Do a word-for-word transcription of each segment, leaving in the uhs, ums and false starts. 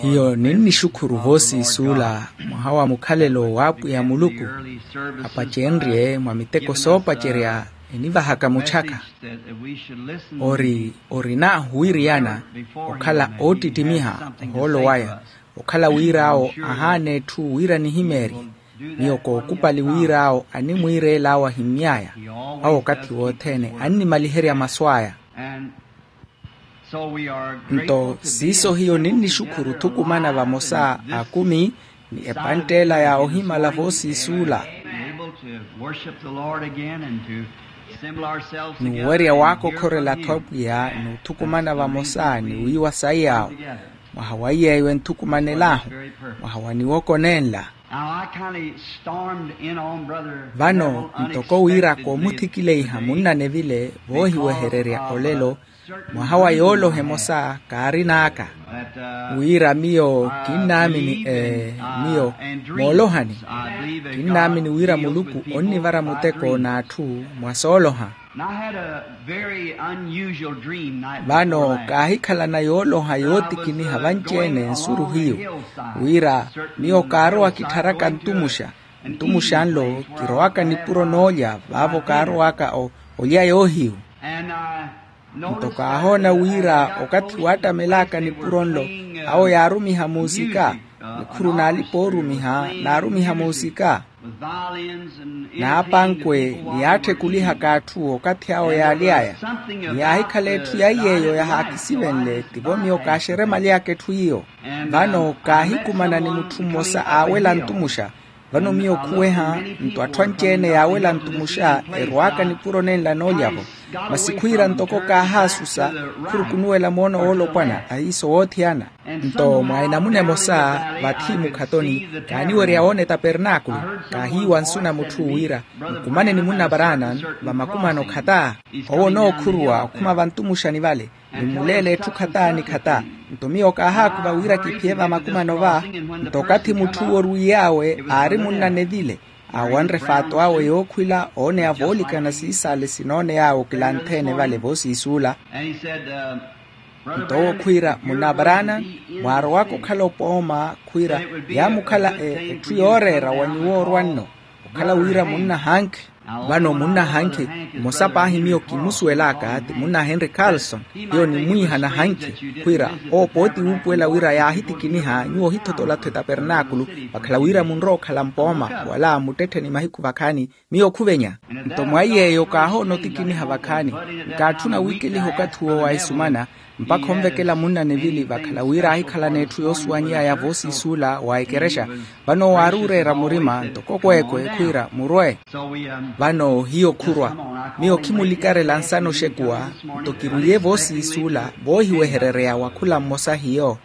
Hiyo ninnixukhuru voosiisuula mwaha wa mukhalelo w'apwiya muluku apacenrye mwa miteko soopacerya enivahaka muchaka. Ori orina huwiriyana okhala oottittimiha ohoolo waya, okhala wira awo ahaana etthu wira nihimeerye. Miyo kookupali wira awo animwiireela awo ahimmy'aya. Awo okathi wothene annimaliherya masu aya. Nto siiso hiyo ninnixukhuru thukumana vamosa akumi ni epantt'ela ya ohimala voosiisuula, n'uwerya waakokhorela-tho apwiya n'uthukumana vamosa ni wiiwa sayi awo. Mwaha wa iy'eyo enthukumanel'ahu mwaha wa niwoko nenla. Vano ntoko wira koomuthikileiha munnane vile voohiwehererya olelo, mwaha wa yooloha emosa kaarin'aka. Wira miyo kinnaamini miyo moolohani kinnaamini wira muluku onnivara muteko n'atthu mwa sooloha. Vano kaahikhalana yooloha yootikiniha vanci-ene nsuru hiyo, wira miyo kaarowa kittharaka ntumuxa ntumuxa nlo kirowaka nipuro noolya vaavo kaarowaka olya yoohiyu. Nto kaahoona wira okathi waattamel'aka nipuro nlo awo yaarumiha muusika, nikhuru n'alipa oorumiha naarumiha muusika, n'apankwe ni yaatthekulihaka atthu okathi awo yaaly'aya. Ni yaahikhala etthu ya iy'eyo yahaakisivenle tivo miyo kaaxeremaly'aka etthu iyo. Vano kaahikumana ni mutthu mmosa aawela ntumuxa. Vano miyo khuweha nto atthu anci-ene yaawela ntumuxa erw'aka nipuro nenla noolya-vo. Masi khwiira ntoko kaahaasusa khurukunuwela moono woolopwana ahiiso woothiyana. Nto mwa enamuna emosa vathi mukhatoni kaaniwerya woona etapernaakulu, kaahiiwa nsu na mutthu wira nkumane ni munna paraana vamakumano khata. Owo onookhuruwa okhuma vantumuxani vale ni mmuleela etthu khata ni khata. Nto miyo kaahaakuva wira kiphiye vamakumano va. Nto okathi mutthu owo orwiiy'awe aari munnane vile aawanre faato awe yookhwila ooneya voolikana siisaale sinooney'awe okilanthe-ene vale voosiisuula. Nto owo khwiira munna abraana mwaarowaka okhala opooma khwiira yaamukhala etthu yooreera wa nyuwo orwa nno okhala wira munnahankhi. Vano munnahankhi mmosa paahi miyo kimusuwel'aka ti munna henri carlson. Hiyo nimwiihana hankhi khwiira owo pooti wuupuwela wira yaahitikiniha nyuwo ohithotola-tho etapernaakulu vakhala wira munrowa okhala mpooma wala muttetthe ni mahiku vakhaani. Miyo khuvenya nto mwa iy'eyo kaahoona otikiniha vakhaani. Nkaatthuna wiikeliha okathi uwo wa esumana mpakha onvekela munnanevili vakhala wira aahikhalana etthu yoosuwany'aya voosiisuula wa ekerexa. Vano owo aari oreera murima ntoko kweekwe khwiira murwe. Vano hiyo khurwa miyo khimulikarela nsana oxekuwa. Nto kirwiiye voosiisuula voohiweherereya wa khula mmosa hiyo.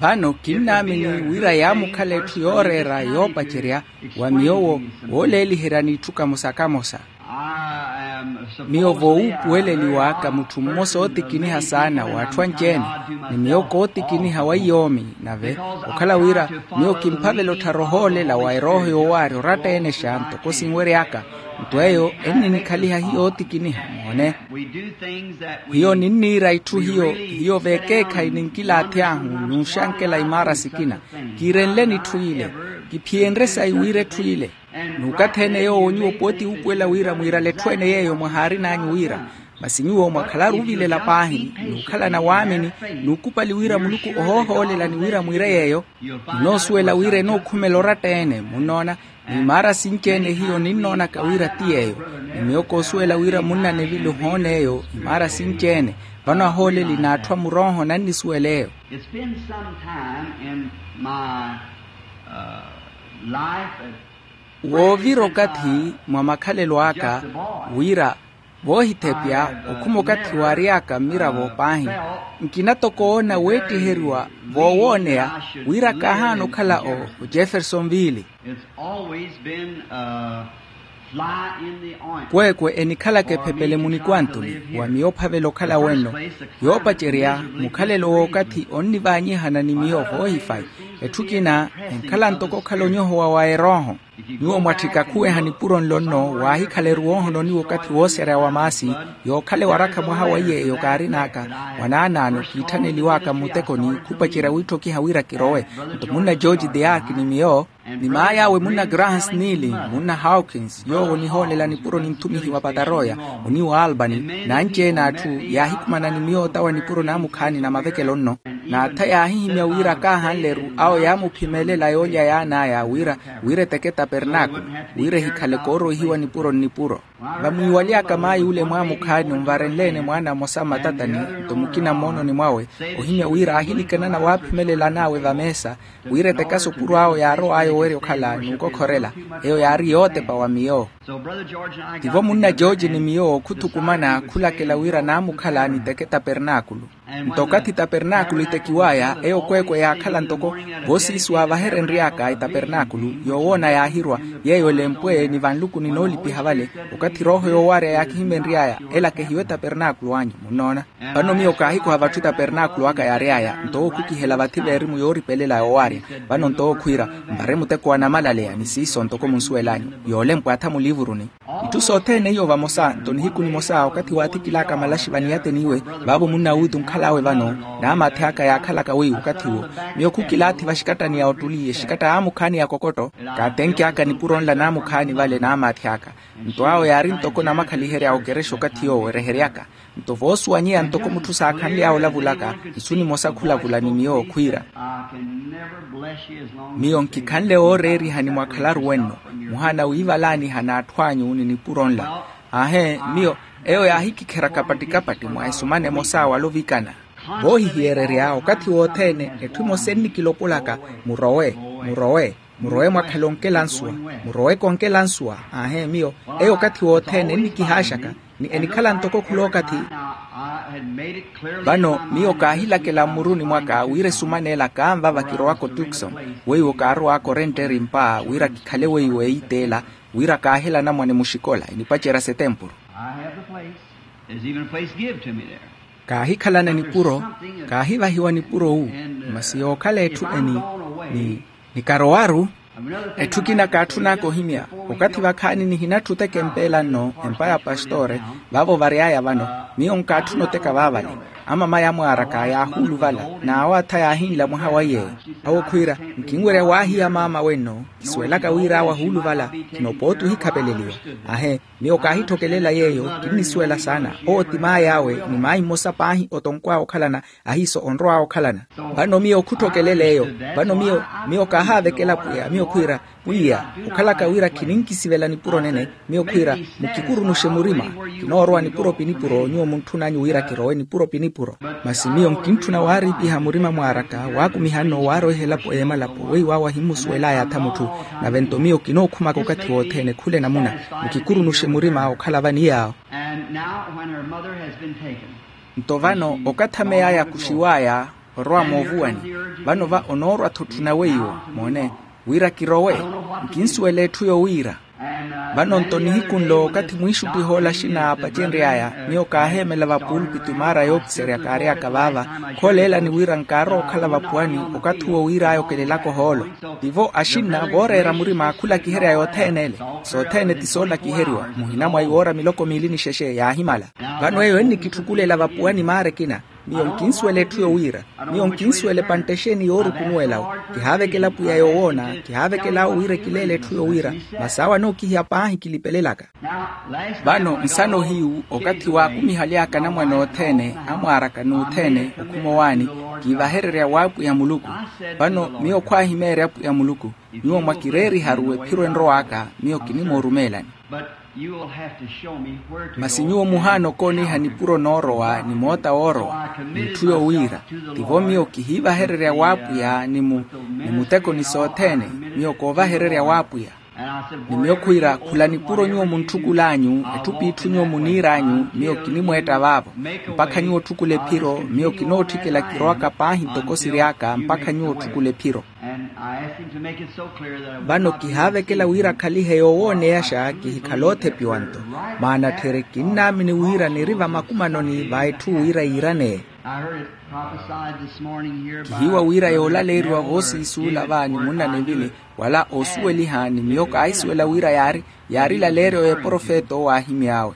Vano kinnaamini wira yaamukhala etthu yooreera yoopacerya wa miyo wooleeliherya n'itthu kamosa kamosa. Miyo voowuupuweleliw'aka mutthu mmosa ootikiniha saana w'atthu anci-ene ni miyo kootikiniha wa iyoomi nave okhala wira miyo kimphavela otthara ohoolela wa erooho yoowaari oratta-enexa ntoko sinwery'aka. Nto eyo enninikhaliha hiyo ootikiniha moone. Hiyo ninniira itthu hiyo hiyo veekeekhayi ninkilaathi ahu n'uxankela imaara sikina kiirenleni itthu ile kiphiyenrye sayi wira etthu ile. N'ukathi-ene yoowo nyuwo pooti wuupuwela wira mwiirale etthu ene yeeyo mwahaarin'anyu wira. Masi nyuwo mwakhalaru ovilela paahi n'ukhalana waamini n'ukupali wira muluku ohoohoolela ni wira mwiire yeeyo. Munoosuwela wira enookhumela oratta-ene munnoona. Ni imaara sinci-ene hiyo ninnoonaka wira ti yeeyo. Ni miyo koosuwela wira munnanevili ohoona eyo imaara sinci-ene. Vano ahooleli n'atthu a murooho nannisuwela eyo. Woovira okathi mwa makhalelo aka wira voohithepya okhuma okathi waary'aka mmiravo paahi. Nkina toko oona weettiheriwa voowooneya wira kaahaana okhala o jeffersonville. Kweekwe enikhalaka ephepele munikwantuni wa miyo ophavela okhala wenno. Yoopacerya mukhalelo w'okathi onnivaanyihana ni miyo voohifayi. Etthu ekina enkhala ntoko okhala onyohowa wa erooho. Nyuwo mwatthika khuweha nipuro nlo nno waahikhala eruwohononi w'okathi wooserya wa maasi, yookhala ewarakha mwaha wa iye eyo kaarin'aka. Mwanaanaano kiitthaneliw'aka mmutekoni khupacerya wiitthokiha wira kirowe. Nto munna george deark ni miyo, ni maay'awe munna graham snili, munna hawkins yoowo onihoolela nipuro ninthumihiwa pataroya, oniwa albany, n'anci-ene atthu, yaahikhumana ni miyo otawa nipuro naamukhaani na mavekelo nno. N'atha yaahihimya wira kaahanleru, awo yaamuphimelela yoolya yaan'aya wira, wira eteke tapernaakulu, wira ehikhale kooroihiwa nipuro nnipuro. Vamwiiwaly'aka maayi ule mwaamukhaani onvarenle-ene mwaana mmosa mmatatani, nto mukina mmoononi mwawe, ohimya wira aahilikanana waaphimelela an'awe vameesa, wira etekaso opuro awo yaarow'aya owerya okhala n'ukokhorela. Eyo yaari yootepa wa miyo. Tivo munna george ni miyo khuthukumana khulakela wira naamukhala niteke tapernaakulu. Nto okathi tapernaakulu itekiw'aya eyo kweekwe yaakhala ntoko, voosiisi waavaherenry'aka etapernaakulu yoowoona yaahirwa, yeeyo elempwe ni vanlukuni noolipiha vale. Okathi erooho yoowarya yaakihimenry'aya, elakehiwe tapernaakulu anyu munnoona. Vano miyo kaahikoha vatthu tapernaakulu aka yaary'aya nto owo khukihela vathi veerimu yooripelela yoowarya. Vano nto owo khwiira, nvare muteko wa namalaleya ni siiso ntoko munsuwel'anyu, yoolempwa atha muliivuruni. Itthu sothene iyo vamosa nto nihiku nimosa okathi waathikil'aka malaxi vaniyateniwe, vaavo munna wuuti onkhal'awe vano, n'amaathi aka yaakhalaka weiwo okathi uwo. Miyo khukilaathi vaxikattani ya ottuli exikatta aamukhaani ya kokotto, kaatenky'aka nipuro nla naamukhaani vale n'amaathi aka. Nto awo yaari ntoko namakhaliherya a okerexa okathi yoowo erehery'aka. Nto voosuwanyeya ntoko mutthu saakhanly'awe olavulaka, isu nimosa khulavula ni miyo khwiira, miyo nkikhanle wooreerihani mwakhalaru wenno, muhana wiivalaaniha n'atthu anyu ni nipuro nla. Aahe miyo, eyo yaahikikherya kapatti-kapatti mwa esumana emosa wala ovikana. Voohihiyererya okathi wothene etthu emosa ennikilopolaka, murowe, murowe, murowe mwakhale onkela nsuwa, murowe konkela nsuwa. Aahe miyo, eyo okathi wothene ennikihaaxaka, ni enikhala ntoko khul'okathi. Vano miyo kaahilakela mmuruni mwaka wira esuman'ela kaanvava kirowaka otukson, weiwo kaarowaka orenteri mpa wira kikhale weiwo eiteela, wira kaahela anamwane muxikola enipacerya setempuru. Kaahikhalana nipuro, kaahivahiwa nipuro wu, masi yookhala etthu eni, ni nikarowaru. Etthu ekina kaatthun'aka ohimya, okathi vakhaani nihinatthu oteka empeela nno empa ya pastore, vaavo vary'aya vano, miyo nkaatthuna oteka vaavale. Amamaya amwaaraka yaahuuluvala, n'awo atha yaahinla mwaha wa iyeeyo. Awo khwiira, nkinwerya waahiya maama wenno, kisuwelaka wira awo ahuuluvala, kinopooti ohikhapeleliwa. Ahe, miyo kaahithokelela yeeyo, kinnisuwela saana. Owo ti maay'awe ni maayi mmosa paahi otonkw'awe okhalana, ahiiso onrow'awe okhalana. Vano miyo khutthokelela eyo, vano miyo, miyo kaahaavekela pwiya miyo khwiira, pwiya, okhalaka wira khininkisivela nipuro nene, miyo khwiira, mukikurunuxe murima. Kinoorowa nipuro pi nipuro nyuwo muntthun'anyu wira kirowe nipuro pi nipuro. Masi miyo nkintthuna waariipiha murima mwaaraka waakumiha nno waarowihela elapo y'emalapo weiwo awo ahimmusuwel'aya atha mutthu. Nave nto miyo kinookhumaka okathi wothene khula enamuna, mukikurunuxe murima okhala vaniy'awo. Nto vano okathi ameya yakuxiw'aya, orowa moovuwani. Vano va onoorwa-tho otthuna weiwo, moone, wira kirowe. Nkinsuwela etthu yowiira. Vano nto nihiku nlo okathi mwiixuttiha ola axina aapacenry'aya, miyo kaaheemela vapuulupiti maara yookiserya kaary'aka vaava, khooleelani wira nkaarowa okhala vapuwani okathi uwo wiir'aya okelelaka ohoolo. Tivo axinna vooreera murima khulakiherya yothene ele. Sothene ti soolakiheriwa, muhina mwa iwoora miloko miili ni xexe yaahimala. Vano eyo ennikitthukulela vapuwani maara ekina. Miyo nkinsuwela etthu yowiira. Miyo nkinsuwela epantta exeeni yoorukunuwela-wo. Kihaavekela pwiya yoowoona, kihaavekela awo wira ekileele etthu yowiira. Masi awo anookihiya paahi kilipelelaka. Vano nsana ohiyu okathi waakumihaly'aka anamwane othene amwaaraka n'uthene okhuma owaani, kiivahererya w'apwiya muluku. Vano miyo khwaahimeerya pwiya muluku, nyuwo mwakireeriharu ephiro enrow'aka, miyo kinimoorumeelani. Masi nyuwo muhaana okooniha nipuro noorowa ni moota woorowa, n'itthu yowiira. Tivo miyo kihiivahererya w'apwiya ni mu ni muteko ni sothene, miyo koovahererya w'apwiya. Ni miyo khwiira khula nipuro nyuwo muntthukulaanyu, etthu p'itthu nyuwo muniir'anyu miyo kinimweetta vaavo, mpakha nyuwo otthukula ephiro. Miyo kinootthikela kirowaka paahi ntoko siry'aka mpakha nyuwo otthukula ephiro. Vano kihaavekela wira akhalihe yoowooneyaxa kihikhala oothepiwa-nto. Maana tthiri kinnaamini wira niri vamakumanoni va etthu wira yiiraneye. Kihiiwa wira yoolaleeriwa voosiisuula va ni munna nivili wala oosuweliha ni miyo kaahisuwela wira yaari yaari laleeryo y'eprofeta owo aahimy'awe.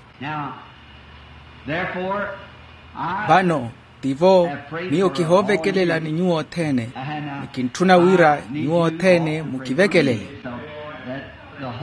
Vano tivo miyo kihoovekelela ni nyuwo othene, ni kintthuna wira nyuwo othene mukivekelele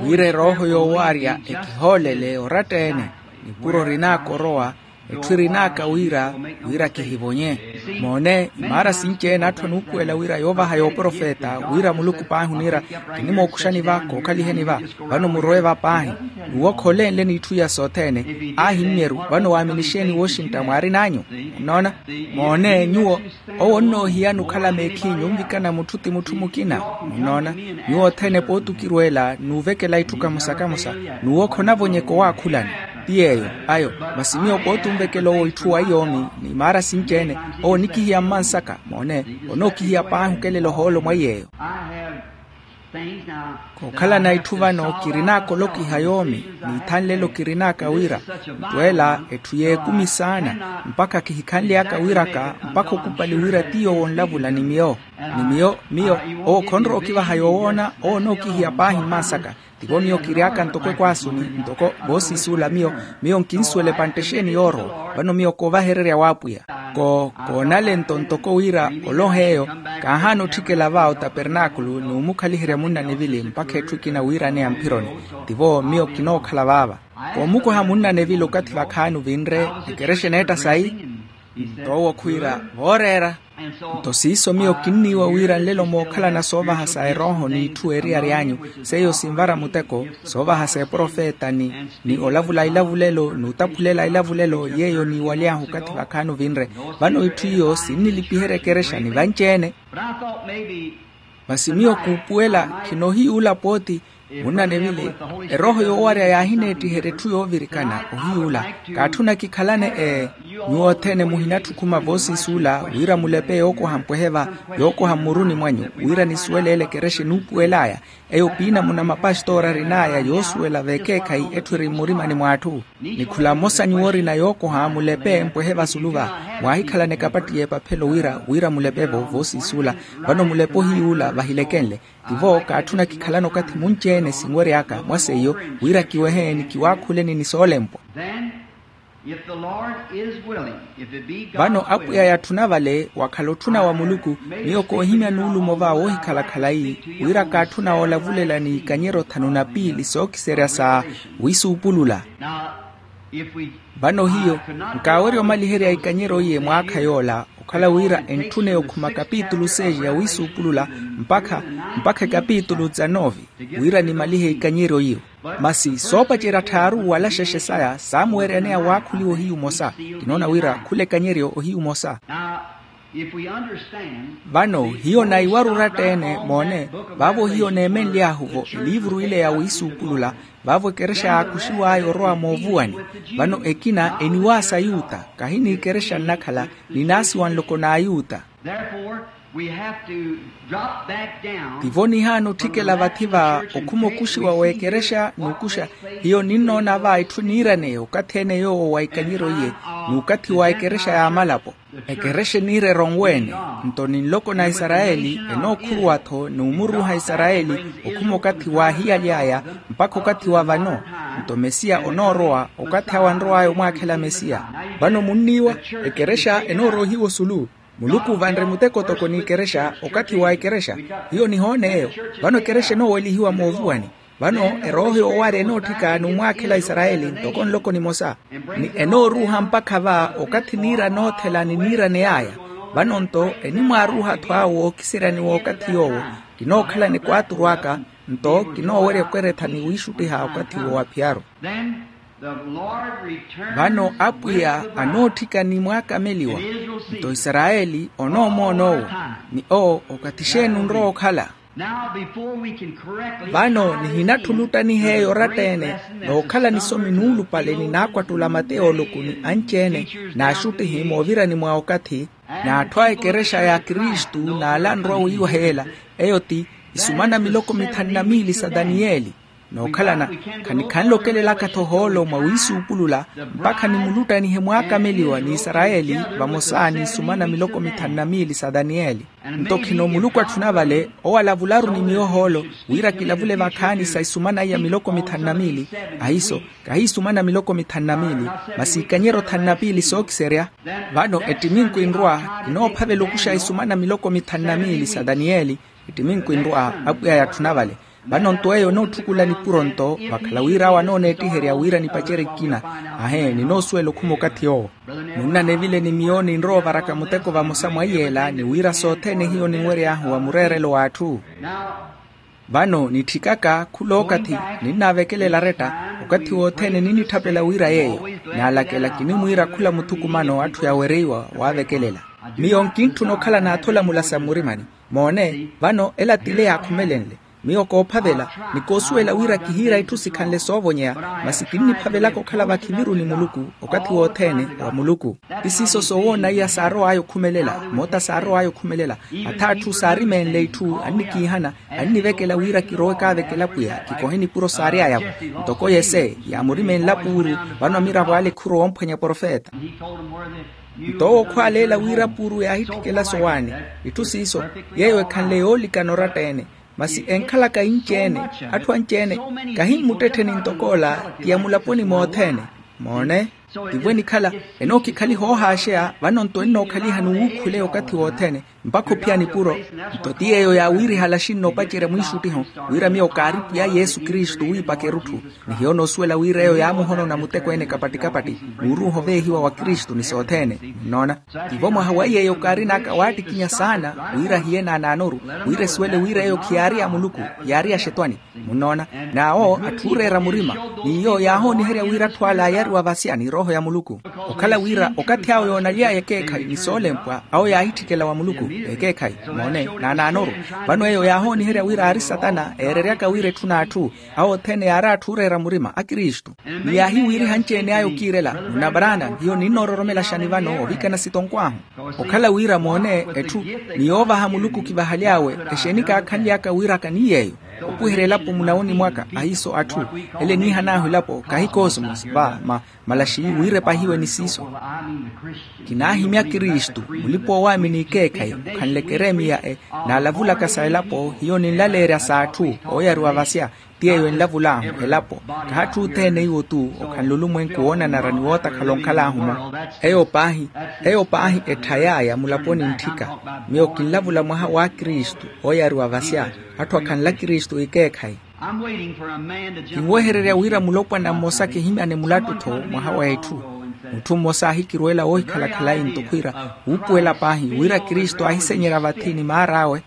wira erooho yoowaarya ekihoolele oratta-ene. Nipuro rin'aka orowa, etthu erin'aka wira wira kihivonye. Moone imaara sinci-ene atthu anuupuwela wira yoovaha y'oprofeta wira muluku paahi oniira kinimookuxani va kookhaliheni va. Vano murowe va paahi nuwo khoolenle n'itthu iya sothene. Ahimmyeru vano waaminixeeni wooxintta mwaarin'anyu. Munnoona? Moone nyuwo owo onnoohiyani okhala meekhinyu onvikana mutthu ti mutthu mukina. Munnoona? Nyuwo othene pooti okirweela n'uvekela itthu kamosa-kamosa n'uwo khonavonyeka owaakhulani. Ti yeeyo ayo. Masi miyo pooti onvekela owo itthu waiy'omi n'imaara sinci-ene owo onikihiya mmansaka. Moone onookihiya paahi okelela ohoolo mwaiy'eyo. Kookhalana itthu vano kirin'aka olokiha yoomi n'ithanlelo kirin'aka wira ntweela etthu y'ekumi saana mpakha kihikhanly'aka wiraka mpakha okupali wira ti yoowo onlavula ni miyo. Ni miyo miyo owo khonrowa okivaha yoowoona owo onookihiya paahi mmansaka. Tivo miyo kiry'aka ntoko ekwaasuni ntoko voosiisuula miyo miyo nkinsuwela epantte exeeni yoorowa vano miyo koovahererya w'apwiya. Koonale-nto ntoko wira olonha eyo kaahaana otthikela va otapernaakulu n'umukhaliherya munna nivili mpakha etthu ekina wiiraneya mphironi. Tivo miyo kinookhala vaava koomukoha munna nivili okathi vakhaani ovinre ekerexa eneetta sayi. Nto owo khwiira vooreera. Nto siiso miyo kinniiwa wira nlelo mookhalana soovaha sa erooho n'itthu eriyari anyu seiyo sinvara muteko soovaha s'eprofeta ni ni olavula ilavulelo n'utaphulela ilavulelo yeeyo niiwaly'ahu okathi vakhaani ovinre. Vano itthu iyo sinnilipiherya ekerexa ni vanci-ene. Masi miyo kuupuwela khinohiyuula pooti munna nivili erooho yoowarya yaahineettiherya etthu yoovirikana ohiyuula. Kaatthuna kikhalane ee nyuwo othene muhinatthi okhuma voosiisuula wira mulepe yookoha mpwehe va yookoha mmuruni mwanyu wira nisuwele ele ekerexa enuupuwel'aya. Eyo piinamuna mapastoora arin'aya yoosuwela v'ekeekhayi etthu eri mmurimani mw'atthu ni khula mmosa nyuwo orina yookoha mulepe mpwehe vasulu va. Mwaahikhalana ekapatti y'epaphelo wira wira mulepe-vo voosiisuula vano mulepe ohiyuula vahilekenle. Tivo kaatthuna kikhalana okathi munci-ene sinwery'aka mwa seiyo wira kiwehe ni kiwaakhuleni ni soolempwa. Vano apwiya yatthuna vale wakhala otthuna wa muluku miyo koohimya nuulumo va woohikhala khalayi wira kaatthuna woolavulela n'ikanyeryo thanu na piili sookiserya sa wiisuupulula. Vano hiyo nkaawerya omaliherya ikanyeryo iye mwaakha yoola okhala wira entthuneya okhuma kapitulu seis ya wiisuupulula mpakha mpakha ekapitulu dza novi wira nimalihe ikanyeryo iyo. Masi soopacerya tthaaru wala xexe saya saamuweryaneya waakhuliwa ohiyu omosa. Kinoona wira khula ekanyeryo ohiyu omosa. Vano hiyo naiwara oratta-ene moone vaavo hiyo neemenly'ahu-vo eliivuru ile ya wiisuupulula vaavo ekerexa yaakuxiw'aya orowa moovuwani. Vano ekina eniwaasa ayuta kahi n'ikerexa nnakhala ninaasiwa nloko n'ayuta. Tivo nihaana otthikela vathi va okhuma okuxiwa w'ekerexa n'ukuxa hiyo ninnoona va etthu eniiraneya okathi ene yoowo wa ikanyeryo iye n'ukathi wa ekerexa y'amalapo. Ekerexa eniira eronwe-ene nto ni nloko na isarayeli enookhuruwa-tho n'umuruuha isarayeli okhuma okathi waahiyaly'aya mpakha okathi wa vano. Nto mesiya onoorowa okathi awe anrow'aya omwaakhela mesiya. Vano munniiwa ekerexa enoorohiwa osulu. Muluku vanre muteko toko n'ikerexa okathi wa ekerexa hiyo nihoona eyo. Vano ekerexa enoowelihiwa moovuwani. Vano erooho yoowarya enootthika n'umwaakhela isarayeli ntoko nloko nimosa ni enooruuha mpakha va okathi niira noothela ni niiraney'aya. Vano-nto enimwaaruuha-tho awo ookiseryani w'okathi yoowo kinookhalani kwaaturu aka nto kinoowerya okweretha ni wiixuttiha okathi wo wa phiyaru. Vano apwiya anootthika ni mwaakameliwa nto isarayeli onoomoona owo ni owo okathi xeeni onrowa okhala. Vano nihinatthu onuttaniha eyo oratta-ene nookhala nisomi nuulupale ni naakwattula mateyo oluku ni anci-ene n'axuttihi moovirani mwa okathi. N'atthu a ekerexa ya kristu n'ala anrwa weiwa heela, eyo ti isumana miloko mithanu na miili sa daniyeli. Nookhalana, khanikhanle okelelaka-tho ohoolo mwa wiisuupulula mpakha nimuluttanihe mwaakameliwa n'isarayeli, vamosa n'isumana miloko mithanu na miili sa daniyeli. Nto khino muluku atthuna vale owo alavularu ni miyo ohoolo, wira kilavule vakhaani sa isumana iya miloko mithanu na miili. Ahiiso, kahi isumana miloko mithanu na miili, masi ikanyeryo thanu na piili sookiserya. Vano ettiminku enrwa, kinoophavela okuxa isumana miloko mithanu na miili sa daniyeli. Ettiminku enrwa, apwiya yatthuna vale. Vano nto eyo enootthukulla nipuro nto vakhala wira awo anooneettiherya wira nipacerye ekina. Ahe, ninoosuwela okhuma okathi owo. Munnanevile ni miyo ninrowa ovaraka muteko vamosa mwa iyeela ni wira sothene hiyo ninwery'ahu wa mureerelo w'atthu. Vano nitthikaka khula okathi, ninnaavekelela aretta. Okathi wothene ninnitthapela wira yeeyo, naalakela kinimwiira khula muthukumano atthu yaawereiwa waavekelela. Miyo nkintthuna okhala n'atholamula sa mmurimani. Moone, vano ela t'ile yaakhumelenle. Miyo koophavela, ni koosuwela wira kihiira itthu sikhanle soovonyeya, masi kinniphavelaka okhala vakhiviru ni muluku, okathi wothene wa muluku. Ti siiso soowoona iya saarow'aya okhumelela, moota saarow'aya okhumelela. Atha atthu saarimeenle itthu annikiihana, annivekela wira kirowe kaavekela pwiya kikohe nipuro saary'aya-vo. Ntoko yese yaamurimeenla puuru, vano amiravo ale khurowa omphwanya profeta. Nto owo khwaaleela wira puuru yaahitthikela sowaani. Itthu siiso, yeeyo ekhanle yoolikana oratta-ene. Masi enkhalaka inci-ene, atthu anci-ene, kahi mmuttettheni ntok'ola, ti ya mulaponi mothene. Moone, tivo enikhala, enookikhaliha oohaaxeya vano nto ennookhaliha ni wuukhule okathi wothene, mpakha ophiya nipuro. Nto ti yeeyo yaawiirihala axinno opacerya mwiixuttiho, wira miyo kaari pwiya yesu kristu wiipaka erutthu. Ni hiyo noosuwela wira eyo yaamuhonona muteko-ene kapattikapatti, n'uruuha oveehiwa wa kristu ni sothene. Munnoona? Tivo mwaha wa yeeyo kaarin'aka waattikinya saana, wira ahiye naanaanoru, wira esuwele wira eyo khiyaari ya muluku, yaari ya xetwani. Munnoona? N'awo atthu ooreera murima, n'iyo yaahooniherya wira atthu ala ayariwa vasya ni rooho ya muluku. Okhala wira okathi awo yoonaly'aya ekeekhayi ni soolempwa awo yaahitthikela wa muluku. Ekeekhayi, moone, naanaanoru. Vano eyo yaahooniherya wira aari satana eereryaka wira etthu n'atthu. Awo othene yaari atthu ooreera murima a kristu. Ni yaahiwiiriha anci-ene aya okiirela, munabaraana hiyo ninnoororomelaxani vano ovikana sitonkw'ahu. Okhala wira moone, etthu ni yoovaha muluku kivahaly'awe. Exeeni kaakhanly'aka wiiraka ni yeeyo? Opwiherya elapo munawoni mwaka ahiiso atthu, ele niihan'ahu elapo kahi kosmos va ma malaxi wiirepahiwe ni siiso. Kinaahimya kristu, mulipa-oowaamini ekeekhayi okhanle keremiya e, naalavulaka sa elapo hiyo ninlaleerya s'atthu ooyariwa vasya. Ti eyo enlavul'ahu elapo, kahatthu othene iwo-tu. Okhanle olumwenku woonanara ni wootakhala onkhal'ahu-mo. Eyo paahi, eyo paahi etthay'aya mulaponi ntthika. Miyo kinlavula mwaha wa kristu ooyariwa vasya, atthu akhanla kristu ekeekhayi. Kinwehererya wira mulopwana mmosa kihimyane mulattu-tho mwaha w'etthu. Mutthu mmosa aahikirweela woohikhala khalayi nto khwiira, wuupuwela paahi wira kristu aahisenyerya vathi ni maar'awe,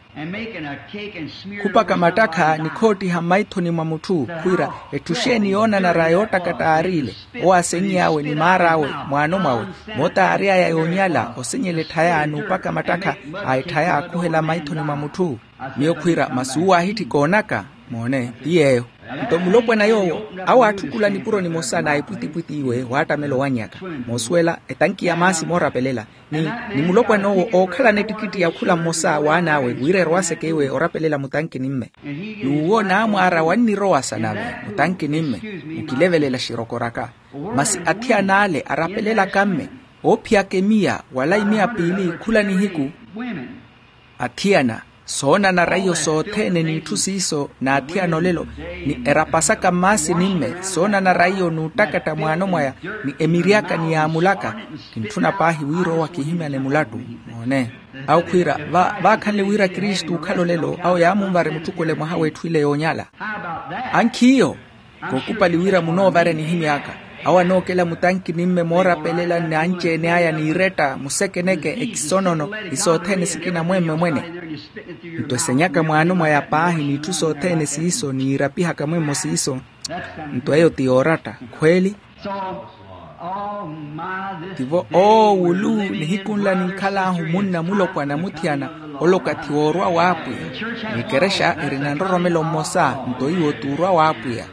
khupaka mattakha ni khoottiha mmaithoni mwa mutthu khwiira, etthu xeeni yoonanara yoottakatta aariile? Owo aaseny'awe ni maar'awe, mwaano mwawe, moota aary'aya yoonyala osenyela etthaya n'upaka mattakha a etthaya aakhuhela mmaithoni mwa mutthu. Miyo khwiira masi uwo aahitthika oonaka. Moone, ti yeeyo. Nto mulopwana yoowo, awo aatthukula nipuro nimosa na epwitipwiti iwe waattamela owannyaka, moosuwela etanki ya maasi moorapelela. Ni, ni mulopwana owo ookhalana ettikitti ya khula mmosa w'an'awe wira erwaaseke iwe orapelela mutanki ni mme. N'uwo naamwaara wannirowasa nave mutanki ni mme, mukilevelela xirokoraka. Masi athiyana ale arapelelaka mme, oophiyaka emiya wala imiya piili khula nihiku. Athiyana, soonanara iyo sothene n'itthu siiso n'athiyana olelo, ni erapasaka mmaasi ni mme soonanara iyo n'uttakatta mwaano mwaya, ni emiry'aka ni yaamul'aka. Kintthuna paahi wira owo akihimyane mulattu. Moone, awo khwiira, vaakhanle wira kristu okhala olelo awo yaamunvare mutthukule mwaha w'etthu ile yoonyala. Ankhiiyo, kookupali wira munoovarya nihimy'aka. Awo anookela mutanki ni mme moorapelela n'anci-ene aya n'iretta musekeneke ekisonono, ni sothene sikina mwemme mwene. Nto esenyaka mwaano mwaya paahi n'itthu sothene siiso n'irapihaka mwemmo siiso. Nto eyo ti yooratta khweeli. Tivo oowulu nihiku nla ninkhal'ahu munna mulopwana muthiyana, ole okathi woorwa w'apwiya. N'ekerexa erina nroromelo mmosa nto iwo t'urwa w'apwiya.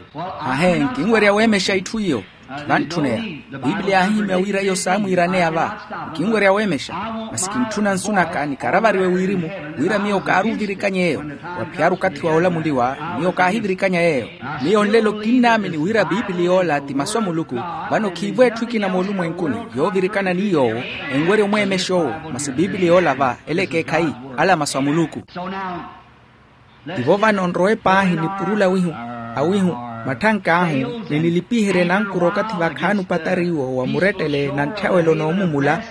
Ahe, nkinwerya weemexa itthu iyo. Vantthuna eya. Piipiliya yaahihimya wira iyo saamwiiraneya va. Nkinwerya weemexa, masi kintthuna nsu naka nikaravariwe wirimu, wira miyo kaaruvirikany'eyo. Waphiyari okathi wa olamuliwa, miyo kaahivirikanya yeeyo. Miyo nlelo kinnaamini wira piipiliya ola ti masu a muluku. Vano khiivo etthu ekina moolumwenkuni yoovirikana ni yoowo, enwerya omweemexa owo. Masi piipiliya ola va, ela ekeekhayi, ala masu a muluku. Tivo vano nrowe paahi nipurula awihu, awihu, matthank'ahu, ni nilipiherye nankura okathi vakhaani opatari iwo wa murettele na nthyawelo n'omumula.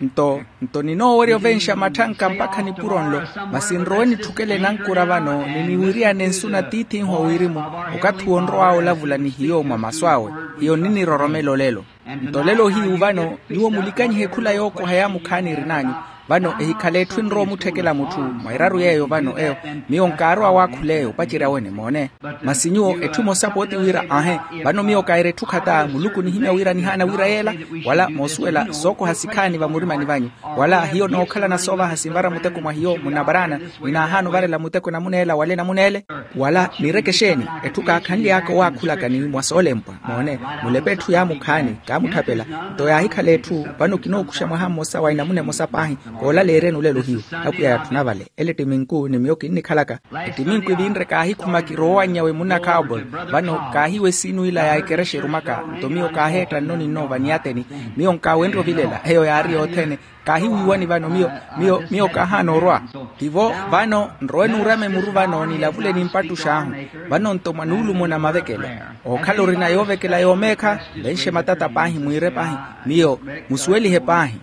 Nto nto ninoowerya ovenxa matthanka mpakha nipuro nlo. Masi nrowe nitthukele nankura vano ni niwiriyane nsu na tiith'ihu a wirimu. Okathi owo nrow'awe olavula ni hiyo mwa masu awe, hiyo niniroromela olelo. Nto lelo hiyu vano nyuwo mulikanyihe khula yookoha yaamukhaani erin'anyu. Vano ehikhale etthu enrowa omutthekela mutthu mwa eraru yeeyo vano eyo. Miyo nkaarow'awe akhul'eyo opacerya wene moone. Masi nyuwo etthu emosa pooti wira ahe, vano miyo kaira etthu khata muluku nihimya wira nihaana wira yeela, wala moosuwela sookoha sikhaani vamurimani vanyu, wala hiyo nookhalana soovaha sinvara muteko mwa hiyo munavaraana, ninaahaana ovarela muteko enamun'ela wala enamun'ele. Wala niireke exeeni? Etthu kaakhanly'aka owaakhulaka ni mwa soolempwa moone, mulepe etthu yaamukhaani kaamutthapela. Nto yaahikhala etthu, vano kinookuxa mwaha mmosa wa enamuna emosa paahi. Koolaleeryeni olelo hiyo. Apwiya yatthuna vale. Ele ettiminku ni miyo kinnikhalaka. Ettiminku evinre kaahikhuma kirowa nyawe munna cowboy. Vano kaahiwa esiinu ila ya ekerexa erumaka. Nto miyo kaaheetta nno ni nno vaniyateni. Miyo nkaawenrye ovilela eyo yaari yothene. Kaahiwiiwani vano miyo, miyo miyo kaahaana orwa. Tivo vano nrowe nuurama emuru vano nilavule nimpattux'ahu. Vano nto mwa nuulumo na mavekelo, ookhala orina yoovekela yoomeekha, venxe matata paahi mwiire paahi. Miyo musuwelihe paahi.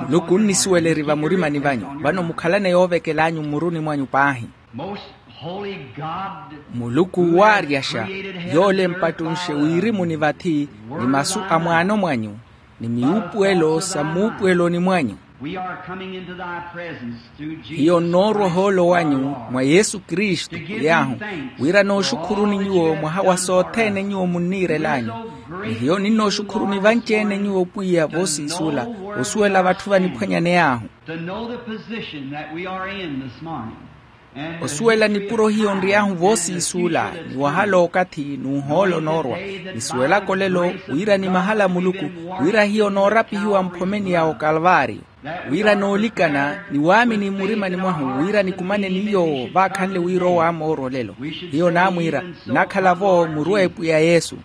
Muluku onnisuwela eri vamurimani vanyu. Vano mukhalane yoovekel'anyu mmuruni mwanyu paahi. Muluku waaryaxa, yoole empattunxe wiirimuni vathi, ni masu a mwaano mwanyu, ni miupuwelo sa muupuweloni mwanyu. Hiyo nnoorwa ohoolo wanyu mwa yesu kristu pwiy'ahu, wira nooxukhuruni nyuwo mwaha wa sothene nyuwo munniirel'anyu. Ni hiyo ninnooxukhuruni vanci-ene nyuwo pwiya voosiisula, osuwela vatthu vaniphwanyaney'ahu. Osuwela nipuro hiyo nry'ahu voosiisula, ni wahala okathi n'uhoolo onoorwa. Nisuwelaka olelo wira ni mahala a muluku, wira hiyo noorapihiwa mphomeni ya okalvario, wira noolikana ni waamini mmurimani mwahu wira nikumane ni yoowo vaakhanle wira owo aamoorwa olelo. Hiyo naamwiira, nnakhala-vo muruwa epwiya yesu.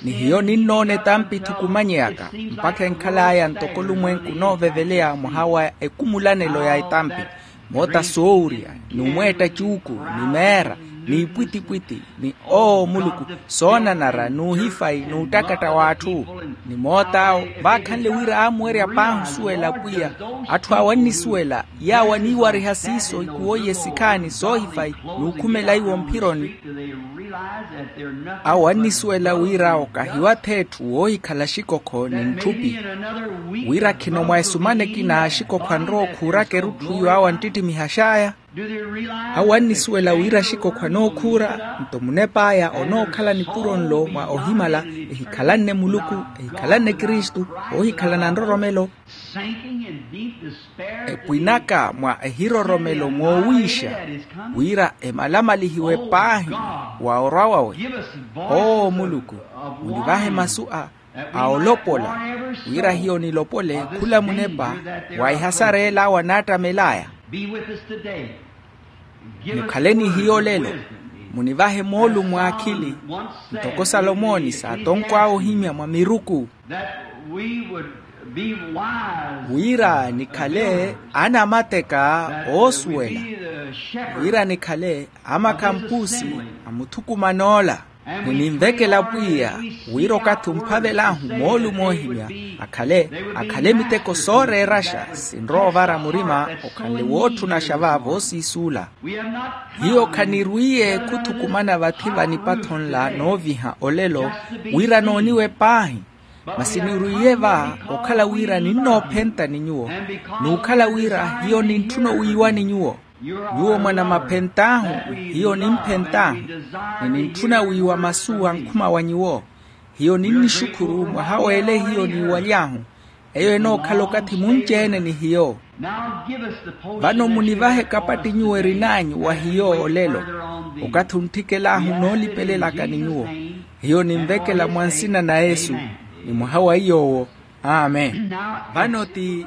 Ni hiyo ninnoona etampi ethukumanyeyaka, mpakha enkhal'aya ntoko olumwenku onooveveleya mwaha wa ekumulanelo ya etampi. Moota soowurya, ni omweetta cuuku, ni meera, ni ipwitipwiti, ni oo muluku, soonanara n'uhifayi n'uttakatta w'atthu. Ni moot'awo vaakhanle wira aamuwerya paahi osuwela pwiya. Atthu awo annisuwela, yaawo aniiwariha siiso ikuwo iye sikhaani soohifayi n'ukhumela iwo mphironi. Awo annisuwela wira okahiwa-tho etthu woohikhala axikokho ni ntthupi, wira khino mwa esumana ekina axikokho anrowa okhuuraka erutthu iyo awo anttittimihax'aya. Awo annisuwela wira axikokho anookhuura. Nto munep'aya onookhala nipuro nlo mwa ohimala, ehikhalanne muluku, ehikhalanne kristu, oohikhalana nroromelo, epwinaka mwa ehiroromelo moowiixa, wira emalamalihiwe paahi wa orwa wawe. Oo muluku, munivahe masu a a olopola, wira hiyo nilopole khula munepa wa ehasareela awo anaattamel'aya. Mukhale ni hiyo olelo, munivahe moolumo a akhili, ntoko salomoni saatonkw'awe ohimya mwa miruku, wira nikhale anamateka oosuwela, wira nikhale amakhampusi a muthukuman'ola. Muninvekela pwiya wira okathi omphavel'ahu moolumo oohimya, akhale akhale miteko sooreeraxa sinrowa ovara murima, okhanle wootthunaxa va voosiisuula. Hiyo khanirwiye khuthukumana vathi va nipatho nla nooviha olelo, wira nooniwe paahi. Masi nirwiye va okhala wira ninnoophenta ni nyuwo, n'ukhala wira hiyo nintthuna owiiwani nyuwo. Nyuwo mwanamaphent'ahu, hiyo nimphent'ahu, ni nintthuna wiiwa masu ankhuma wa nyuwo. Hiyo ninnixukhuru mwaha w'ele hiyo niiwaly'ahu. Eyo enookhala okathi munci-ene ni hiyo. Vano munivahe kapatti nyuwo erin'anyu wa hiyo olelo, okathi ontthikel'ahu noolipelelaka ni nyuwo. Hiyo ninvekela mwa nsina na yesu, ni mwaha wa iy'owo. Amen. Vano ti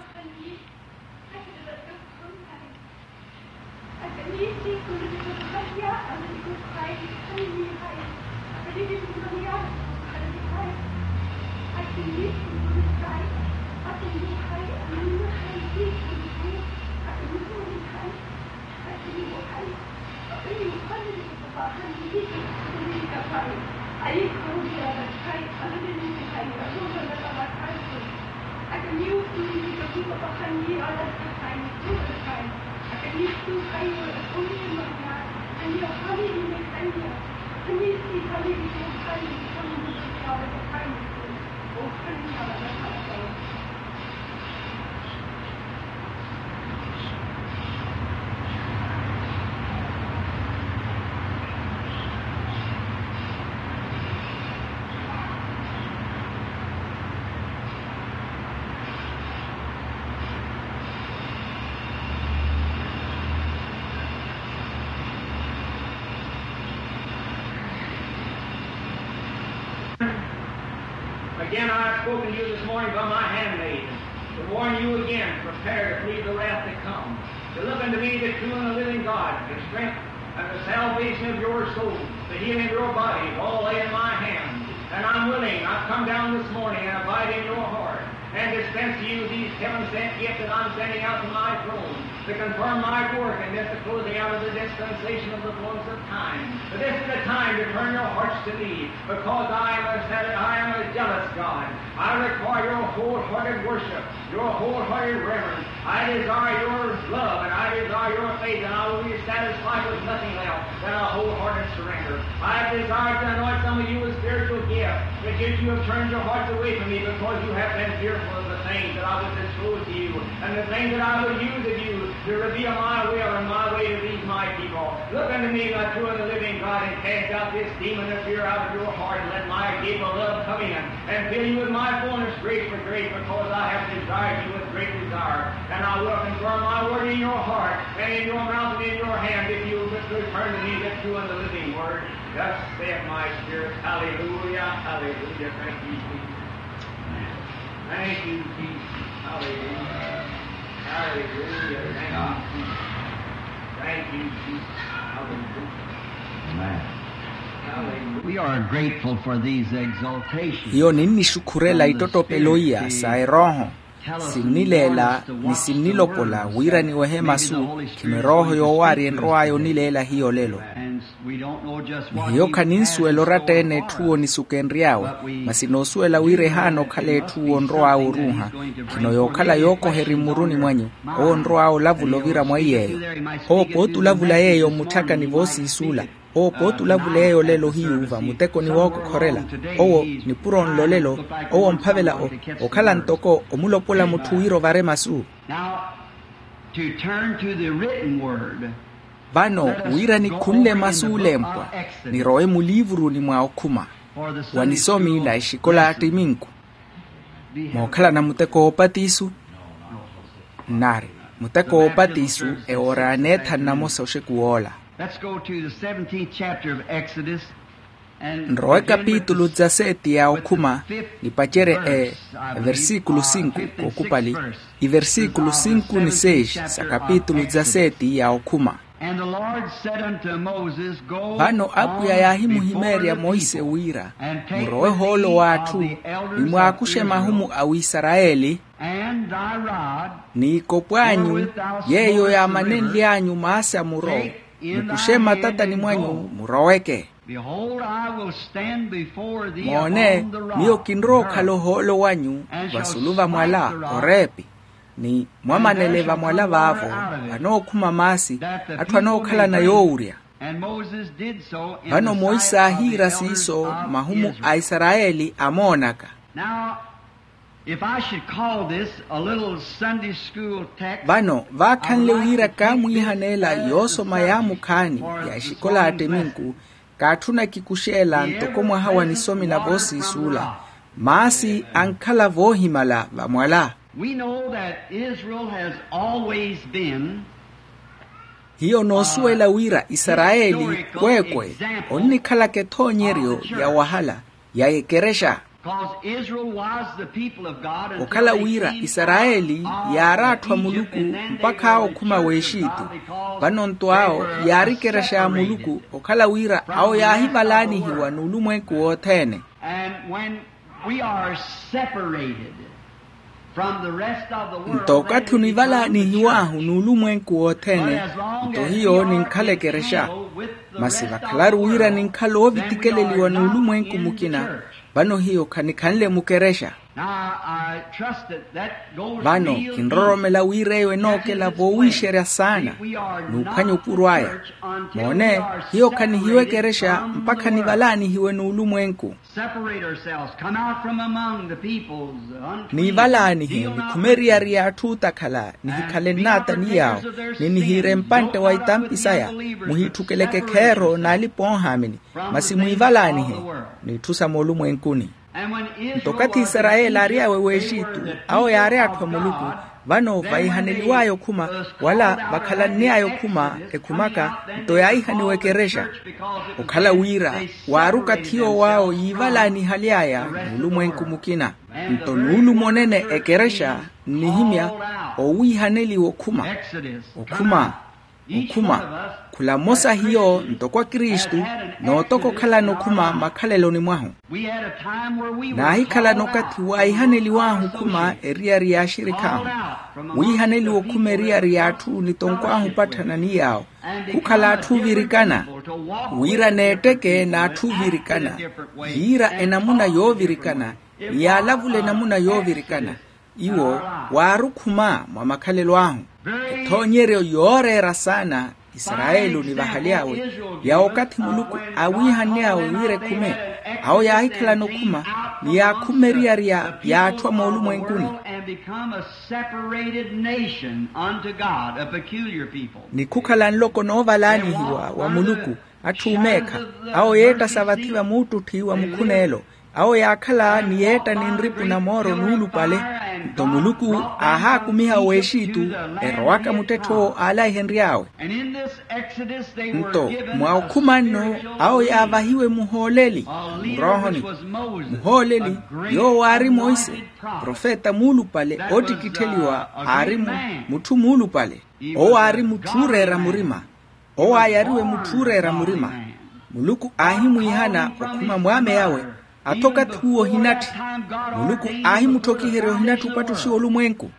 Again, I have spoken to you this morning by my handmaid, to warn you again, prepare to flee the wrath to come, to look unto me, the true and the living God, the strength and the salvation of your soul, the healing of your body, all lay in my hand. And I'm willing, I've come down this morning and abide in your heart, and dispense to you these heaven-sent gifts that I'm sending out to my throne, to confirm my work and this the closing out of the dispensation of the fullness of time. But this is the time to turn your hearts to me, because I am a, I am a jealous God. I require your wholehearted worship, your wholehearted reverence. I desire your love, and I desire your faith, and I will be satisfied with nothing else than a wholehearted surrender. I have desired to anoint some of you with spiritual gifts, but yet you have turned your hearts away from me because you have been fearful of the things that I would disclose to you, and the things that I would use of you to reveal my will and my way to these my people. Look unto me, my true and the living God, and cast out this demon of fear out of your heart, and let my agape love come in and fill you with my fullness, grace for grace, because I have desired you with great desire. And I will confirm my word in your heart and in your mouth and in your hand, if you will but return to me the true and the living word. Thus saith my spirit, hallelujah, hallelujah. Thank you, Jesus. Thank you, Jesus. Hallelujah. Hallelujah. Thank you, Jesus. Thank you, Jesus. Hallelujah. Amen. Hallelujah. We are grateful for these exaltations. Hiyo ninnixukhurela ittottopelo iya sa erooho. Sinnileela ni sinnilopola wira niwehe masu. Khino erooho yoowaari enrow'aya onileela hiyo lelo. Ni hiyo khaninsuwela oratta-ene etthu onisukenry'awe. Masi noosuwela wira ehaana okhala etthu onrow'awe oruuha. Khino yookhala yookoheri mmuruni mwanyu, owo onrow'awe olavula ovira mwa iy'eyo. Owo pooti olavula yeeyo mmutthakani voosiisuula. Owo pooti olavula eyo lelo hiyu vamutekoni wookokhorela. Owo nipuro nlo lelo. Owo omphavela okhala ntoko omulopola mutthu wira ovare masu. Now, to turn to the written word. Vano wira nikhunle masu olempwa, nirowe muliivuruni mwa okhuma wa nisomi na exikola attiminku. Mookhalana muteko woopatisu? Nnari, muteko woopatisu ewoora ya neethanu namosa oxeku woola. Let's go to the seventeenth chapter of Exodus. Nrowe kapitulu dza seti ya okhuma, nipacerye e versikulu sinku kookupali. Iversikulu sinku ni seis sa kapitulu dza seti ya okhuma. Vano apwiya yaahimuhimeerya monse wira, murowe ohoolo w'atthu, ni mwaakuxe mahumu a wisarayeli, ni ikopw'anyu yeeyo yaamanenly'anyu maasi a muro, mukuxe mmatatani mwanyu, muroweke. Moone, miyo kinrowa okhala ohoolo wanyu vasulu va mwala, oreepi, ni mwamanele va mwala vaavo, vanookhuma maasi, atthu anookhalana yoowurya. Vano monse aahiira siiso mahumu a isarayeli amoonaka. If I should call this a little Sunday school text, vano vaakhanle wira kaamwiihaneela yoosoma yaamukhaani ya exikola attiminku, kaatthuna kikuxeela ntoko mwaha wa nisomi na voosiisuula, maasi ankhala voohimala vamwala. We know that Israel has always been. Hiyo noosuwela wira isarayeli kweekwe onnikhalaka ethoonyeryo ya wahala ya ekerexa. Okhala wira isarayeli yaari atthu a muluku mpakha awo okhuma w'exitu. Vano nto awo yaari ekerexa ya muluku okhala wira awo yaahivalaanihiwa n'ulumwenku wothene. Nto okathi onivalaanihiw'ahu n'ulumwenku wothene, nto hiyo ninkhala ekerexa. Masi vakhalaru wira ninkhala oovitikeleliwa n'ulumwenku mukina, vano hiyo khanikhanle mukerexa. Vano kinroromela wira eyo enookela voowiixerya saana n'uphwanya opuro aya. Moone, hiyo khanihiwa ekerexa mpakha nivalaanihiwe n'ulumwenku. Nivalaanihe nikhume eriyari y'atthu ootakhala nihikhale nnaata ni yaawo, ni nihiire mpantte wa itampi saya. Muhiitthukeleke kheero n'alipa-oohaamini, masi mwivalaanihe n'itthu sa moolumwenkuni. Nto okathi isarayeli aari awe w'exitu, awo yaari atthu a muluku. Vano vaihaneliw'aya okhuma wala vakhalann'aya okhuma ekhumaka, nto yaahihaniwa ekerexa. Okhala wira waari okathi yoowo awo yiivalaanihaly'aya n'ulumwenku mukina. Nto nuulumo nene ekerexa nnihimya owiihaneliwa okhuma. Okhuma. Okhuma. Khula mmosa hiyo ntoko akristu, nootoka okhalana okhuma makhaleloni mwahu. Naahikhalana okathi waahihaneliw'ahu okhuma eriyari y'axirikh'ahu. Wiihaneliwa okhuma eriyari y'atthu nitonkw'ahu opatthana ni yaawo. Khukhala atthu oovirikana. Wira neetteke n'atthu oovirikana. Yiira enamuna yoovirikana, ni yaalavula enamuna yoovirikana. Iwo waari okhuma mwa makhalelo ahu. Ethoonyeryo yooreera saana isarayeli onivahali awe, ya okathi muluku aawiihanne awe wira ekhume. Awo yaahikhalana okhuma ni yaakhumme eriyari ya atthu a moolumwenkuni. Ni khukhala nloko noovalaanihiwa wa muluku, atthu oomeekha. Awo yeetta sa vathi vamuuttutthi wa mukhuneelo. Awo yaakhala ni yeetta ni nripu na mooro nuulupale. Nto muluku aahaakumiha w'exitu, erowaka muttettho awo aalaihenry'awe. Nto mwa okhuma nno awo yaavahiwe muhooleli muroohoni. Muhooleli yoowo aari monse, profeta muulupale oottikittheliwa aari mutthu muulupale. Owo aari mutthu ooreera murima. Owo aayariwe mutthu ooreera murima. Muluku aahimwiihana okhuma mwaame yawe. Athoka thuwo ohinatthi. Muluku aahimuthokiherya ohinatthi opattuxiwa olumwenku.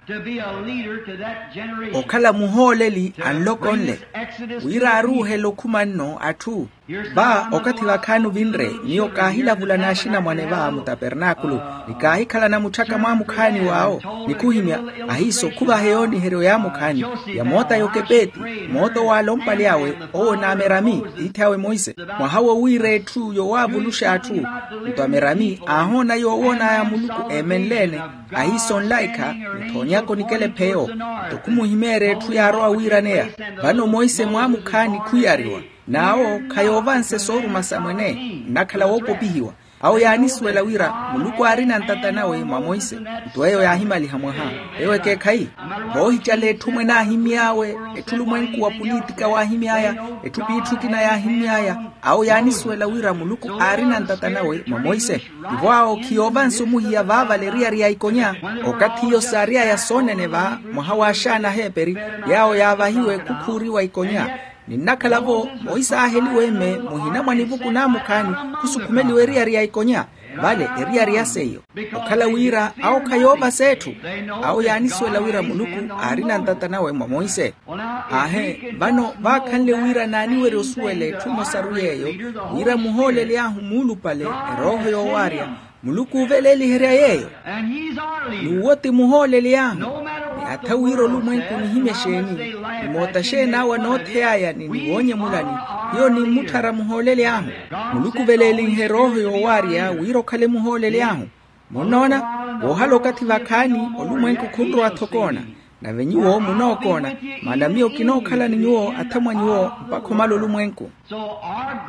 Okhala muhooleli a nloko nle. Wira aaruuhela okhuma nno atthu. Va okathi vakhaani ovinre, miyo kaahilavula n'axinamwane va mutapernaakulu, ni kaahikhalana mutthaka mwaamukhaani w'awo. Ni khuhimya ahiiso khuvahe yooniheryo yaamukhaani ya moota y'okepeeti, moota owaala ompale awe, owo n'amerami tiithi awe monse. Mwaha wo wiira etthu yowaavuluxa atthu. Nto amerami aahoona yoowoon'aya muluku eemenle-ene. Ahiiso nlaikha, muthoonyaka onikela epheyo. Nto khumuhimeerya etthu yaarowa wiiraneya. Vano monse mwaamukhaani khuyariwa. N'awo khayoovanse sooruma sa mwene, nnakhala woopopihiwa. Awo yaanisuwela wira muluku aarina ntata nawe mwa monse. Nto eyo yaahimaliha mwaha. Eyo ekeekhayi. Voohicala etthu mwene aahimy'awe, etthu olumwenku wa pulitika waahimy'aya, etthu piitthu ekina yaahimy'aya. Awo yaanisuwela wira muluku aarina ntata nawe mwa monse. Tivo awo khiyoovanse omuhiya vaavale eriyari ya ikonya. Okathi iyo saary'aya soonene va mwaha w'axaana aheeperi, yaawo yaavahiwe khukhuuriwa ikonya. Ni nnakhala-vo monse aaheliwe mme muhina mwa nivuku naamukhaani, khusukhumeliwe eriyari ya ikonya. Vale eriyari ya seiyo. Okhala wira awo khayoovasa etthu. Awo yaanisuwela wira muluku aarina ntata nawe mwa monse. Aahe, vano vaakhanle wira naaniwerya osuwela etthu emosaru yeeyo, wira muhooleli ahu muulupale erooho yoowaarya. Muluku ooveleeliherya yeeyo. N'uwo ti muhooleli ahu. Ni atha wira olumwenku onihimya exeeni, ni moota exeeni awo anoothey'aya ni niwoonyemulani, hiyo nimmutthara muhooleli ahu. Muluku oveleelinhe erooho yoowaarya wira okhale muhooleli ahu. Munnoona, woohala okathi vakhaani olumwenku khunrowa-tho okoona. Nave nyuwo munookoona, maana miyo kinookhala ni nyuwo athamwa nyuwo mpakha omala olumwenku.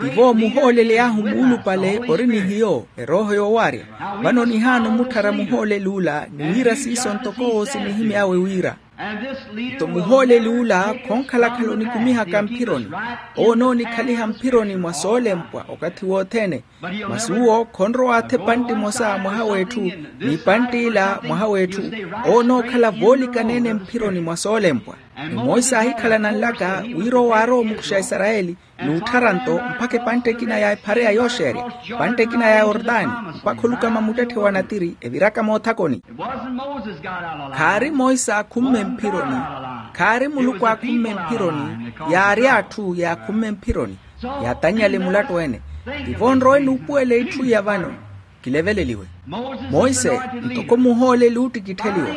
Tivo muhooleli ahu muulupale ori ni hiyo erooho yoowaarya. Vano nihaana omutthara muhooleli ula ni wira siiso ntoko owo sinihimy'awe wira. Nto muhooleli ula khonkhalakhala onikumihaka mphironi. Owo onoonikhaliha mphironi mwa soolempwa okathi wothene. Masi uwo khonrowa athe epantte emosa mwaha w'etthu, n'ipantte ila mwaha w'etthu. Owo onookhala voolikaneene mphironi mwa soolempwa. Ni monse aahikhalana nlaka wira owo aarowa omukuxa aisarayeli, n'utthara nto mpakha epantte ekina ya ephareya yooxeerya, epantte ekina ya yortani, mpakha olukama muttetthe wa natiri eviraka moothakoni. Khaari monse aakhumme mphironi. Khaari muluku aakhumme mphironi. Yaari atthu yaakhumme mphironi. Yaatannyale mulattu ene. Tivo nrowe nuupuwela itthu iya vano. Kileveleliwe. Monse, ntoko muhooleli oottikittheliwa.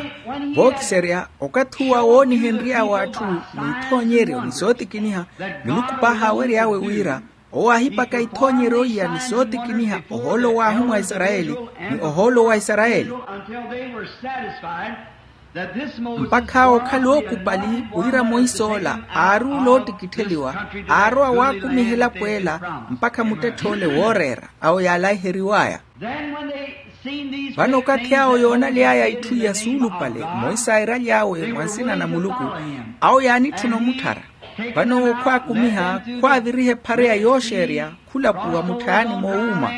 Vookiserya okathi uwa woonihenry'awe atthu, n'ithoonyeryo ni sootikiniha. Muluku paahi aawery'awe wira owo aahipaka ithoonyeryo iya ni sootikiniha ohoolo w'ahumwa a isarayeli, ni ohoolo wa isarayeli. Mpakha awo okhala ookupali wira monse ola aaruula oottikittheliwa, aarowa waakumiha elapo ela mpakha muttetthe ole wooreera awo yaalaiheriw'aya. Vano okathi awo yoonaly'aya itthu iya suulupale monse aairaly'awe mwa nsina na muluku, awo yaanitthuna omutthara. Vano owo khwaakumiha, khwaaviriha ephareya yooxeerya khulapuwa mutthayani moowuuma,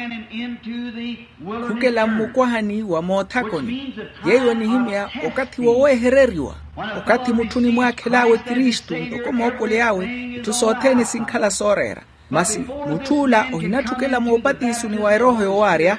khukela mmukwahani wa moothakoni. Yeeyo enihimya okathi woweehereriwa. Okathi mutthu onimwaakhel'awe kristu ntoko moopoli awe, itthu sothene sinkhala sooreera. Masi mutthu ola ohinatthukela moopatisoni wa erooho yowaarya.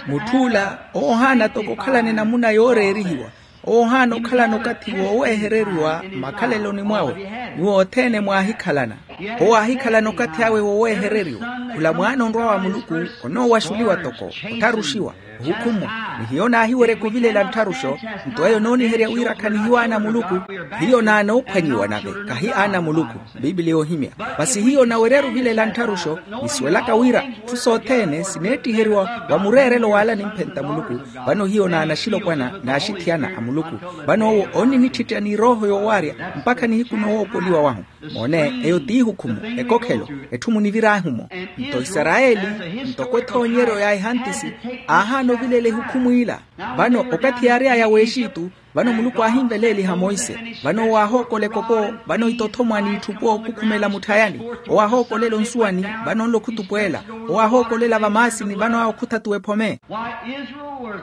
Mutthu ola owo ohaana toko okhalana enamuna yooreerihiwa. Owo ohaana okhalana okathi woweehereriwa mmakhaleloni mwawe. Nyuwo othene mwaahikhalana. Owo aahikhalana okathi awe woweehereriwa. Khula mwaana onrwa wa muluku, onoowaxuliwa toko, ottharuxiwa, ohukhumwa. Ni hiyo naahiweryeke ovilela nttharuxo. Nto eyo enooniherya wira khanihiyo aana a muluku. Hiyo naanoophwanyiwa nave, kahi aana a muluku. Pipiliya ohimya. Masi hiyo naweryaru ovilela nttharuxo, nisuwelaka wira itthu sothene sineettiheriwa wa mureerelo w'ala nimphenta muluku. Vano hiyo naanaxilopwana n'axithiyana a muluku. Vano owo onninittittya n'irooho yowaarya mpakha nihiku noowoopoliwa wahu. Moone, eyo t'ihukhumu, ekokhelo, etthu munivir'ahu-mo. Nto isarayeli, ntoko ethoonyeryo ya ehantisi, aahaana ovilela ehukhumu ila. Vano okathi yaary'aya w'exitu, vano muluku aahinveleeliha monse. Vano owo aahookola ekoko, vano itothomwa n'itthupo khukhumela mutthayani. Owo aahookolela onsuwani, vano onlo khutupweela. Owo aahookolela vamaasini, vano awo khuthatuwa ephome.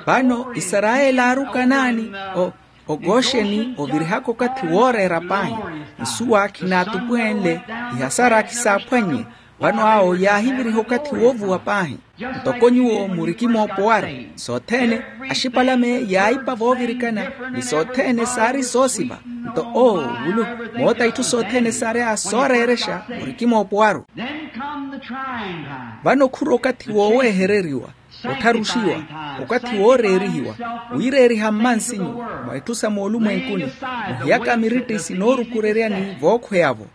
Vano isarayeli aarukanaani, o, okoxeni ovirihaka okathi wooreera paahi. Nsuwa khinaatupweenle, ihasara khisaaphwannye. Vano awo yaahiviriha okathi woovuwa paahi. Ntoko nyuwo murikimoopowaru, sothene, axipalame yaayipa voovirikana, ni sothene saari soosiva. Nto oo, vulu, moota itthu sothene saarya sooreerexa murikimoopowaru. Vano khuri okathi wooweehereriwa, ottharuxiwa, okathi wooreerihiwa, wiireeriha mmansinyu, mwa itthu sa moolumwenkuni, muhiyaka mirittisi noorukureryani vookhweya-vo.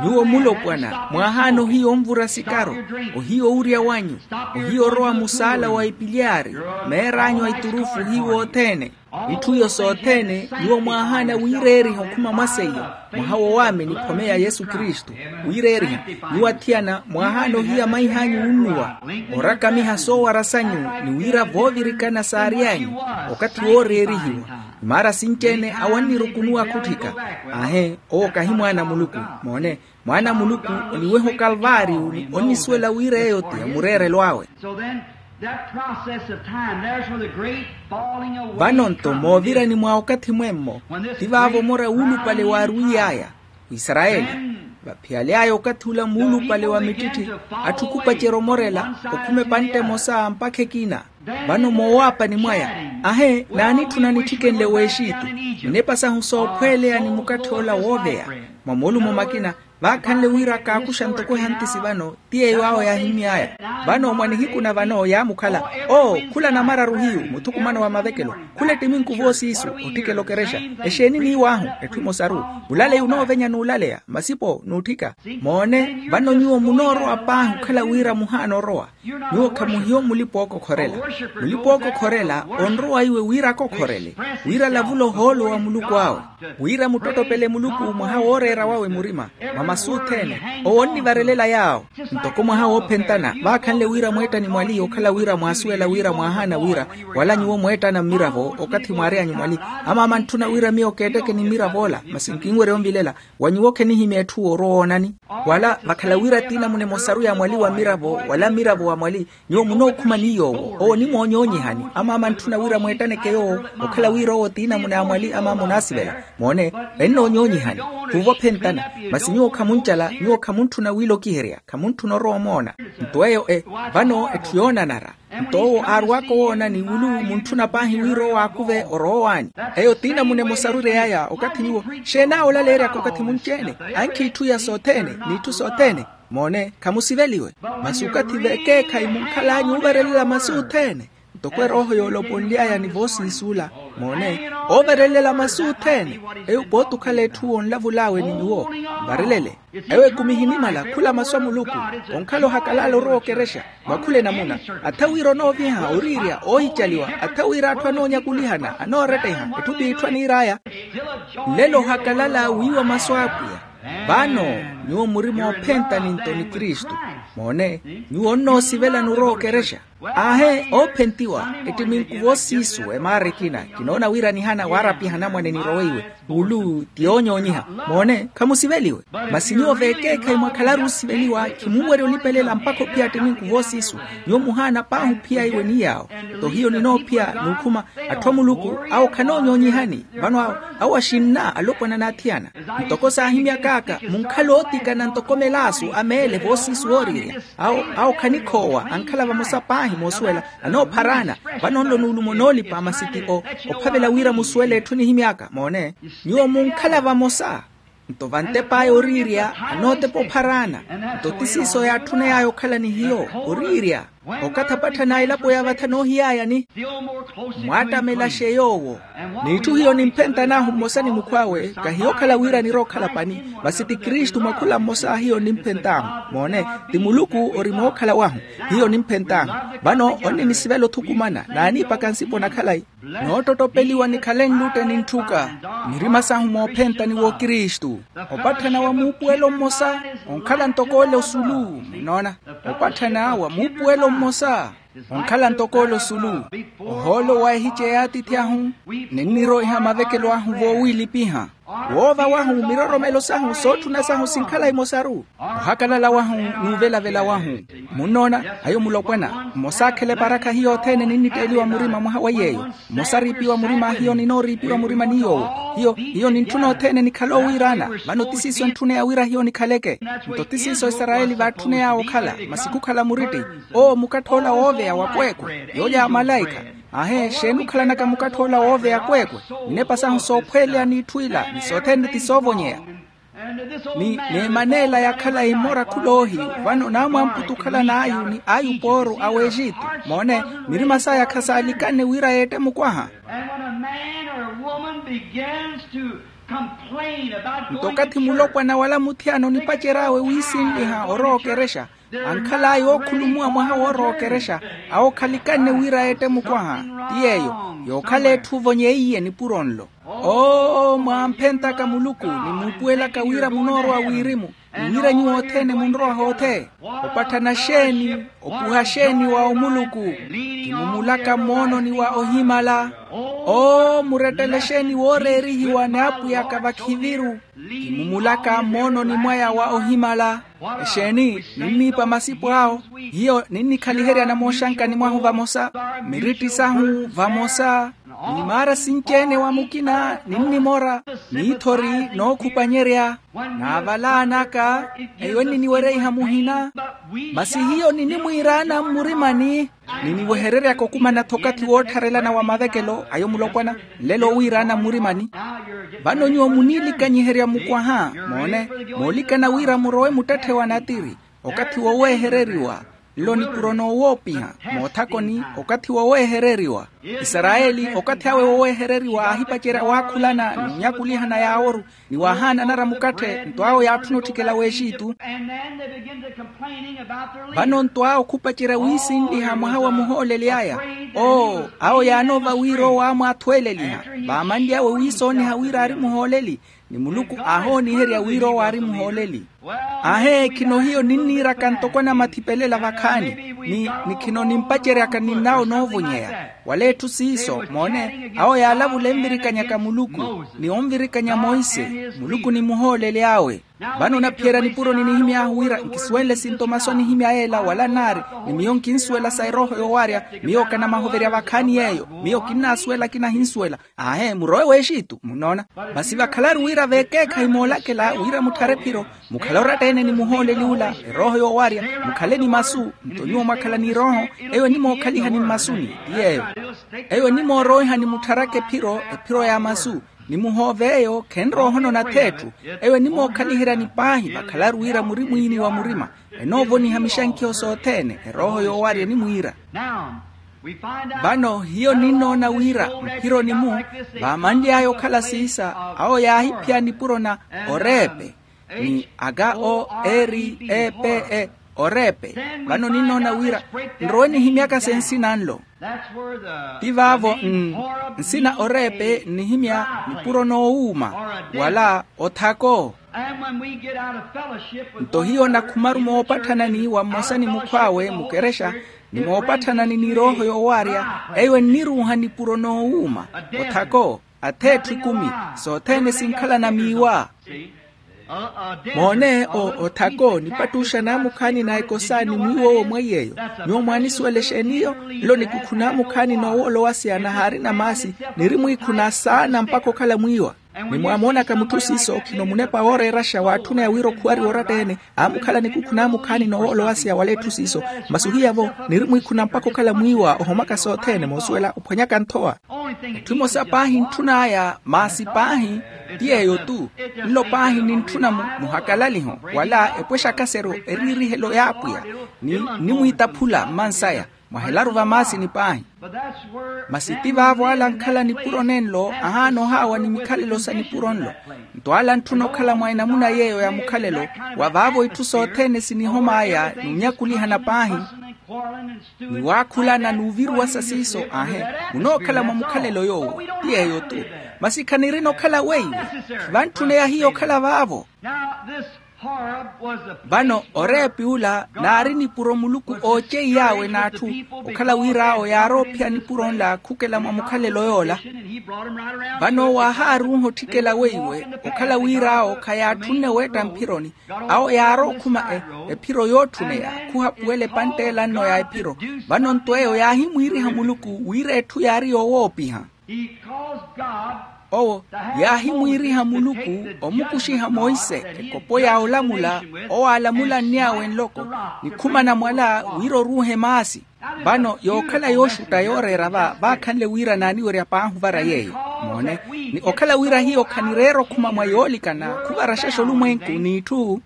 Nyuwo mulopwana mwaahaana ohiya onvura sikaru, ohiya owurya wanyu, ohiya orowa musaala wa ipilyaari, meer'anyu a iturufu ohiya othene. Itthu iyo sothene nyuwo mwaahaana wiireeriha okhuma mwa seiyo, mwaha wo waamini khome ya yesu kristu. Wiireeriha, nyuwo athiyana mwaahaana ohiya maih'anyu wunnuwa, orakamiha soowara sanyu, ni wira voovirikana saary'anyu, okathi wooreerihiwa. Imaara sinci-ene awo annirukunuwa khutthika. Aahe, owo kahi mwaana a muluku. Moone, mwaana a muluku oniweha okalvaariyu, onnisuwela wira eyo ti ya mureerelo awe. Vano nto moovirani mwa okathi mwemmo, ti vaavo omora wuulupale waarwiiy'aya, wisarayeli. Vaphiyaly'aya okathi ula muulupale wa mittitthi, atthu khupacerya omorela, okhuma epantte emosa mpakha ekina. Vano moowaapani mwaya, ahe, naanitthuna nittikenle w'exitu, minepa sahu soophweleya ni mukatthi ola wooveya, mwa moolumo makina, vaakhanle wira kaakuxa ntoko ehantisi vano, ti yeeyo awo yaahimy'aya. Vano mwa nihiku na vano yaamukhala, oo, khula namararu hiyu muthukumano wa mavekelo, khula ettiminku voosiisu, otthikela okerexa. Exeeni niiw'ahu? Etthu emosaru. Mulaleya onoovenya n'ulaleya, masipo n'utthika. Moone, vano nyuwo munoorowa paahi okhala wira muhaana orowa. Nyuwo khamuhiyo mulipa ookokhorela. Mulipa ookokhorela onrowa iwe wira akokhorele, wira alavule ohoolo wa muluku awe, wira muttottopele muluku mwaha wooreera wawe murima. Masu othene owo onnivarelela yaawo. Ntoko mwaha woophentana vaakhanle wira mweettani mwali okhala wira mwaasuwela wira mwaahaana wira wala nyuwo mweettana mmiravo okathi mwaareyanyu mwali. Amaama ntthuna wira miyo keettekeni mmiravo ola masi nkinwerya onvilela. Wa nyuwo khenihimya etthu woorowa oonani wala vakhala wira tiinamuna emosaru ya mwali wa mmiravo wala mmiravo wa mwali. Nyuwo munookhuma ni yoowo owo onimoonyoonyihani. Amaama ntthuna wira mweettaneke yoowo okhala wira owo tiinamuna ya mwali amaama onaasivela. Moone, ennoonyoonyihani. Khuuva ophentana. Masi nyuwo khamuncala nyuwo khamuntthuna wiilokiherya khamuntthuna orowa omoona. Nto eyo e vano etthu yoonanara. Nto owo aarwaka owoona ni wulu muntthuna paahi wira owo aakuve orowa owaani. Eyo tiinamuna emosaru ereyaya okathi nyuwo xeenaawo olaleeryaka okathi munci-ene ankhi itthu iya sothene n'itthu sothene. Moone, khamusiveliwe. Masi okathi veekeekhayi munkhal'anyu oovarelela masu othene. Ntoko erooho yooloponly'aya ni voosiisuula. Moone, oovarelela masu othene. Eyo pooti okhala etthu wonlavul'awe ni nyuwo varelele. Eyo ekumi ehinimala khula masu a muluku. Onkhala ohakalala orowa okerexa mwakhula enamuna. Atha wira onooviha oriirya oohicaliwa atha wira atthu anoonyakulihana anooretteha etthu t'itthu aniir'aya. Nlelo ohakalala wiiwa masu a apwiya. Vano nyuwo muri moophentani nto ni kristu. Moone, nyuwo onnoosivelani orowa okerexa. Aahe oophentiwa ettiminku voosiisu emaara ekina kinoona wira nihana waarapyaha anamwane niroweiwe. Wulu ti yoonyoonyiha. Moone, khamusiveliwe. Masi nyuwo veekeekhayi mwakhalaru osiveliwa khimunwerya olipelela mpakha ophiya attiminku voosiisu. Nyuwo muhaana paahi ophiya iwe ni yaawo. Nto hiyo ninoophiya n'ukhuma atthu a muluku awo khanoonyoonyihani. Vano awo axinna alopwana n'athiyana. Ntoko saahimyak'aka munkhala ootikana ntoko melaasu a meele voosiisu wooriirya. Awo awo khanikhoowa ankhala vamosa paahi moosuwela. Anoophar'ana. Vano nlo nuulumo noolipa masi ti o ophavela wira musuwele etthu nihimy'aka moone. Nyuwo munkhala vamosa. Nto vantep'aya oriirya anootepa ophar'ana. Nto ti siiso yaatthuney'aya okhala ni hiyo oriirya. Okathi apatthana a elapo ya vatha noohiy'ayani mwaattamelaxe yoowo. N'itthu hiyo nimphentan'ahu mmosa ni mukhw'awe. Kahiyo okhala wira anirookhala pani. Masi ti kristu mwakhula mmosa hiyo nimphent'ahu. Moone, ti muluku ori mookhala wahu. Hiyo nimphent'ahu. Vano onninisivela othukumana naaniipaka nsipo na khalayi. Noottottopeliwa nikhale nlutte ni ntthuka. Mirima sahu moophenta ni wokristu. Opatthana wa muupuwelo mmosa onkhala ntoko ole osulu. Munnoona? Opatthana wa muupuwelo mmosa onkhala ntoko ole osulu. Ohoolo wa ehice y'atiithi ahu ninniroiha mavekelo ahu voowiilipiha. Woova wahu miroromelo sahu sootthuna sahu sinkhala imosaru. Ohakalala wahu n'uvelavela wahu. Munnoona? Ayo mulopwana mmosa akhele parakha hiyo othene ninnitteeliwa murima mwaha wa yeeyo. Mmosa ariipiwa murima hiyo ninooriipiwa murima ni yoowo. Hiyo hiyo nintthuna othene nikhale owiiraana. Vano ti siiso entthuneya wira hiyo nikhaleke. Nto ti siiso isarayeli vaatthuney'awe okhala masi khukhala muritti. Owo mukattha ola wooveya wa kweekwe yoolya ya malaikha. Aahe xeeni okhalanaka mukattha ola wooveya kweekwe. Nnepa sahu soophweleya n'itthu ila ni sothene ti soovonyeya. Ni n'eman'ela yakhala imora khuloohi. Vano naamwamputu okhalan'ayu ni ayu pooru a w'exitu. Moone, mirima saya khasaalikane wira yeette mukwaha. Nto okathi mulopwana wala muthiyana onipacery'awe wiisinliha orowa okerexa. Ankhal'aya ookhulumuwa mwaha woorowa okerexa. Awo khalikanne wira yeette mukwaha. Ti yeeyo yookhala etthu ovonyeiye nipuro nlo. Oo mwaamphentaka muluku ni muupuwelaka wira munoorowa wirimu. Ni wira nyuwo othene munrowa hoothe. Opatthana xeeni opuha xeeni wa omuluku. Kimumulaka mmoononi wa ohimala. Oo murettele xeeni wooreerihiwa ni apwiyaka vakhiviru. Kimumulaka mmoononi mwaya wa ohimala. Exeeni ninniipa masipo awo. Hiyo ninnikhaliherya namooxankani mwahu vamosa. Miritti sahu vamosa. Ni maara sinci-ene wa mukina ninnimora. N'ithori nookhupanyerya. Naavalaanaka eyo enniniwereiha muhina. Masi hiyo ninimwiiraana mmurimani. Niniwehereryaka okumana-tho okathi woottharelana wa mavekelo ayo mulopwana. Nlelo owiiraana mmurimani. Vano nyuwo muniilikanyiherya mukwaha. Moone, moolikana wira murowe muttetthe wa natiri. Okathi wowehereriwa. Nlo nipuro noowoopiha moothakoni. Okathi wowehereriwa. Isarayeli okathi awe wowehereriwa aahipacerya waakhulana n'unyakulihana yaaworu. Ni waahaananara mukatthe nto awo yaatthuna otthikela w'exitu. Vano nto awo khupacerya wiisinliha mwaha wa muhooleli aya. Oo awo yaanoova wira owo aamwaathweeleliha. Vaamanly'awe wiisooniha wira aari muhooleli. Ni muluku aahooniherya wira owo aari muhooleli. Ahe khino hiyo ninniiraka ntoko anamathipelelaka vakhaani, ni khino nimpaceryaka ninnaawo noovonyeya. Wala etthu siiso moone awo yaalavula envirikanyaka muluku, ni onvirikanya monse muluku ni muhooleli awe. Vano onaphiyerya nipuro ninihimy'ahu wira nkisuwenle sinto masu anihimya yeela wala naari, ni miyo nkinsuwela sa erooho yoowarya. Miyo kanamahoverya vakhaani yeeyo. Miyo kinnaasuwela kinahinsuwela. Aahe murowe w'exitu munnoona. Masi vakhalaru wira veekeekhayi moolakela wira mutthare ephiro, mukhale oratta-ene ni muhooleli ula erooho yoowarya. Mukhale ni masu nto nyuwo mwakhala n'irooho. Eyo enimookhaliha ni mmasuni ti yeeyo. Eyo enimoorowehani muttharaka ephiro ephiro ya masu, ni muhoove eyo khenrowa ohonona atheetthu. Eyo enimookhaliheryani paahi vakhalaru wira muri mwiini wa murima. Enoovoniha mixankiho sothene erooho yoowarya enimwiira. Vano hiyo ninnoona wira mphironi-mu vaamanly'aya okhala siisa awo yaahiphiya nipuro na oreepe, ni aka o eri epe e oreepe. Vano ninnoona wira nrowe nihimyaka se nsina nlo. Ti vaavo nsina oreepe nnihimya nipuro noowuuma wala othako. Nto hiyo nakhumaru moopatthanani wa mmosa ni mukhw'awe mukerexa, ni moopatthanani n'irooho yoowarya, eyo enniruuha nipuro noowuuma othako. Atheetthu ekumi sothene sinkhalana miiwa. Moone othako nipattuxa naamukhaani na ekosa ni mwiiwa owo mweiy'eyo. Nyuwo mwaanisuwela exeen'iyo? Nlo nikukhuna amukhaani noowoolowaseya nahaarina maasi, niri mwiikhuna saana mpakha okhala mwiiwa. Ni mwaamoonaka mutthu siiso khino munepa wooreeraxa waatthuna ya wira okhuwariwa oratta-ene. Aamukhala nikukhuna amukhaani noowoolowaseya wala etthu siiso. Masi ohiyavo niri mwiikhuna mpakha okhala mwiiwa ohomaka sothene moosuwela ophwanyaka nthowa. Etthu emosa paahi entthun'aya maasi paahi ti yeeyo-tu. Nlo paahi nintthuna muhakalaliho wala epwexakaseryo eriirihelo y'apwiya, ni nimwiitaphula mmansaya. Mwahelaru vamaasini paahi. Masi ti vaavo ala ankhala nipuro nenlo ahaana ohaawa ni mikhalelo sa nipuro nlo. Nto ala antthuna okhala mwa enamuna yeeyo ya mukhalelo, wa vaavo itthu sothene sinihom'aya n'unyakulihana paahi, ni waakhulana n'uviruwasa siiso. Aahe munookhala mwa mukhalelo yoowo ti yeeyo-tu. Masi khanirina okhala weiwo. Khivantthuneya hiyo okhala vaavo. Vano oreepi ula naari nipuro muluku ooceiy'awe n'atthu, okhala wira awo yaaroophiya nipuro nla khukela mwa mukhalelo yoola. Vano waahaaruuha otthikela weiwe okhala wira awo khayaatthunne weetta mphironi. Awo yaarookhuma ephiro yootthuneya khuhapuwela epanttela nno ya ephiro. Vano nto eyo yaahimwiiriha muluku wira etthu yaari yoowoopiha. Owo yaahimwiiriha muluku omukuxiha monse ekopo ya olamula, owo aalamulanny'awe nloko, nikhumana mwala wira oruuhe maasi. Vano yookhala yooxutta yooreera va vaakhanle wira naaniwerya paahi ovara yeeyo. Moone, ni okhala wira hiyo khanireera okhuma mwa yoolikana khuvaraxexa olumwenku n'itthu.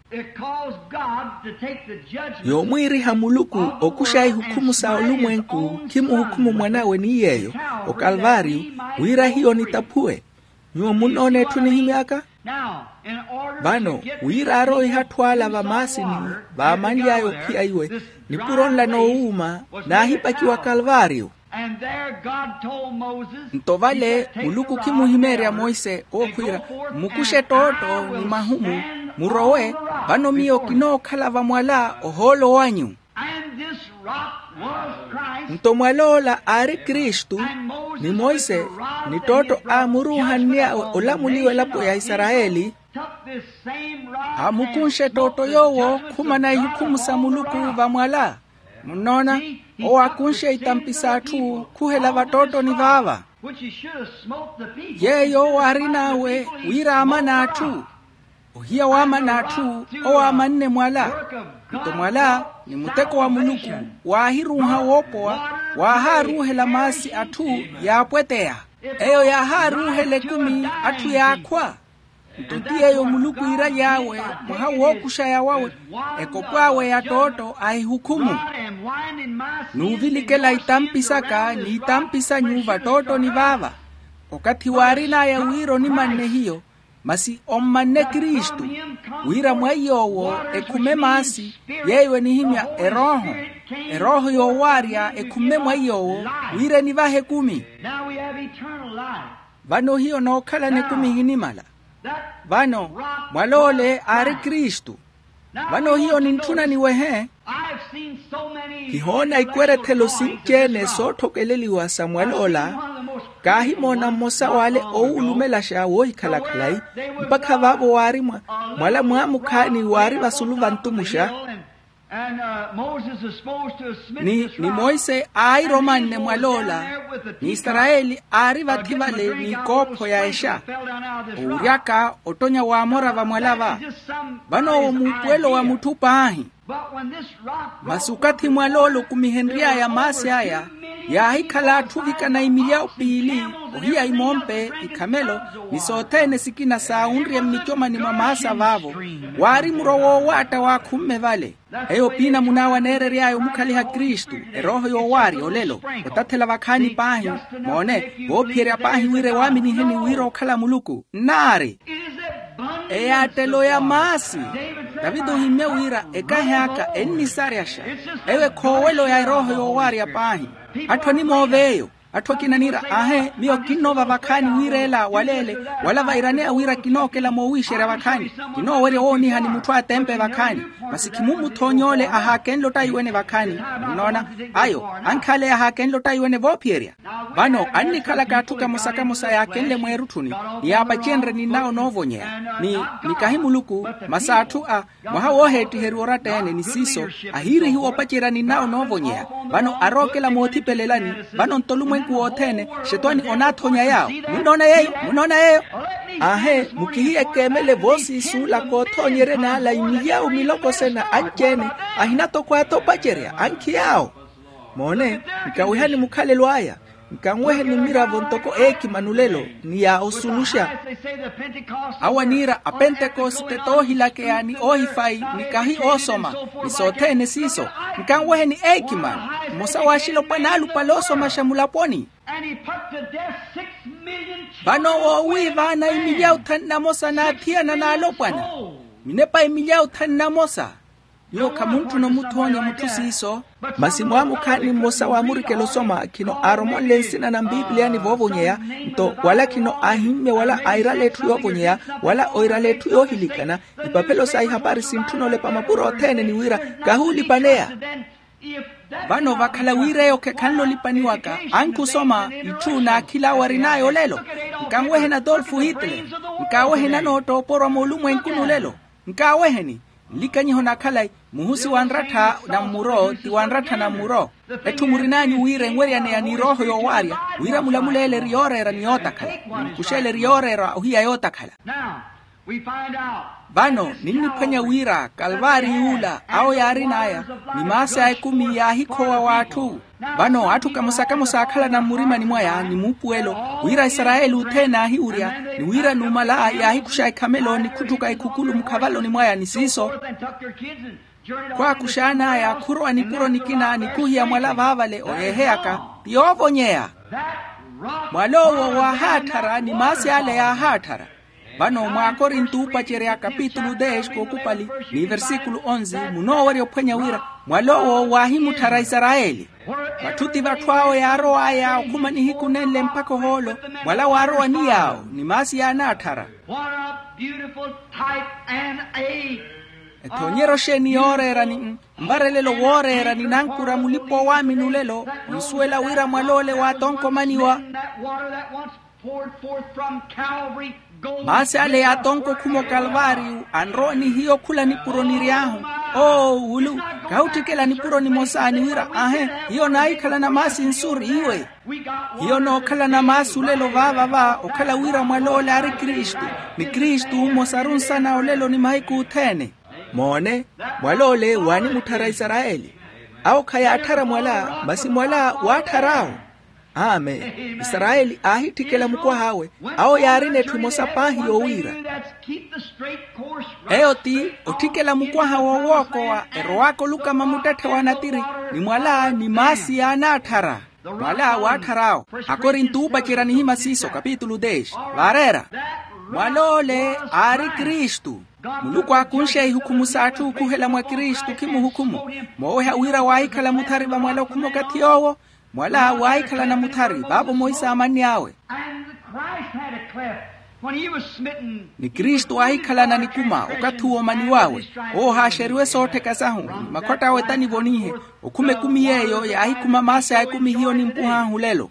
Yoomwiiriha muluku okuxa ihukhumu sa olumwenku khimuhukhumu mwan'awe ni yeeyo okalvaariyo, wira hiyo nitaphuwe. Nyuwo munnoona etthu nihimy'aka? Vano wira arooiha atthu ala vamaasini vaamanly'aya ophiya iwe, nipuro nla noowuuma naahipakiwa kalvaariyo. Nto vale muluku khimuhimeerya monse owo khwiira, mukuxe ettootto ni mahumu, murowe. Vano miyo kinookhala vamwala ohoolo wanyu. Nto mwal'ola aari kristu, ni monse, ni ettootto aamuruuhanny'awe olamuliwa elapo ya isarayeli. Aamukunxe ettootto yoowo khumana ihukhumu sa muluku vamwala. Munnoona, owo aakunxe itampi s'atthu khuhela vattottoni vaava. Yeeyo owo aarin'awe wira aamane atthu. Ohiya waamana atthu, owo aamanne mwala. Nto mwala ni muteko wa muluku, waahiruuha woopowa, waahaaruuhela maasi atthu, yaapweteya. Eyo yaahaaruuhela ekumi, atthu yaakhwa. Nto ti yeeyo muluku iiraly'awe, mwaha wookuxaya wawe, ekopw'awe ya ttootto ahihukhumu. N'uvilikela itampi saka n'itampi sanyu vattottoni vaava. Okathi waarin'aya wira onimanne hiyo, masi ommanne kristu, wira mwa iy'owo ekhume maasi, yeeyo enihimya erooho, erooho yoowaarya ekhume mwa iy'owo, wira enivahe ekumi. Vano hiyo nookhalana ekumi ehinimala. Vano mwal'ole aari kristu. Vano hiyo nintthuna niwehe. Kihoona ikwerethelo sinci-ene sootthokeleliwa sa mwal'ola. Kaahimoona mmosa w'ale owuulumelaxa woohikhala khalayi. Mpakha vaavo waari mwala mwaamukhaani waari vasulu vantumuxa. Ni monse aairomanne mwal'ola, ni isarayeli aari vathi vale n'ikoopho ya exa. Owuryaka ottonya w'amora vamwala va. Vano owo muupuwelo wa mutthu paahi. Masi okathi mwal'ola okumihenry'aya maasi aya, yaahikhala atthu ovikana imilyawu piili, ohiya imompe, ikhamelo, ni sothene sikina saawunrye mmicomani mwa maasa vaavo. Waari muro woowaatta waakhumme vale. Eyo piina munaawa aneerery'aya omukhaliha kristu, erooho yoowaarya olelo, otathela vakhaani paahi. Moone, voophiyerya paahi wira ewaaminiheni wira okhala muluku nnaari. Eyaattelo ya maasi. Taviti ohimmye wira ekahi aka ennisaryaxa. Eyo ekhoowelo ya erooho yoowaarya paahi. Atthu animooveeyo. Atthu akina niira, aahe, miyo kinnoova vakhaani wira ela waleele, wala vairaneya wira kinookela moowiixerya vakhaani. Kinoowerya owooniha ni mutthu atempe vakhaani. Masi khimummuthoony'ole ahaakenle ottaiwene vakhaani. Munnoona? Ayo ankhaaleya ahaakenle ottaiwene voophiyerya. Vano annikhalaka atthu kamosa-kamosa yaakenle mweerutthuni, ni yaapacenrye ninnawo noovonyeya, ni nikahi muluku, masi atthu a mwaha wooheettiheriwa oratta-ene ni siiso, ahiirihiwa opacerya ninnawo noovonyeya. Vano arookela moothipelelani. Vano nto olumwenku wothene, xetwani onaathonya yaawo. Munnoona yeeyo? Munnoona yeeyo? Aahe, mukihiye keemele voosiisuula koothonyerya n'ala imilyawu miloko sena anci-ene, ahina toko atha opacerya ankhi yaawo. Moone, nkawehani mukhalelo aya. Nkanweheni mmiravo ntoko eekimani olelo, ni ya osuluxa. Awo aniira apentekoste toohilakeya ni oohifayi, nikahi oosoma, ni sothene siiso. Nkanweheni eekimani. Mmosa w'axilopwana aalupale oosomaxa mulaponi. Vano woowiivaana imilyawu thanu na mosa n'athiyana n'alopwana, minepa imilyawu thanu na mosa. Nyuwo khamuntthuna omutthoonya mutthu siiso. Masi mwaamukhaani mmosa waamurikela osoma khino aaromonle nsina na mpipiliyani voovonyeya, nto wala khino aahimmye wala airala etthu yoovonyeya, wala oirala etthu yoohilikana. Ipaphelo sa ihapari sintthuna olepa mapuro othene ni wira kahuulipaneya. Vano vakhala wira eyo khekhanle olipaniwaka, ankhi osoma itthu n'akhil'awe arin'aya olelo. Nkanweheni adolfo hitler. Nkaaweheni anoottooporwa moolumwenkuni olelo. Nkaaweheni. Nlikanyiho na khalayi, muhusi wa nrattha na mmuro ti wa nrattha na mmuro. Etthu murin'anyu wira enweryaneya ni erooho yoowaarya, wira mulamuleele eri yooreera ni yootakhala. Mmukuxele eri yooreera ohiya yootakhala. Vano ninniphwanya wira kalvaari yuula awo yaarin'aya, ni maasi a ekumi yaahikhowa w'atthu. Vano atthu kamosa-kamosa aakhalana mmurimani mwaya ni muupuwelo, wira isarayeli othene aahiwurya, ni wira numala yaahikuxa ekhamelo ni khuttuka ekhukulu mukhavaloni mwaya ni siiso. Khwaakuxan'aya khurowa nipuro nikina ni khuhiya mwala vaavale oyeeheyaka, ti yoovonyeya. Mwal'owo waahaattharya ni maasi ale yaahaatthara. Vano mwaakorinto oopacerya kapitulu dez kookupali, ni versikulu onze munoowerya ophwanya wira, mwal'owo waahimutthara isarayeli. Vatthu ti vatthu awo yaarow'aya okhuma nihiku nenle mpakha ohoolo, mwala waarowa ni yaawo ni maasi yaanaatthara. Ethoonyeryo xeeni yooreera ni, mvarelelo wooreera ni nankura mulipa owaamini olelo, onsuwela wira mwal'ole waatonkomaniwa. Maasi ale yaatonko okhuma okalvaariyu anrowa ni hiyo khula nipuro niry'ahu. Oo wulu, kahi otthikela nipuro nimosa ni wira aahe, hiyo naahikhalana maasi nsu ri iwe. Hiyo nookhalana maasi olelo vaava va okhala wira mwal'ole aari kristu, ni kristu mmosaru nsana olelo ni mahiku othene. Moone, mwal'ole waanimutthara isarayeli. Awo khayaatthara mwala masi mwala waatthara awo. Amen. Isarayeli aahitthikela mukwah'awe. Awo yaarina etthu emosa paahi yoowiira. Eyo ti otthikela mukwaha woowookowa erow'aka olukama muttetthe wa natiri, ni mwala ni maasi yaanaatthara. Mwala waatthara awo. Akorinto oopacerya nihima siiso kapitulu dez. Vaareera, mwal'ole aari kristu. Muluku aakunxe ihukhumu s'atthu ookhuhela mwa kristu khimuhukhumu. Mooweha wira waahikhala muthari va mwala okhuma okathi yoowo. Mwala waahikhalana muthari vaavo moisa aamanny'awe. Ni kristu aahikhalana nikuma okathi w'omani wawe, owo haaxeriwe soottheka sahu ni makhwatta awe tanivonihe. Okhuma ekumi yeeyo yaahikhuma maasi a ekumi hiyo nimpuhaahu lelo.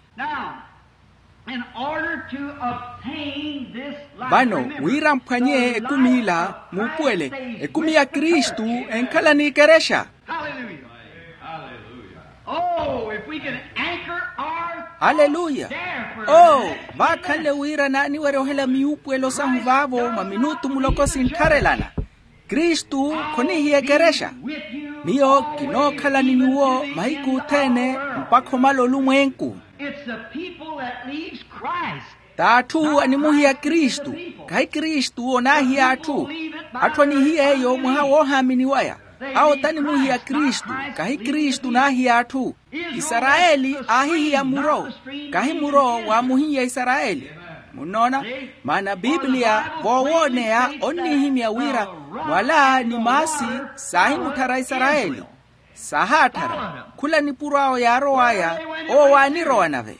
Vano wira mphwanye ekumi ila muupuwele ekumi ya kristu enkhala n'ikerexa. Aleluya. Oo, vaakhanle wira naaniwerya ohela miyuupuwelo sahu vaavo mwa minutu muloko sintharelana. Kristu khonihiya ekerexa. Miyo kinookhala ni nyuwo mahiku othene mpakha omala olumwenku. T'atthu animuhiya kristu, kahi kristu onaahiya atthu. Atthu anihiya eyo mwaha woohaamini waya. Awo tanimuhiya kristu, kahi kristu naahiya atthu. Isarayeli aahihiya muro, kahi muro waamuhiya isarayeli. Munnoona? Maana bibliya voowooneya onnihimya wira mwala ni maasi saahimutthara isarayeli. Saahaatthara. Khula nipuro awo yaarow'aya, owo waanirowa nave.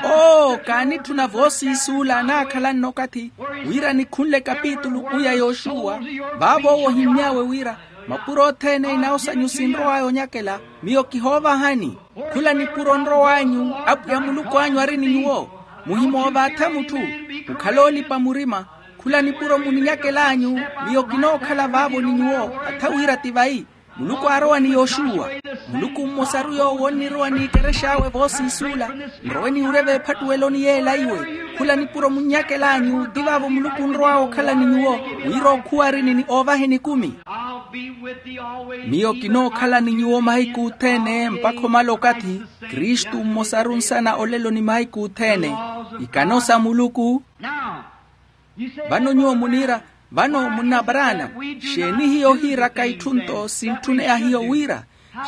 Oo, kaanitthuna voosiisuula anaakhalanne okathi wira nikhunle kapitulu kuu ya yoxuwa. Vaavo owo ohimmy'awe wira mapuro othene inawo sanyu sinrow'aya onyakela, miyo kihoovahani. Khula nipuro nrow'anyu apwiya muluku anyu ari ni nyuwo. Muhimoovaatha mutthu, mukhale oolipa murima. Khula nipuro muninyakel'anyu, miyo kinookhala vaavo ni nyuwo atha wira ti vayi. Muluku aarowa ni yoxuwa. Muluku mmosaru yoowo onnirowa n'ikerex'awe voosiisuula. Nrowe niwurye veephattuweloni yeela iwe. Khula nipuro munnyakel'anyu ti vaavo muluku onrow'awe okhala ni nyuwo, wira ookhuwarini ni oovaheni ekumi. Miyo kinookhala ni nyuwo mahiku othene mpakha omala okathi. Kristu mmosaru nsana olelo ni mahiku othene. Ikano sa muluku. Vano nyuwo muniira, vano munna abraana, xeeni hiyo ohiiraka itthu-nto sintthune ahiyo wira?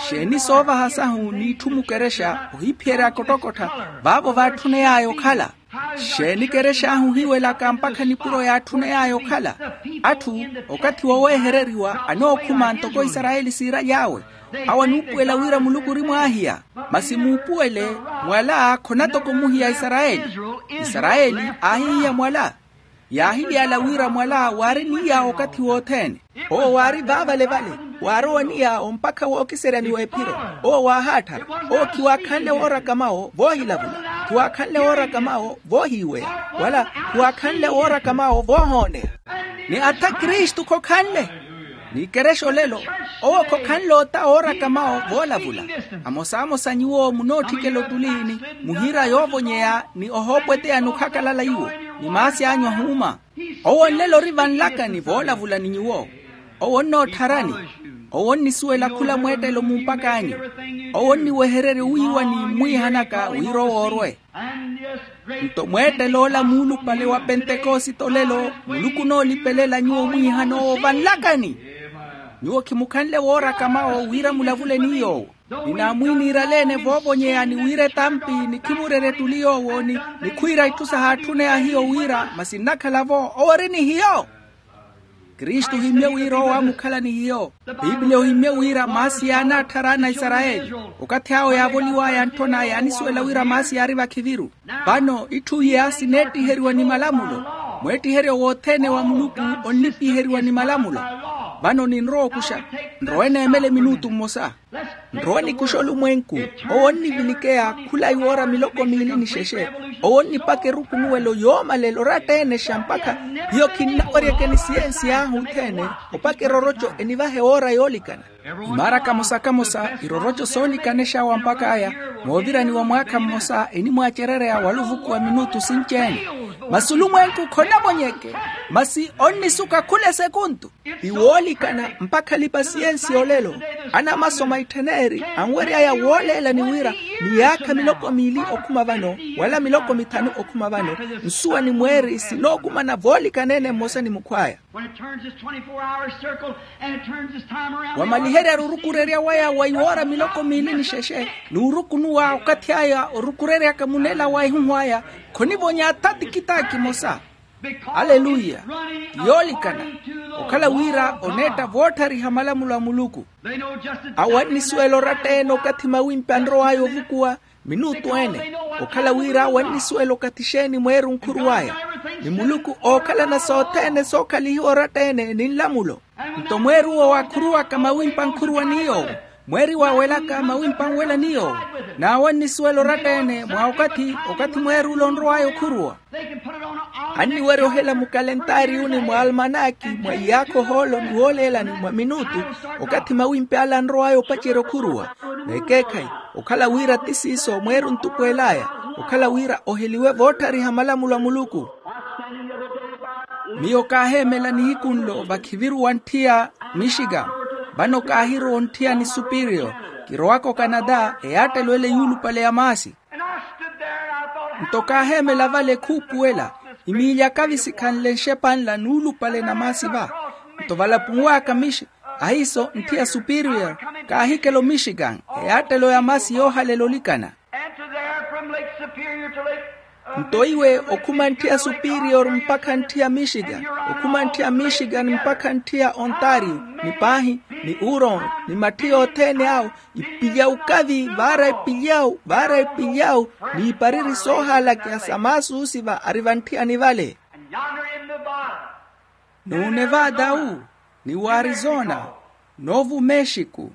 Xeeni soovaha sahu n'itthu mukerexa ohiphiyeryaka ottokottha vaavo vaatthuney'aya okhala? Xeeni kerex'ahu ohiiwelaka mpakha nipuro yaatthuney'aya okhala? Atthu okathi woweehereriwa anookhuma ntoko isarayeli siiraly'awe. Awo anuupuwela wira muluku ori mwaahiya. Masi muupuwele, mwala khona toko muhiya isarayeli. Isarayeli aahihiya mwala. Yaahily'ala wira mwala waari ni yaawo okathi wothene. Owo waari vaavalevale, waarowa ni yaawo mpakha wookiseryaniwa ephiro. Owo waahaatthara. Owo khiwaakhanle wooraka mawo voohilavula. Khiwaakhanle wooraka mawo voohiiweya. Wala khiwaakhanle wooraka mawo voohooneya. Ni atha kristu khokhanle. N'ikerexo lelo, owo khokhanle ota ooraka mawo voolavula. Amosaamosa nyuwo munootthikela otuliini, muhiira yoovonyeya ni ohoopweteya nukhakalala iwo, ni maasi anyu ahuuma. Owo nlelo ori vanlakani voolavula ni nyuwo. Owo onnoottharani. Owo onnisuwela khula mweettelo mumpak'anyu. Owo onniwehererya owiiwani mmwiihanaka wira owoorwe. Nto mweettel'ola muulupale wa pentekosite olelo muluku onoolipelela nyuwo omwiihan'owo vanlakani. Nyuwo khimukhanle wooraka mawo wira mulavule ni yoowo. Ninaamwiiniirale-ene voovonyeya ni wira etampi nikhimurerye ettuli yoowo ni nikhwiira itthu sahaatthuney'ahiyo wira masi nnakhala-vo owo ori ni hiyo. Kristu ohimmye wira owo aamukhala ni hiyo. Piipiliya ohimmye wira maasi yaanaatthara ana a isarayeli. Okathi awo yaavoliw'aya ntthona yaanisuwela wira maasi yaari vakhiviru. Vano itthu iya sineettiheriwa ni malamulo. Mweettiheryo wothene wa muluku onnipiheriwa ni malamulo. Vano ninrowa okuxa. Nrowe neemele minutu mmosa. Nrowe nikuxa olumwenku. Owo onnivilikiya khula iwoora miloko miili ni xexe. Owo onnipaka erukunuwelo yoomalela oratta-ene xa mpakha hiyo khinnaweryeke ni siyensi ahu othene opaka eroroco enivahe woora yoolikana. Imaara kamosa-kamosa iroroco soolikanexa wa mpak'aya. Moovirani wa mwaakha mmosa enimwaacerereya wala ovukuwa minutu sinci-ene. Masi olumwenku khonamonyeke. Masi onnisuka khula esekuntu. Ti woolikana mpakha alipa-siyensi olelo anamasoma ittheneri anwery'aya wooleelani wira miyaakha miloko miili okhuma vano wala miloko mithanu okhuma vano nsuwa ni mweeri sinookumana voolikana-ene mmosa ni mukhw'aya. Wamaliherya orukurerya waya wa iwoora miloko miili ni xexe n'urukunuwa okathi aya orukureryaka munela wa ihuhw'aya khonivonya atha tikitaaki emosa. Aleluya. Ti yoolikana okhala wira oneetta vootthariha malamulo a muluku. Awo annisuwela oratta-ene okathi mawimpi anrow'aya ovukuwa. Minutu ene, okhala wira wannisuwela okathi xeeni mweeru nkhuruw'aya, ni muluku ookhalana sothene sookhalihiwa oratta-ene ni nlamulo. Nto mweeru-wo waakhuruwaka mawimpa nkhuruwa ni yoowo, mweeri waawelaka mawimpa nwela ni yoowo, n'awo annisuwela oratta-ene mwa okathi okathi mweeru ole onrow'aya okhuruwa. Anniwerya ohela mukalentariyuni mwa almanaki mwa iyaakha ohoolo ni wooleelani mwa minutu, okathi mawimpi ale anrow'aya opacerya okhuruwa. N'ekeekhayi, okhala wira ti siiso mweeri ontupweel'aya, okhala wira oheliwe voottariha malamulo a muluku. Miyo kaaheemela nihiku nlo vakhiviru wantthiya mixikan. Vano kaahirowa ontthiya ni superior, kirowaka okanada eyaattelo ele yuulupale ya maasi. Nto kaaheemela vale khuupuwela, imiilya kavi sikhanle nxepa nla nuulupale na maasi va. Nto valapunw'aka mixi ahiiso ntthiya superior, kaahikela omixikan, eyaattelo ya maasi yoohalela olikana. Nto iwe okhuma ntthiya superior mpakha ntthiya mixikan, okhuma ntthiya mixikan mpakha ntthiya ontario, ni paahi, ni uron, ni matthi yothene awo, ipilyawu kavi vaara ipilyawu vaara ipilyawu, n'ipariri soohaalakeya sa maasi oosiva ari vantthiyani vale. N'unevada wu, ni w'arizona, n'ovu mexiku,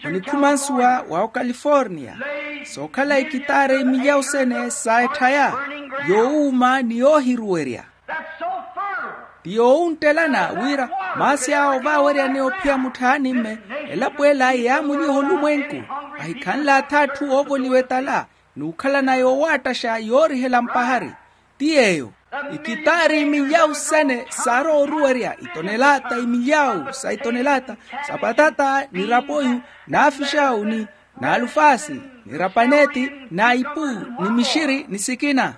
onikhuma nsuwa wa okaliforniya, sookhala ikitaara imilyawu sene sa etthaya, yoowuuma ni yoohiruwerya. Ti yoowunttelana wira maasi awo vaaweryaneya ophiya mutthaani mme, elapo ela yaamuliha olumwenku, ahikhanle atha atthu oovoliwa etala, n'ukhalana yoowattaxa yoorihela mpahari. Ti yeeyo, ikitaari imilyawu sene saarowa oruwerya itonelaata imilyawu sa itonelaata, sa patata ni rapoyu, n'afixawu ni n'alufaasi, ni rapaneti, n'aipu, ni mixiri ni sikina.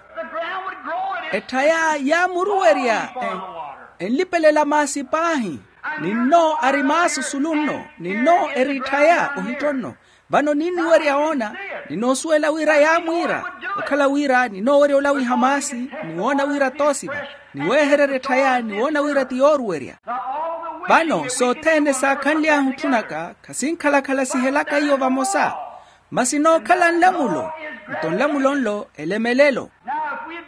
Etthaya yaamuruwerya enlipelela maasi paahi. Ninno ari maasi osulu nno, ninno eri etthaya ohitto nno. Vano ninniwerya woona, ninoosuwela wira yaamwiira. Okhala wira ninoowerya olawiha maasi, ni woona wira toosiva, ni weehererya etthaya ni woona wira ti yooruwerya. Vano sothene saakhanly'ahu otthunaka khasinkhalakhala sihelaka iyo vamosa, masi nookhala nlamulo. Nto nlamulo nlo elemelelo.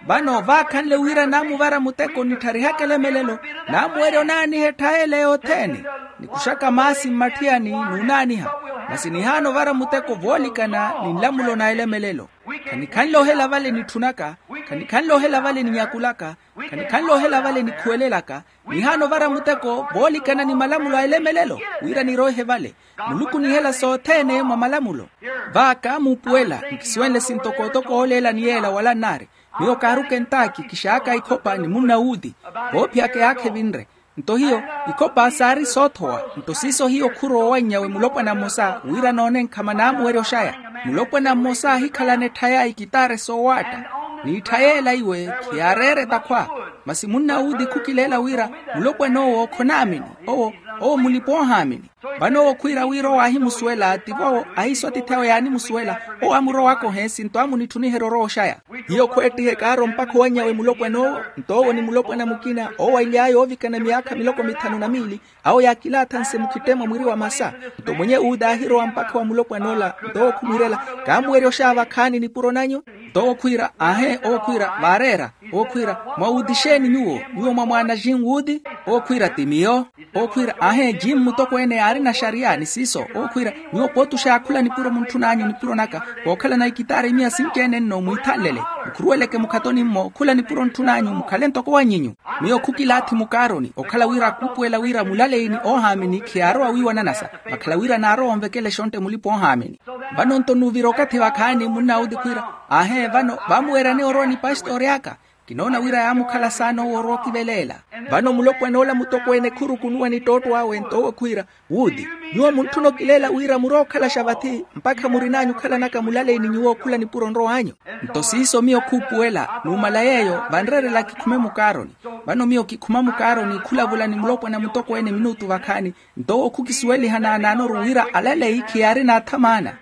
Vano vaakhanle wira naamuvara muteko nittarihaka elemelelo, naamuwerya onaaniha etthaya ele yothene, nikuxaka maasi mmatthiyani n'unaaniha. Masi nihaana ovara muteko voolikana ni nlamulo na elemelelo. Khanikhanle ohela vale nitthunaka, khanikhanle ohela vale ninyakulaka, khanikhanle ohela vale nikhuwelelaka. Nihaana ovara muteko voolikana ni malamulo a elemelelo, wira niroihe vale. Muluku onihela sothene mwa malamulo. Vaaka muupuwela nkisuwenle sintokotoko ooleela ni yeela wala nnaari. Miyo kaaruka entaaki kixaaka ikhopha ni munna wuuti, voophiyaka eyaakha evinre. Nto hiyo, ikhopha saari soothowa. Nto siiso hiyo khurowa owanny'awe mulopwana mmosa wira noone nkhama naamuwerya oxaya. Mulopwana mmosa aahikhalana etthaya ikitaare soowaatta, n'itthaya ela iwe khiyaareere takhwa. Masi munna wuuti khukileela wira mulopwan'owo khonaamini. Owo owo mulipa-oohaamini. Vano owo khwiira wira owo aahimusuwela tivo awo ahiiso atiithi awe yaanimusuwela. Owo aamurowaka ohensi nto aamunitthuniherya orowa oxaya. Hiyo khweettiha ekaaro mpakha owanny'awe mulopwan'owo. Nto owo ni mulopwana mukina owo aily'aya oovikana myaakha miloko mithanu na miili, awo yaakilaathanse mukhittemo mwiri wa masa. Nto mwenye wuuti aahirowa mpakha wa mulopwan'ola nto owo khumwiirela, kaamuwerya oxaya vakhaani nipuro nanyu? Nto owo khwiira aahe owo khwiira vaareera. Owo khwiira, mwawuuti exeeni nyuwo? Nyuwo mwamwaana jin wuuti? Owo khwiira ti miyo. Owo khwiira aahe jin mutokweene yaarina xariya ni siiso. Owo khwiira, nyuwo pooti oxaya khula nipuro muntthun'anyu nipuro naka, kookhalana ikitaari miya sinci-ene nno mwiithanlele. Mukhuruweleke mukhatoni-mmo khula nipuro ntthun'anyu mukhale ntoko wannyinyu. Miyo khukilaathi mukaaroni okhala wira khuupuwela wira mulaleyi ni oohaamini khiyaarowa wiiwananasa, vakhala wira naarowa onvekelexa ontte mulipa-oohaamini. Vano nto nuvira okathi vakhaani munna wuuti khwiira, aahe vano vaamuweeryaneya orowa ni pastori aka. Kinoona wira yaamukhala saana owo orowa okiveleela. Vano mulopwan'ola mutokweene khurukunuwa ni ttootto awe nto owo khwiira, wuuti, nyuwo muntthuna okileela wira murowa okhalaxa vathi mpakha murin'anyu okhalanaka mulaleyi ni nyuwo khula nipuro nrow'anyu? Nto siiso miyo khuupuwela numala yeeyo vanreerela kikhume mukaaroni. Vano miyo kikhuma mukaaroni khulavula ni mulopwana mutokweene minutu vakhaani. Nto owo khukisuweliha naanaanoru wira alaleyi khiyaarina athamaana.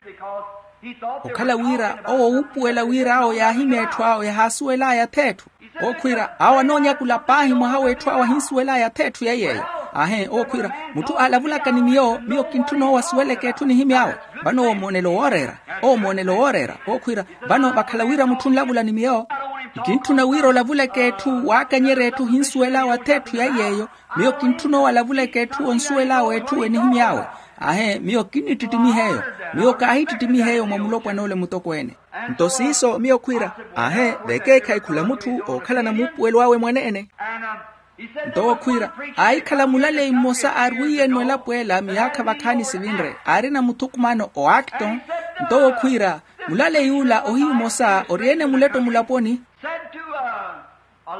Okhala wira owo wuupuwela wira awo yaahimya etthu awo yahaasuwel'aya ath'etthu. Owo khwiira awo anoonyakula paahi mwaha w'etthu awo ahinsuwel'aya ath'etthu yaiyeeyo. Aahe owo khwiira, mutthu aalavulaka ni miyo miyo kintthuna owo asuweleke etthu nihimy'awe. Vano owo moonelo wooreera. Owo moonelo wooreera owo khwiira, vano vakhala wira mutthu onlavula ni miyo. Nkintthuna wira olavuleke etthu waakanyerya etthu ohinsuwel'awe ath'etthu yaiyeeyo. Miyo kintthuna owo alavuleke etthu onsuwel'awe etthu enihimy'awe. Aahe miyo kinnittittimiha eyo. Miyo kaahittittimiha eyo mwa mulopwana ole mutokweene. Nto siiso miyo khwiira, aahe vekeekhayi khula mutthu ookhalana muupuwelo awe mwaneene. Nto owo khwiira, aahikhala mulaleyi mmosa aarwiiye-no elapo ela miyaakha vakhaani sivinre aarina muthukumano o acton. Nto owo khwiira, mulaleyi ula ohiyu mmosa ori-ene muletto mulaponi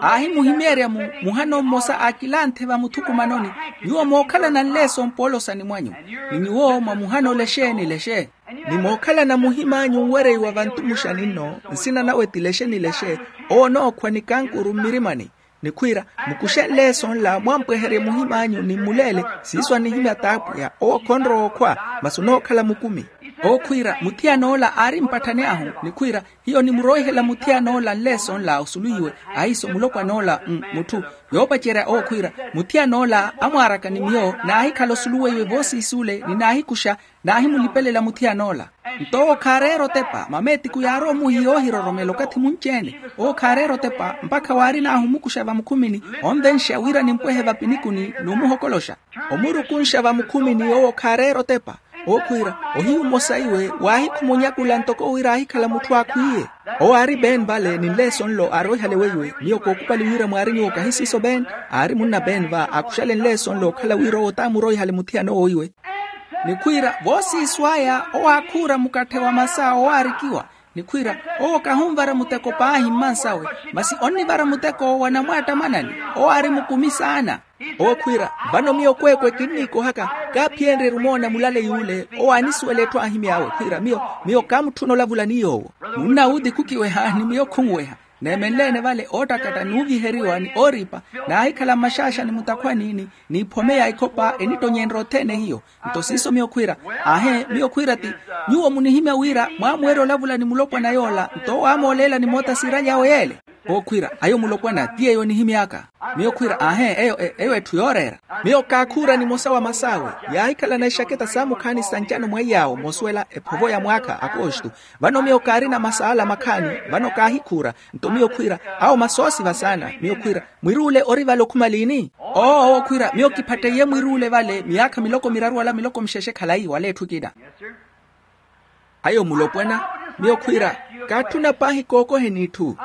aahimuhimeerya mu muhano mmosa aakilanthe vamuthukumanoni, nyuwo mookhalana nleeso mpoolosani mwanyu, ni nyuwo mwa muhano lexe ni lexe, ni mookhalana muhim'anyu nwereiwa vantumuxani nno nsina nawe ti lexe ni lexe. Owo onookhwa ni kankuru mmirimani. Ni khwiira, mukuxe nleeso nla mwampweherye muhim'anyu ni mmuleele. Siiso anihimya t'apwiya owo khonrowa okhwa, masi onookhala mukumi. Owo khwiira muthiyan'ola aari mpatthani ahu ni khwiira, hiyo nimuroihela muthiyan'ola nleeso nla osuluwiwe. Ahiiso mulopwan'ola mutthu yoopacerya owo khwiira, muthiyan'ola amwaaraka ni miyo naahikhala osuluweiwe voosiis'ule ni naahikuxa, naahimulipelela muthiyan'ola. Nto owo khaareera otepa mama etiku yaarowa omuhiya oohiroromela okathi munci-ene. Owo khaareera otepa mpakha waarin'ahu omukuxa vamukhumini, onvenxa wira nimpwehe vapinikuni n'umuhokoloxa. Omurukunxa vamukhumini owo khaareera otepa. Owo khwiira, ohiyu mmosa iwe waahikhumunyakulla ntoko wira aahikhala mutthu aakhwiiye. Owo aari ben vale ni nleeso nlo aaroihale weiwe miyo kookupali wira mwaari nyuwo kahi siiso ben. Aari munna ben va aakuxale nleeso nlo okhala wira owo t'amuroihale muthiyan'owo iwe. Ni khwiira voosiiso aya owo aakhuura mukatthe wa masa owaarikiwa. Ni khwiira, owo kahunvara muteko paahi mmansawe, masi onnivara muteko wa namwaattamanani. Owo aari mukumi saana. Owo khwiira, vano miyo kweekwe kinniikohaka, kaaphiyenrye-ru omoona mulaleyi ule owo aanisuwela etthu aahimy'awe khwiira miyo, miyo kaamutthuna olavula ni yoowo. Munna wuuti khukiweha ni miyo khunweha. Neemenle-ene vale oottakatta n'uviheriwa ni ooripa, naahikhala mmaxaaxani mutakhwani ni n'iphome ya ikhopa enittonyenrya othene hiyo. Nto siiso miyo khwiira, aahe miyo khwiira ti, nyuwo munihimya wira mwaamuwerya olavula ni mulopwana yoola nto owo aamooleelani moota siiraly'awe yeele. Owo khwiira, ayo mulopwana ti eyo enihimy'aka. Miyo khwiira, aahe eyo eyo etthu yooreera. Miyo kaakhuura nimosa wa mas'awe, yaahikhalana ixaketa saamukhaani sa ncano mwaiy'awo moosuwela ephovo ya mwaakha akoostu. Vano miyo kaarina mas'ala makhaani, vano kaahikhuura. Nto miyo khwiira, awo masoosiva saana. Miyo khwiira, mwiri ule ori vale okhuma liini? Oo owo khwiira, miyo kiphatteiye mwiri ule vale miyaakha miloko miraru wala miloko mixexe khalayi wala etthu ekina. Ayo mulopwana, miyo khwiira, kaatthuna paahi kookoheni itthu.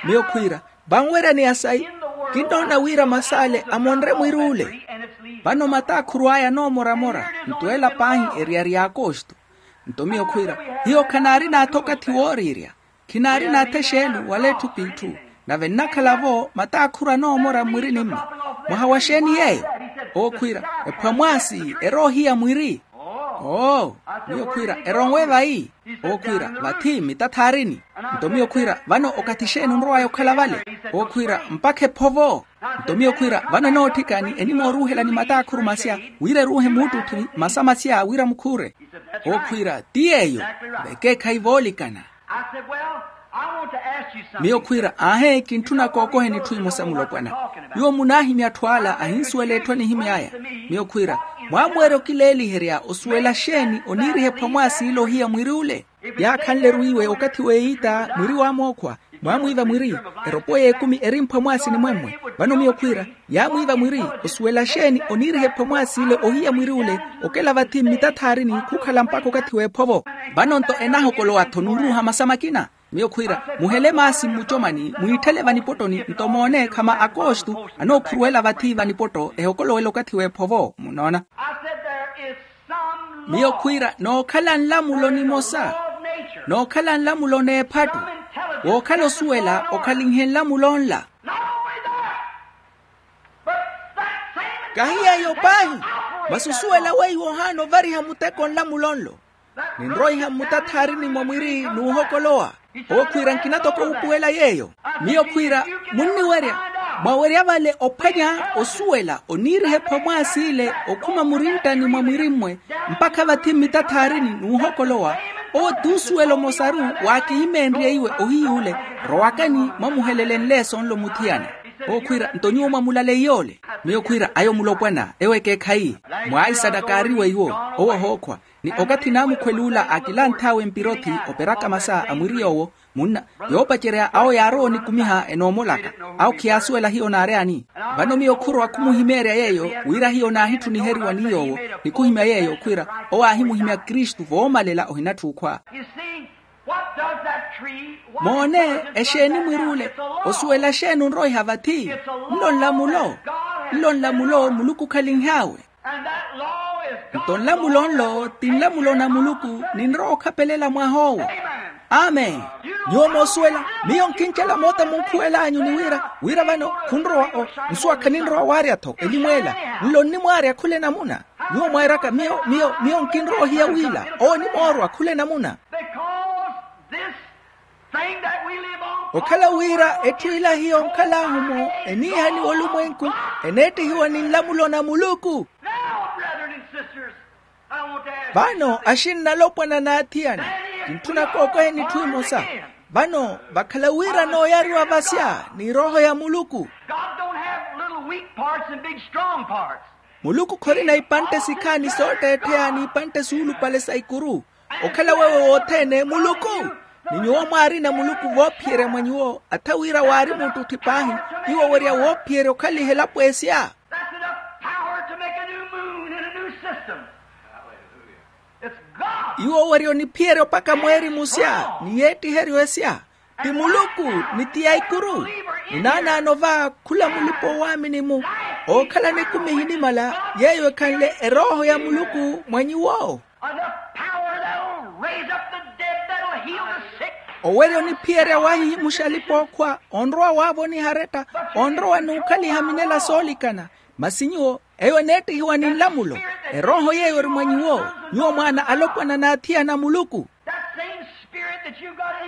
Miyo khwiira, vanweryani ya sayi? Kinnoona wira mas'ale amonre mwiri ule. Vano mataakhuru aya anoomora-mora nto ela paahi eriyari y'akoostu. Nto miyo khwiira, hiyo khanaari n'atha okathi wooriirya. Khinaari n'atha exeelo wala etthu p'itthu. Nave nnakhala-vo mataakhuru anoomora mmwirini-mwe. Mwaha wa xeeni yeeyo? Owo khwiira, ephwamwaasi eroohiya mwiri. Oo, miyo khwiira, eronwe vayi? Owo khwiira, vathi mmitathaarini. Nto miyo khwiira, vano okathi xeeni onrowaya okhala vale? Owo khwiira, mpakha ephovo. Nto miyo khwiira, vano enootthikani enimooruuhelani mataakhuru masya wira eruuhe muuttutthi masa masya wira mukhuure? Owo khwiira, ti yeeyo. Vekeekhayi voolikana. Miyo khwiira, aahe kintthuna kookoheni etthu emosa mulopwana. Nyuwo munaahimya atthu ala ahinsuwela etthu enihimy'aya. Miyo khwiira, mwaamuwerya okileeliherya osuwela xeeni oniiriha ephwamwaasi ile ohiya mwiri ule? Yaakhanle-ru iwe okathi w'eyiita mwiri waamookhwa, mwaamwiiva mwiri. Eropo y'ekumi eri mphwamwaasi ni mwemmwe. Vano miyo khwiira, yaamwiiva mwiri, osuwela xeeni oniiriha ephwamwaasi ile ohiya mwiri ule? Okela vathi mmitathaarini khukhala mpakha okathi w'ephovo. Vano nto enahokolowa-tho n'uruuha masa makina. Miyo khwiira, muhele maasi mmucomani mwiitthele vanipottoni nto moone khama akoostu anookhuruwela vathi vanipotto ehokolowela okathi w'ephovo munoona. Miyo khwiira, nookhala nlamulo nimosa, nookhala nlamulo n'ephattu, wookhala osuwela okhalinhe nlamulo nla. Kahi yeeyo paahi, masi osuwela weiwo ohaana ovariha muteko nlamulo nlo, ninroiha mmutathaarini mwa mwiri n'uhokolowa. Owo khwiira, nkina toko wuupuwela yeeyo. Miyo khwiira, munniwerya, mwawerya vale ophwanya osuwela oniiriha ephwamwaasi ile okhuma murinttani mwa mwiri-mmwe, mpakha vathi mmitathaarini n'uhokolowa. Owo t'usuwela omosaru. Waakihimeenrye iwe ohiy'ule, rowakani mwamuhelelenle sonlo muthiyana. Owo khwiira nto nyuwo mwamulaley'ole. Miyo khwiira ayo mulopwana ewo ekeekhayi. Mwaisana kaariwa iwo. Owo ohookhwa ni okathi naamukhwel'ula akilanthawe mpirothi operaka masa a mwiri yoowo. Munna yoopacerya awo yaarowa onikumiha enoomolaka. Awo khiyaasuwela hiyo naaryani. Vano miyo khurowa khumuhimeerya yeeyo wira hiyo naahitthuniheriwa ni yoowo. Ni khuhimya yeeyo khwiira owo aahimuhimya kristu voomalela ohinatthi okhwa. Moone exeeni mwir'ule? Osuwela xeeni onroiha vathi? Nlo nlamulo. Nlo nlamulo muluku okhalinhaawe. Nto nlamulo nlo ti nlamulo na muluku. Ninrowa okhapelela mwah'owo. Amen. Nyuwo moosuwela miyo nkincela moota munkhuwel'anyu ni wira wira vano khunrowa o nsuwa khaninrowa waarya-tho elimw'ela. Nlo nnimwaarya khula enamuna. Nyuwo mweeraka miyo miyo miyo nkinrowa ohiya wila owo onimoorwa khula enamuna. Okhala wira etthu ila hiyo nkhal'ahu-mo eniihaniwa olumwenku eneettihiwa ni nlamulo na muluku. Vano axinna alopwana n'athiyana, kintthuna kookoheni etthu emosa. Vano vakhala wira nooyariwa vasya ni erooho ya muluku. Muluku khorina ipantte sikhaani sootteettheya n'ipantte suulupale sa ikuru. Okhala weewe wothene muluku. Ni nyuwo mwaarina muluku voophiyerya mwa nyuwo atha wira waari muttutthi paahi. Iwo owerya woophiyerya okhaliha elapo esya. Iwo owerya oniphiyerya opaka mweeri musya ni yeettiheryo esya. Ti muluku ni ti ya ikuru. Ni naanaano va khula mulipa-owaamini-mu ookhalana ekumi ehinimala yeeyo ekhanle erooho ya muluku mwa nyuwo. Owerya oniphiyerya waahihimuxa alipa-ookhwa onrowa waavoniha aretta onrowa n'ukhaliha minela soolikana. Masi nyuwo eyo eneettihiwa ni nlamulo. Erooho yeeyo ori mwa nyuwo nyuwo mwaana alopwana n'athiyana a muluku.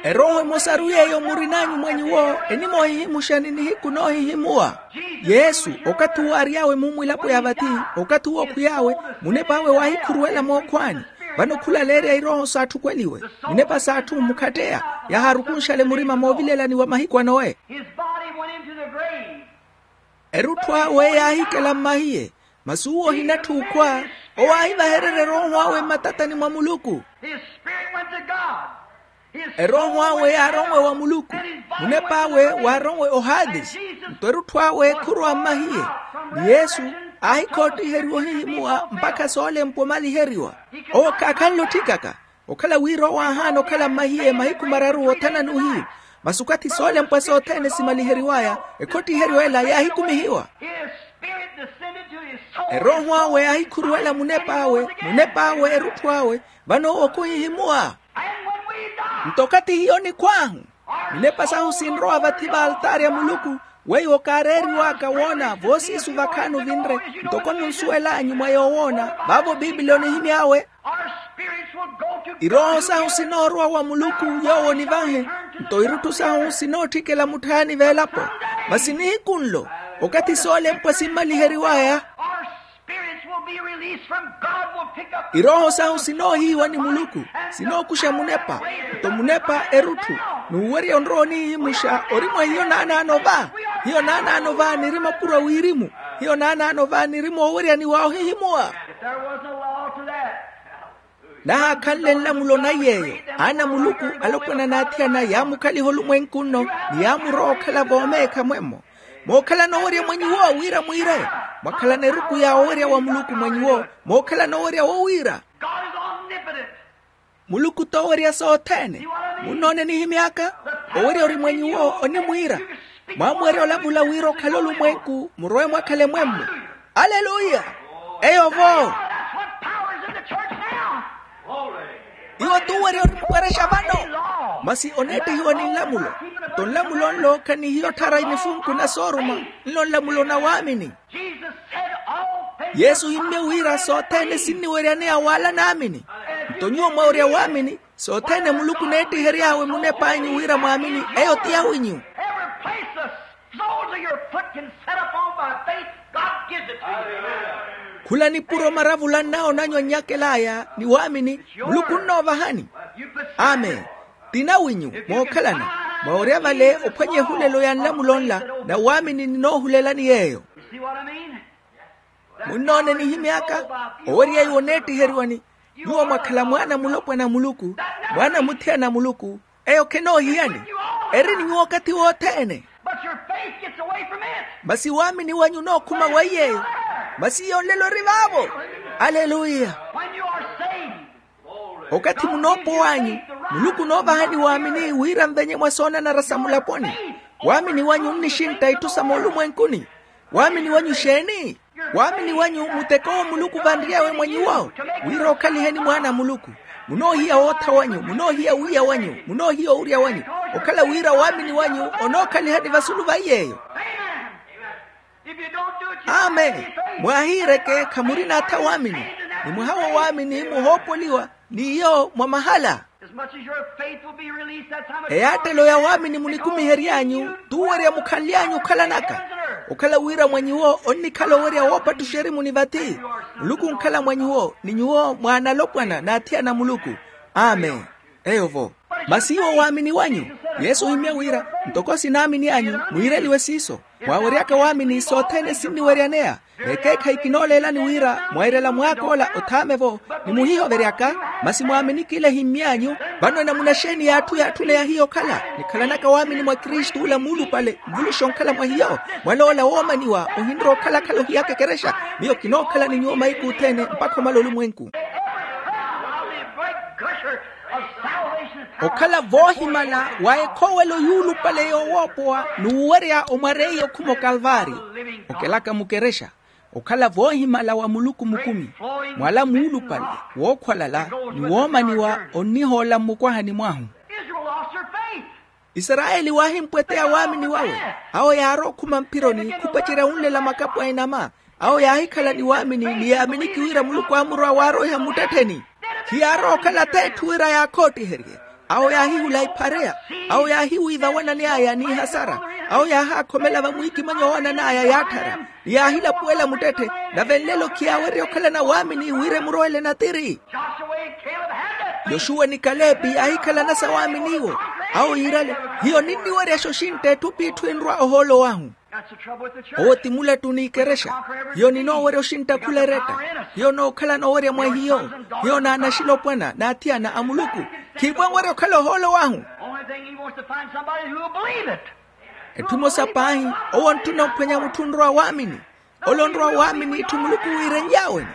Erooho emosaru yeeyo murin'anyu mwa nyuwo enimoohihimuxa ni nihiku noohihimuwa. Yesu okathi uwo aary'awe mummwilapo ya vathi okathi uwo okhwiy'awe munep'awe waahikhuruwela mookhwaani. Vano khula aleerya irooho saatthukweliwe. Minepa s'atthu mmukhatteya yahaarukunxale murima moovilelaniwa mahiku a nowe. Erutthu awe yaahikela mmahiye. Masi uwo ohinatthi okhwa owo aahivahererya erooho awe mmatatani mwa muluku. Erooho awe yaaronwe wa muluku. Munep'awe waaronwe ohaadisi. Nto erutthu awe khurowa mmahiye. Ni yesu aahikhootthiheriwa ohihimuwa mpakha soolempwa omaliheriwa. Owo khaakhanle otthikaka. Okhala wira owo aahaana okhala mmahiye mahiku mararu wothanani ohiyu. Masi okathi soolempwa sothene simaliheriwaya ekhotthiheriwa ela yaahikumihiwa. Erooho awe yaahikhuruwela munep'awe munep'awe erutthu awe. Vano owo khuhihimuwa. Nto okathi hiyo nikhw'ahu minepa sahu sinrowa vathi v'altaari a muluku. Weiwo kaareeriw'aka woona voosiisu vakhaani ovinre ntoko munsuwel'anyu mwa yoowoona. Vaavo piipili onihimy'awe. Irooho sahu sinoorowa wa muluku yoowo onivanhe. Nto irutthu sahu sinootthikela mutthaani v'elapo. Masi nihiku nlo okathi soolempwa simmaliheriw'aya. Irooho sahu sinoohiiwa ni muluku sinookuxa munepa. Nto munepa erutthu n'uwerya onrowa onihihimuxa ori mwa hiyo naanaano va. Hiyo naanaano va niri mapuro a wirimu. Hiyo naanaano va niri mooweryaniwa ohihimuwa. Nahaakhanle nlamulo naiyeeyo aana a muluku alopwana n'athiyana yaamukhaliha olumwenku nno ni yaamurowa okhala voomeekha mwemmo. Mookhalana owerya mwa nyuwo wira mwiire. Mwakhalana eruku ya owerya wa muluku mwa nyuwo. Mookhalana owerya wowiira. Muluku t'owerya sothene. Munnoona enihimy'aka? Owerya ori mwa nyuwo onimwiira. Mwaamuwerya olavula wira okhale olumwenku murowe mwakhale mwemmo. Aleluya. Eyo vo. Iwo t'uwerya orimwerexa vano. Masi oneettihiwa ni nlamulo. Nto nlamulo nlo khanihiyo otthara inifunku na sooruma. Nlo nlamulo na waamini. Yesu ohimmye wira sothene sinniweryaneya waala naamini. Nto nyuwo mwawerya waamini. Sothene muluku oneettihery'awe munep'anyu wira mwaamini eyo ti awinyu. Khula nipuro maravula nnawo nanyu annyakel'aya ni waamini. Muluku onnoovahani. Amen. Tina winyu mookhalana, mwawerya vale ophwanya ehulelo ya nlamulo nla, na waamini ninoohulelani yeeyo. Munnoone nihimy'aka owerya iwo oneettiheriwani. Nyuwo mwakhala mwaana mulopwana a muluku, mwaana muthiyana a muluku. Eyo khenoohiyani, eri ni nyuwo okathi wothene. Masi waamini wanyu onookhuma wa iy'eyo. Masi iyo nlelo eri vaavo. Aleluya. Okathi munoopowanyu, muluku onoovahani waamini wira nvenye mwa soonanara sa mulaponi. Waamini wanyu onnixintta itthu sa moolumwenkuni. Waamini wanyu exeeni? Waamini wanyu muteko owo muluku vanry'awe mwa nyuwo, wira okhaliheni mwaana a muluku. Munoohiya wootha wanyu, munoohiya wiiya wanyu, munoohiya owurya wanyu, okhala wira waamini wanyu onookhalihani vasulu va iy'eyo. Amen. Mwaahiireke khamurina atha waamini, ni mwaha wo waamini muhoopoliwa n'iyo mwa mahala. Eyaattelo ya waamini munikumihery'anyu t'uwerya mukhanly'anyu okhalanaka. Okhala wira mwa nyuwo onnikhala owerya woopattuxa erimuni vathi, muluku onkhala mwa nyuwo ni nyuwo mwaana alopwana n'athiyana a muluku. Amen. Eyo-vo. Masi iwo waamini wanyu, yesu ohimya wira, ntoko sinaamini anyu mwiireliwe siiso. Mwaaweryaka waamini sothene sinniweryaneya. Ekeekhayi kinooleelani wira mwairela mwaak'ola othaame-vo, ni muhihoveryaka. Masi mwaamini kila ehimmy'anyu. Vano enamuna xeeni y'atthu yaatthunaya hiyo okhala? Nikhalanaka waamini mwa kristu ola muulupale mvuluxa onkhala mwa hiyo. Mwaloola woomaniwa ohinrowa okhalakhala ohiyaka ekerexa. Miyo kinookhala ni nyuwo mahiku othene mpakha omala olumwenku. Okhala voohimala wa ekhoowelo yuulupale yoowoopowa n'uwerya omwareiya okhuma okalvaari, okelaka mukerexa. Okhala voohimala wa muluku mukumi, mwala muulupale wookhwalala ni woomaniwa onnihoola mmukwahani mwahu. Israyeli waahimpweteya waamini wawe. Awo yaarowa okhuma mphironi khupacerya wunlela makapu a inama. Awo yaahikhala ni waamini ni yaaminiki wira muluku aamurowa waaroiha mmuttettheni. Khiyaarowa okhala t'etthu wira yaakhootiherye. Awo yaahihula iphareya. Awo yaahiwiiva awanani aya n'ihasara. Awo yaahaakhomela vamwiikimanyo awanani aya yaatthara, ni yaahilapuwela muttetthe. Nave nlelo khiyaawerya okhalana waamini wira emurowele natiri. Yoxuwa ni kalepi yaahikhalana sa waamini iwo. Awo yiirale, hiyo ninniweryaxa oxintta etthu p'itthu enrwa ohoolo wahu. Owo ti mulattu n'ikerexa. Hiyo ninoowerya oxintta khula eretta. Hiyo nookhalana owerya mwa hiyo. Hiyo naanaxilopwana n'athiyana a muluku. Khiipwe nwerya okhala ohoolo wahu. Etthu emosa paahi, owo ontthuna ophwanya mutthu onrowa waamini. Ole onrowa waamini etthu muluku wiirenly'awe-ni.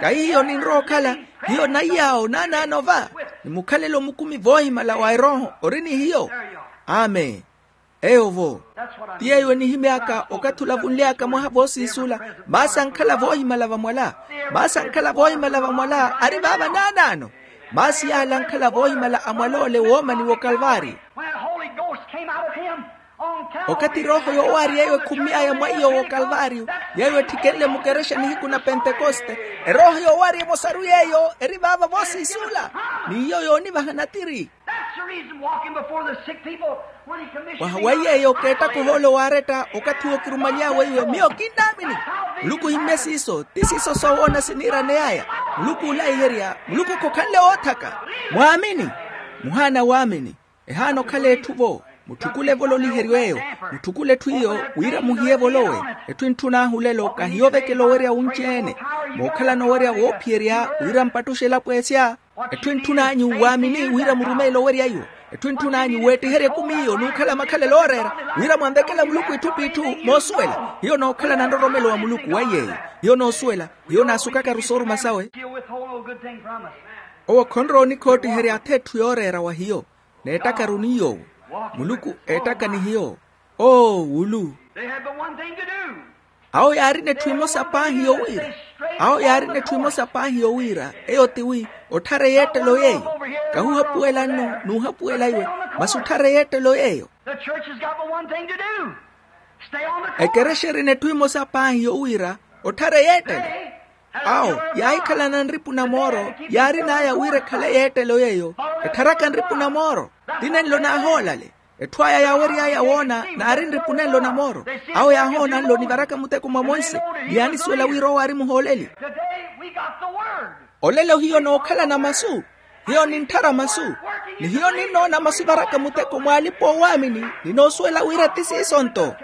Kahihiyo ninrowa okhala, hiyo naiy'awo naanaano va, ni mukhalelo mukumi voohimala wa erooho ori ni hiyo. Amen. Eyo-vo. Ti yeeyo enihimy'aka okathi olavunly'aka mwaha voosiisula. Maasi ankhala voohimala vamwala. Maasi ankhala voohimala vamwala ari vaava naanaano. Maasi yaala ankhala voohimala a mwala ole woomaniwa okalvaari. Okathi erooho yoowaari yeeyo ekhummy'aya mwa iyo w'okalvaariyo, yeeyo etthikenle mukerexa nihiku na pentekoste. Erooho yoowaari emosaru yeeyo eri vaava voosiisula, n'iyo yoonivaha natiri. Mwaha wa yeeyo keettaka ohoolo waaretta okathi wookirumaly'awe iwe miyo kinnaamini. Muluku ohimmye siiso ti siiso soowoona siniiraney'aya. Muluku oolaiherya muluku khokhanle woothaka. Mwaamini. Muhaana waamini. Ehaana okhala etthu-vo. Mutthukule evololiheryo eyo. Mutthukule etthu iyo wira muhiye evolowe. Etthu entthun'ahu olelo kahiyo ovekela owerya wunci-ene. Mookhalana owerya woophiyerya wira mpattuxe elapo esya. Etthu entthun'anyu waamini wira murumeele owerya iwo. Etthu entthun'anyu weettiherye ekumi iyo n'ukhala makhalelo ooreera, wira mwanvekela muluku itthu p'itthu. Moosuwela hiyo nookhalana nroromelo wa muluku wa yeeyo. Hiyo noosuwela. Hiyo naasukakaru sooruma sawe. Owo khonrowa onikhootiherya atha etthu yooreera wa hiyo. N'eettakaru ni yoowo. Muluku eettaka ni hiyo. Oo wulu. Awo yaarina etthu emosa paahi yowiira. Awo yaarina etthu emosa paahi yowiira eyo ti wi otthara eyeettelo yeeyo. Kahuhapuwela nno n'uhapuwela iwe, masi otthara eyeettelo yeeyo. Ekerexa erina etthu emosa paahi yowiira otthara eyeettelo. Awo yaahikhalana nripu na mooro yaarin'aya wira ekhale eyeettelo yeeyo. Ettharaka nripu na mooro ti nenlo naahoolale. Etthu aya yaawery'aya woona naari nripu nenlo na mooro. Awo yaahoona nlo nivaraka muteko mwa monse, ni yaanisuwela wira owo aari muhooleli. Olelo hiyo nookhalana masu. Hiyo nintthara masu, ni hiyo ninnoona masu evaraka muteko mw'alipa-oowaamini. Ninoosuwela wira ti siiso-nto.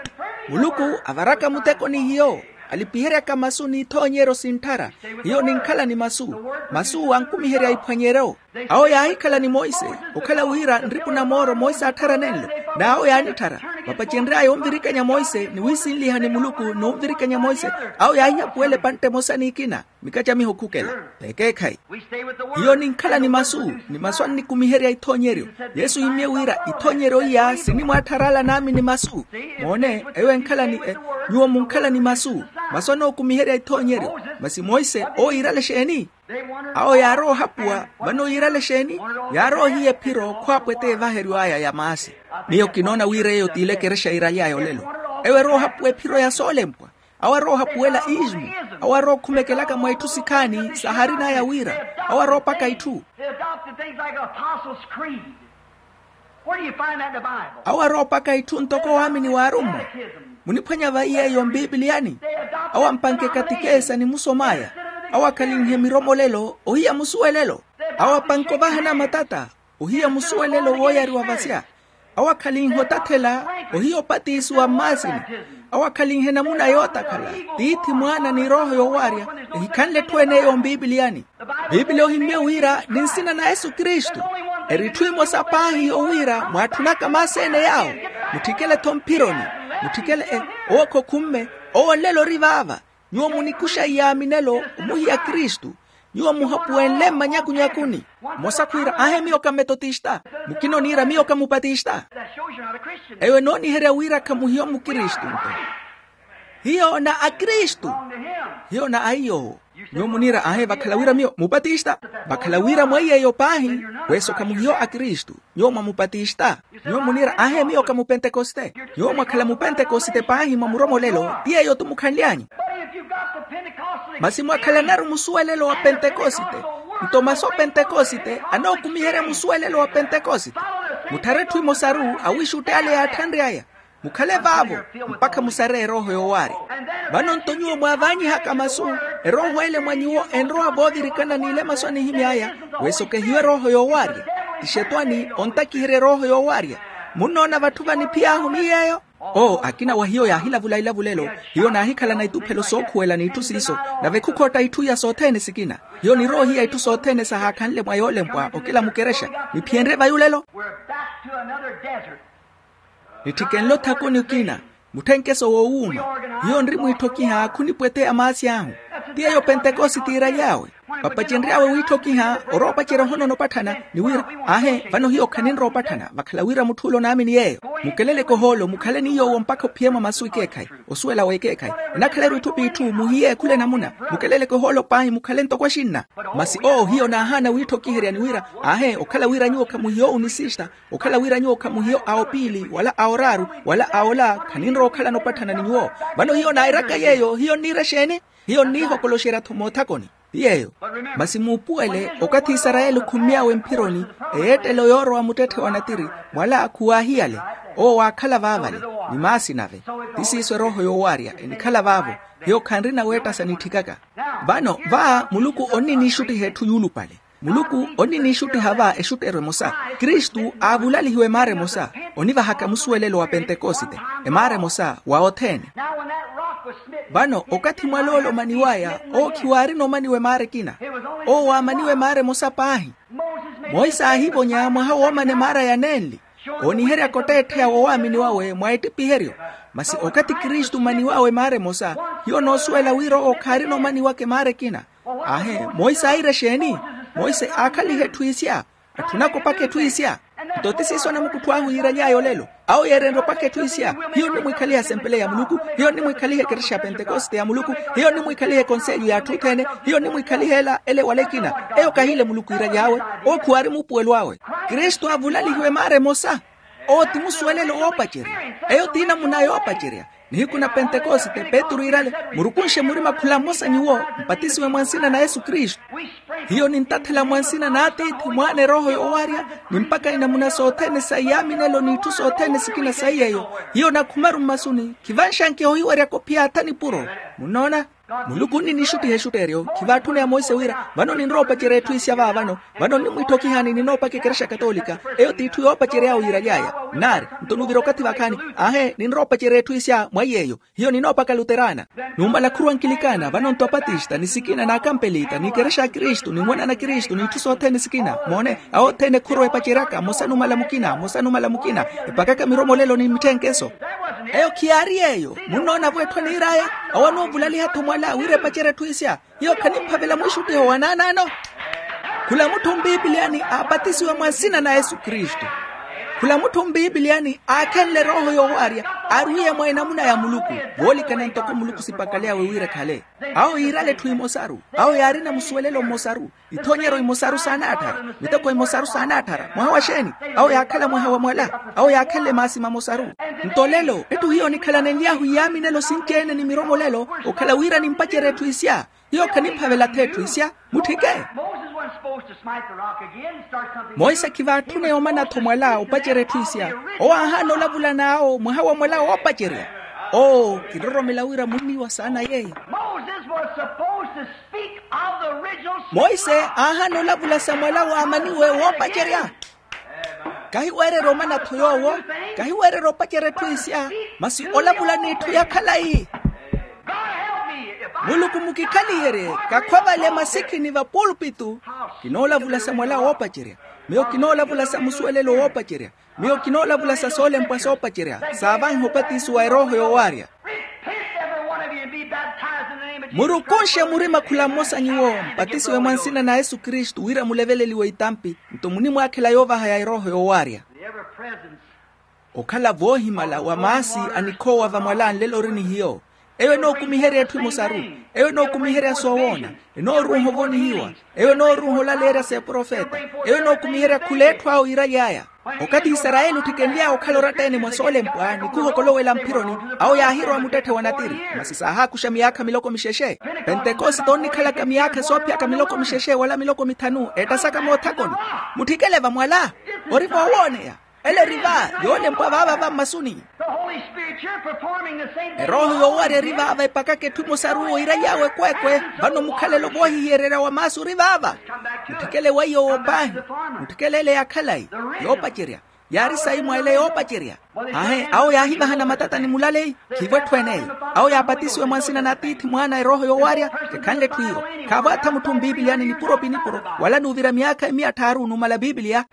Muluku avaraka muteko ni hiyo, alipiheryaka masu n'ithoonyeryo sintthara. Hiyo ninkhala ni masu, masu ankumiherya iphwanyeryo. Awo yaahikhala ni monse, okhala wira nripu na mooro monse aatthara nenlo. N'awo yaanitthara, vapacenry'aya onvirikanya monse ni wiisinliha ni muluku n'onvirikanya monse. Awo yaahihapuwela epantte emosa n'ikina, mikacamiho khukela. T'ekeekhayi. Hiyo ninkhala ni masu, ni masu annikumiherya ithoonyeryo. Yesu ohimmye wira ithoonyeryo iya sinimwaatthar'ala naamini masu. Moone eyo enkhala ni e, nyuwo munkhala ni masu. Masu anookumiherya ithoonyeryo. Masi monse owo yiirale exeeni? Awo yaarowa ohapuwa. Vano yiirale exeeni? Yaarowa ohiya ephiro khwaapwete evaheryo aya ya maasi. Miyo kinoona wira eyo t'ile ekerexa yiiraly'aya olelo. Ewo erowa ohapuwa ephiro ya soolempwa. Awo arowa ohapuwela iismu. Awo arowa okhumekelaka mwa itthu sikhaani sahaarin'aya wira. Awo arowa opaka itthu. They adopted things like Apostles' Creed. Where do you find that in the Bible? Awo arowa opaka itthu ntoko owaamini w'arummwa. Muniphwanya vayi yeeyo mpipiliyani? Awo ampanke katikesa ni musom'aya. Awo akhalinhe miromolelo ohiya musuwelelo. Awo apanke ovahana matata ohiya musuwelelo wooyariwa vasya. Awo akhalinhe otathela ohiya opatisiwa mmaasini. Awo akhalinhe namuna yootakhala, tiithi, mwaana ni erooho yoowaarya. Ehikhanle etthu ene eyo mpipiliyani. Piipiliya ohimmye wira ni nsina na yesu kristu. Eri etthu emosa paahi owiira mwaatthunaka maasi ene yaawo. Mutthikele-tho mphironi. Mutthikele e, owo khokhumme. Owo nlelo ori vaava. Nyuwo munikuxa iyaaminelo omuhiya kristu. Nyuwo muhapuwenle mmanyakunyakuni. Mmosa khwiira aahe miyo ka metotista. Mukina oniira miyo ka mupatista. Eyo enooniherya wira khamuhiyo mukristu nto. Hiyo na akristu. Hiyo na aiy'owo. Nyuwo muniira aahe vakhala wira miyo mupatista. Vakhala wira mweiy'eyo paahi. Wesokha muhiyo akristu. Nyuwo mwa mupatista. Nyuwo muniira aahe miyo ka mupentekoste. Nyuwo mwakhala mupentekoste paahi mwa muromolelo ti yeeyo-tu mukhanly'anyu. Masi mwakhalanaru musuwelelo wa pentekoste. Nto masu a pentekoste anookumiherya musuwelelo wa pentekoste. Mutthare etthu emosaru awiixutti ale yaatthanry'aya. Mukhale vaavo mpakha musare erooho yoowaarya. Vano nto nyuwo mwaavaanyihaka masu, erooho ele mwa nyuwo enrowa voovirikana n'ile masu anihimy'aya. Wesokehiwe erooho yoowaarya. Tixetwani ontakiherya erooho yoowaarya. Munnoona vatthu vaniphiy'ahu ni yeeyo. Oo akina wa hiyo yaahilavula ilavulelo. Hiyo naahikhalana ituphelo sookhuwela n'itthu siiso. Nave khukhotta itthu iya sothene sikina. Hiyo nirowa ohiya itthu sothene sahaakhanle mwa yoolempwa okela mukerexa. Niphiyenrye vayulelo. Nitthikenle othakoni okina. Mutthenkeso woowuuma. Hiyo nri mwiitthokiha khunipweteya maasi ahu. Ti yeeyo pentekositi iiraly'awe. Papacenry'awe wiitthokiha orowa opacerya ohonono opatthana. Ni wira aahe vano hiyo khaninrowa opatthana vakhala wira mutthu ole onaamini yeeyo. Mukeleleke ohoolo mukhale ni yoowo mpakha ophiye mwa masu ekeekhayi. Osuwela w'ekeekhayi. Enakhala-ru itthu p'itthu muhiye khula enamuna. Mukeleleke ohoolo paahi mukhale ntoko axinna. Masi oo hiyo naahaana wiitthokiherya ni wira aahe okhala wira nyuwo khamuhiyo onisista. Okhala wira nyuwo khamuhiyo a opiili wala a oraaru wala a ola khaninrowa okhalana opatthana ni nyuwo. Vano hiyo nairaka yeeyo hiyo nniira exeeni? Hiyo nniihokoloxerya-tho moothakoni. Ti yeeyo. Masi muupuwele okathi isarayeli okhummy'awe mphironi eyeettelo yoorowa muttetthe wa natiri mwala khuwaahiyale. Owo waakhala vaavale ni maasi nave. Ti siiso erooho yoowaarya enikhala vaavo. Hiyo khanrina weettasa nitthikaka. Vano va muluku onniniixuttiha etthu yuulupale. Muluku onniniixuttiha va exutteryo emosa. Kristu aavulalihiwa emaara emosa. Onivahaka musuwelelo wa pentekosite. Emaara emosa wa othene. Vano okathi mwaloole omaniw'aya owo khiwaarina omaniwa emaara ekina. Owo waamaniwa emaara emosa paahi. Monse aahivonya mwaha woomana emaara ya nenli ooniheryaka otteettheya woowaamini wawe mwa ettipiheryo. Masi okathi kristu omaniw'awe emaara emosa hiyo onoosuwela wira owo khaarina omaniwaka emaara ekina. Aahe monse aayira exeeni? Monse aakhaliha etthu isya. Atthunaka opaka etthu isya. Nto ti siiso anamukuttho ahu yiiraly'aya olelo. Awo yeerenrye opaka etthu isya. Hiyo nnimwiikhaliha esempele ya muluku. Hiyo nnimwiikhaliha ekerexa ya pentekosite ya muluku. Hiyo nnimwiikhaliha ekonselyo y'atthu othene. Hiyo nnimwiikhaliha ela ele wala ekina. Eyo kahiile muluku yiiraly'awe. Owo khuwaari muupuwelo awe. Kristu aavulalihiwa emaara emosa. Owo ti musuwelelo woopacerya. Eyo ti namuna yoopacerya. Nihiku na pentekosite petru iirale murukunxe murima khula mmosa nyuwo mpatisiwe mwa nsina na yesu kristu. Hiyo nintathela mwa nsina n'atiithi mwaana erooho yoowaarya. Ni mpakha inamuna sothene sa iyaaminelo n'itthu sothene sikina sa iy'eyo. Hiyo nakhumaru mmasuni khivanxankiha ohiweryaka ophiyaatha nipuro. Munnoona? Muluku onninixuttiha exutteeryo. Khivaatthuna ya monse wira vano ninrowa opacerya etthu isya vaavano. Vano nnimwiitthokihaani ninoopaka ekerexa katoolika. Eyo t'itthu yoopacery'awe yiiraly'aya. Nnaari, nto nuvira okathi vakhaani. Aahe ninrowa opacerya etthu isya mwaiy'eyo. Hiyo ninoopaka luterana. Numala khurwa nkilikaana vano nto apatista ni sikina n'akampelita n'ikerexa ya kristu n'inwana na kristu n'itthu sothene sikina moone. Awo othene khurwa epaceryaka mmosa numala mukina mmosa numala mukina. Epakaka miromolelo ni mitthenkeso. Eyo khiyaari yeeyo. Munnoona-vo etthu eniir'aya. Awo anoovulaliha-tho mwala wira epacerye etthu isya. Hiyo khaniphavela mwiixuttiho wa naanaano. Khula mutthu mpiipiliyani aapatisiwe mwa nsina na yesu kristu. Khula mutthu mpiipiliyani aakhenle erooho yoowaarya. Aarwiye mwa enamuna ya muluku. Voolikana ntoko muluku sipakaly'awe wira ekhale. Awo yiirale etthu imosaru. Awo yaarina musuwelelo mmosaru. Ithoonyeryo imosaru saanaattara. Miteko imosaru saanaattara mwaha wa xeeni? Awo yaakhala mwaha wa mwala. Awo yaakhenle maasi mamosaru. Nto lelo etthu hiyo nikhalanenly'ahu iyaaminelo sinci-ene ni miromolelo. Okhala wira nimpacerye etthu isya. Hiyo khaniphavela-tho etthu isya. Mutthike. Monse khivaatthune yoomana-tho mwala opacerya etthu isya. Owo aahaana olavula n'awo mwaha wa mwala woopacerya. Oo kinroromela wira munniiwa saana yeeyo. Monse aahaana olavula sa mwala waamaniwe woopacerya. Kahiweererya omana-tho yoowo. Kahiweererya opacerya etthu isya. Masi olavula n'itthu ya khalayi. Muluku mukikhaliyerye. Kakhwavale masikhi ni vapulupitu. Kinoolavula sa mwala woopacerya. Miyo kinoolavula sa musuwelelo woopacerya. Miyo kinoolavula sa soolempwa soopacerya saavanha opatisiwa erooho yoowaarya. Murukunxe murima khula mmosa nyuwo mpatisiwe mwa nsina na yesu kristu wira muleveleliwe itampi. Nto munimwaakhela yoovaha ya erooho yoowaarya. Okhala voohimala wa maasi a nikhoowa vamwala nlelo ori ni hiyo. Eyo enookumiherya etthu emosaru. Eyo enookumiherya soowoona. Enooruuha ovonihiwa. Eyo enooruuha olaleerya s'eprofeta. Eyo enookumiherya khula etthu awo yiiraly'aya. Okathi isarayeli otthikenly'awe okhala oratta-ene mwa soolempwa ni khuhokolowela mphironi. Awo yaahirowa muttetthe wa natiri. Masi saahaakuxa miyaakha miloko mixexe. Pentekosite onnikhalaka miyaakha soophiyaka miloko mixexe wala miloko mithanu ettasaka moothakoni. Mutthikele vamwala. Ori voowooneya. Ele eri va yoolempwa vaava vammasuni. Erooho yoowarya eri vaava epakaka etthu emosaru owo iiraly'awe ekweekwe. Vano mukhalelo voohihiyererya wa maasu ori vaava. Mutthikele weiyo owo paahi. Mutthikele ele ya khalayi. Yoopacerya. Yaari sayi mwa ele yoopacerya. Aahe awo yaahivahana matata ni mulaleyi. Khiivo etthu en'eyo. Awo yaapatisiwe mwa nsina n'atiithi mwaana erooho yoowarya. Kekhanle etthu iyo. Khaavo atha mutthu mpiipiliyani nipuro pi nipuro wala n'uvira miyaakha emiya tthaaru numala pipiliya.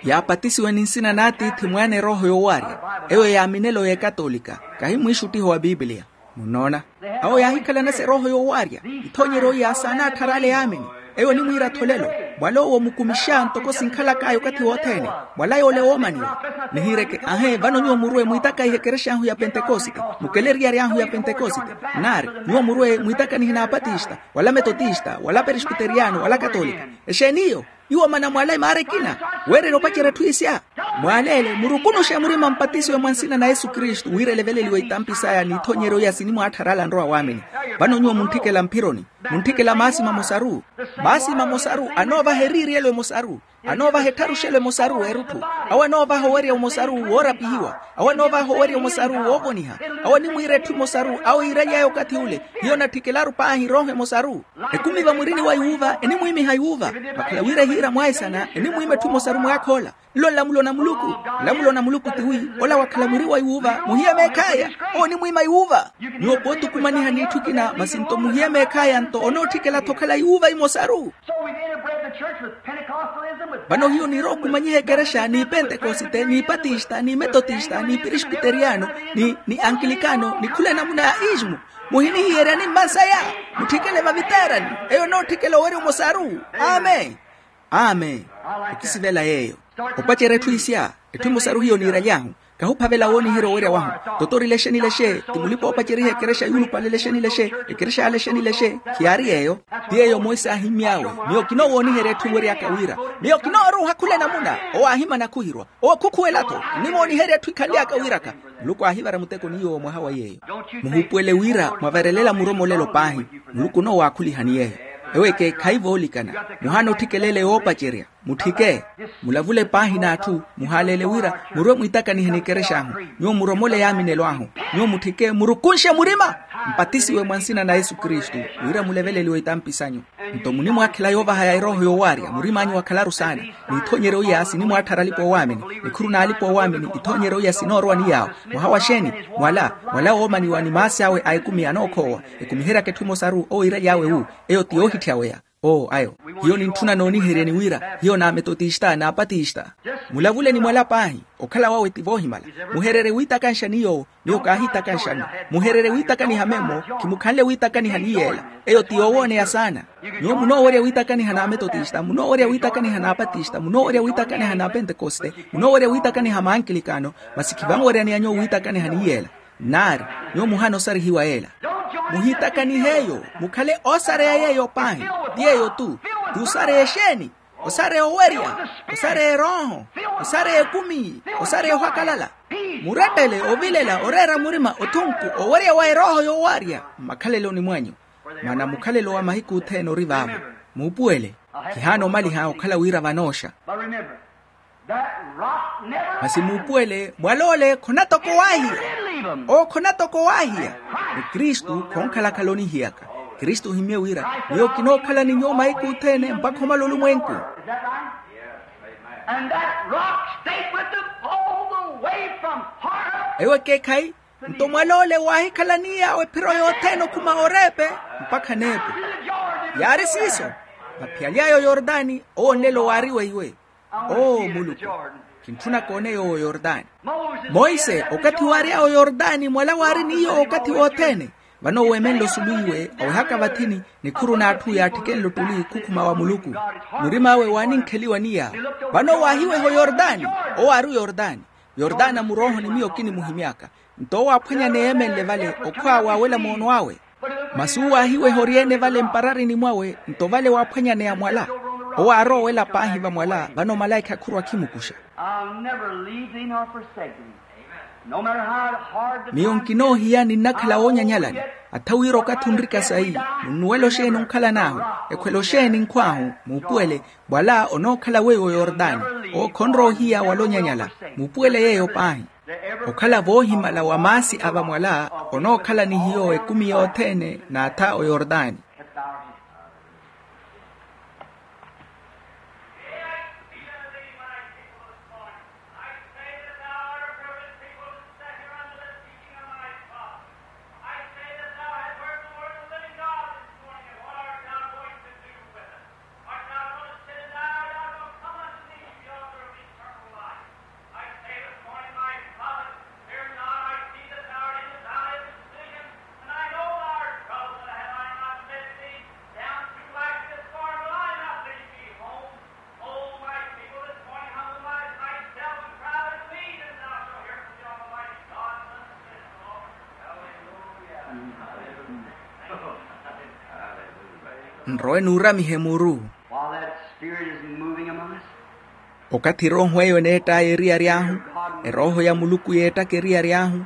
Yaapatisiwe ni nsina n'atiithi mwaana erooho yoowarya. Eyo yaaminelo y'ekatolika. Kahi mwiixuttiho wa pipiliya. Munnoona. Awo yaahikhalana sa erooho yoowarya. Ithoonyeryo iya saana attharaale yaamini. Eyo enimwiira-tho lelo. Mwala owo mukumixa ntoko sinkhalak'aya okathi wothene. Mwala yoole woomaniwa. Nihiireke aahe vano nyuwo murwe mwiitakaihe ekerex'ahu ya pentekosite. Mukeleriyaryahu ya pentekosite. Nnaari nyuwo murwe mwiitakanihe n'apatista wala metotista wala peresbiteriyano wala katolika. Exeeni iyo? Iwo mana mwala emaara ekina. Weererya opacerya etthu isya. Mwaleele murukunuxe murima mpatisiwe mwa nsina na yesu kristu wira eleveleliwe itampi saya n'ithoonyeryo iya sinimwaattharala nrowa waamini. Vano nyuwo muntthikela mphironi. Muntthikela maasi mamosaru. Maasi mamosaru anoovaha eriiriyelo emosaru. Anoovaha ettharuxelo emosaru w'erutthu. Awo anoovaha owerya omosaru woorapihiwa. Awo anoovaha owerya omosaru woovoniha. Awo animwiira etthu emosaru awo yiiraly'aya okathi ule. Hiyo natthikelaru paahi erooho emosaru. Ekumi vamwirini wa iwuuva enimwiimiha iwuuva. Vakhala wira ehiira mwaesana enimwiima etthu emosaru mwaakhoola. Nlo nlamulo na muluku. Nlamulo na muluku tiwi ola wakhala mwiri wa iwuuva muhiye meekh'aya. Owo onimwiima iwuuva. Nyuwo pootukumaniha n'itthu ekina masi nto muhiye meekh'aya nto onootthikela-tho okhala iwuuva imosaru. Vano hiyo niirookumanyiha ekerexa ni pentekosite ni patista ni metotista ni peresbiteriyano ni ankilikano ni khula enamuna ya ismu. Muhinihiyerya ni mmansaya. Mutthikele vaviteerani. Eyo enootthikela owerya omosaru. Amen. Amen. Okisivela yeeyo. Opacerya etthu isya. Etthu emosaru hiyo niiraly'ahu. Kahuphavela wooniherya owerya wahu. Totori lexe ni lexe ti mulipa-oopaceriha ekerexa yuulupale lexe ni lexe. Ekerexa ya lexe ni lexe. Khiyaari yeeyo. Ti yeeyo monse aahimmy'awe. Miyo kinoowooniherya etthu enwery'aka wira. Miyo kinooruuha khula enamuna. Owo aahimana khuhirwa. Owo khukhuwela-tho. Nnimooniherya etthu ikhanly'aka wiraka. Muluku aahivara muteko ni yoowo mwaha wa yeeyo. Muhuupuwele wira mwaverelela muromolelo paahi. Muluku onoowakhulihani yeeyo. Ewo ekeekhayi voolikana. Muhaana otthikeleela yoopacerya. Mutthike. Mulavule paahi n'atthu. Muhaaleele wira murwe mwiitakanihe n'ekerex'ahu. Nyuwo muromole yaaminelo ahu. Nyuwo mutthike murukunxe murima. Mpatisiwe mwa nsina na yesu kristu, wira muleveleliwe itampi sanyu. Nto munimwaakhela yoovahaya erooho yoowaarya murim'anyu wakhalaru saana. Niithoonyerye oya sinimwaatthara alipa oowaamini. Nikhuru n'alipa oowaamini ithoonyerye oya sinoorowa ni yaawo. Mwaha wa xeeni? Mwala. Mwala woomaniwa ni maasi awe a ekumi anookhoowa. Ekumiheryaka etthu emosaru owiiraly'awe wu. Eyo ti yoohitthya weya. Oo ayo. Hiyo nintthuna nooniheryeni wira hiyo n'ametotista n'apatista. Mulavule ni mwala paahi. Okhala wawe ti voohimala. Muhererye wiitakanxani yoowo. Miyo kaahiitakanxani. Muhererye wiitakaniha memmo. Khimukhanle wiitakaniha ni yeela. Eyo ti yoowooneya saana. Nyuwo munoowerya wiitakaniha n'ametotista munoowerya wiitakaniha n'apatista munoowerya wiitakaniha n'apentekoste. Munoowerya wiitakaniha maankilikano. Masi khivanweryaneya nyuwo wiitakaniha ni yeela. Nnaari. Nyuwo muhana osarihiwa yeela. Muhiitakanihe eyo. Mukhale oosareya yeeyo paahi. Ti yeeyo-tu. Ti osareya exeeni? Osareya owerya. Osareya erooho. Osareya ekumi. Osareya ohakalala. Murettele ovilela oreera murima othunku owerya wa erooho yoowaarya. Mmakhaleloni mwanyu. Maana mukhalelo wa mahiku othene ori vaavo. Muupuwele. Khihaana omaliha okhala wira vanooxa. Masi muupuwele mwal'ole khonatoko waahiya. Owo khonatoko waahiya. Ni kristu khonkhalakhala onihiyaka. Kristu ohimmye wira miyo kinookhala ni nyuwo mahiku othene mpakha omala olumwenku. Ewo ekeekhayi. Nto mwal'ole waahikhala ni yaawo ephiro yothene okhuma oreepe mpakha neepo. Yaari siiso. Vaphiyaly'aya oyordani owo onelo waari weiwe. Oo muluku. Kintthuna kooneya owo oyordani. Monse okathi waary'aya oyordani mwala waari ni yoowo okathi wothene. Vano weemenle osulu iwe awehaka vathini. Nikhuru n'atthu yaatthikenle ottuli khukhuma wa muluku. Murim'awe waaninkheliwa ni yaawo. Vano waahiweha oyordani. Owo aari oyordani. Yordana murooho ni miyo kinimuhimy'aka. Nto owo aaphwanyaneya eemenle vale okhwaawe awela moono awe. Masi uwo aahiweha oryeene vale mpararini mwawe nto vale waaphwanyaneya mwala. Owo aarowa owela paahi vamwala vano omalaikha khurwa akhimukuxa. I'll never leave thee nor forsake thee. No matter how hard the miyo nkinoohiya ninnakhala woonyanyalani. Atha wira okathi onrika sayi. Munnuwela oxeeni onkhalan'ahu? Ekhwela oxeeni nkhw'ahu? Muupuwele. Mwala onookhala weiwo yordani. Owo khonroohiya wala onyanyala. Muupuwele yeeyo paahi. Okhala voohimala wa maasi a vamwala. Onookhala ni hiyo ekumi yothene n'atha oyordani. Nrowe nuuramihe muru. Okathi erooho eyo eneett'aya eriyari ahu, erooho ya muluku yeettaka eriyari ahu,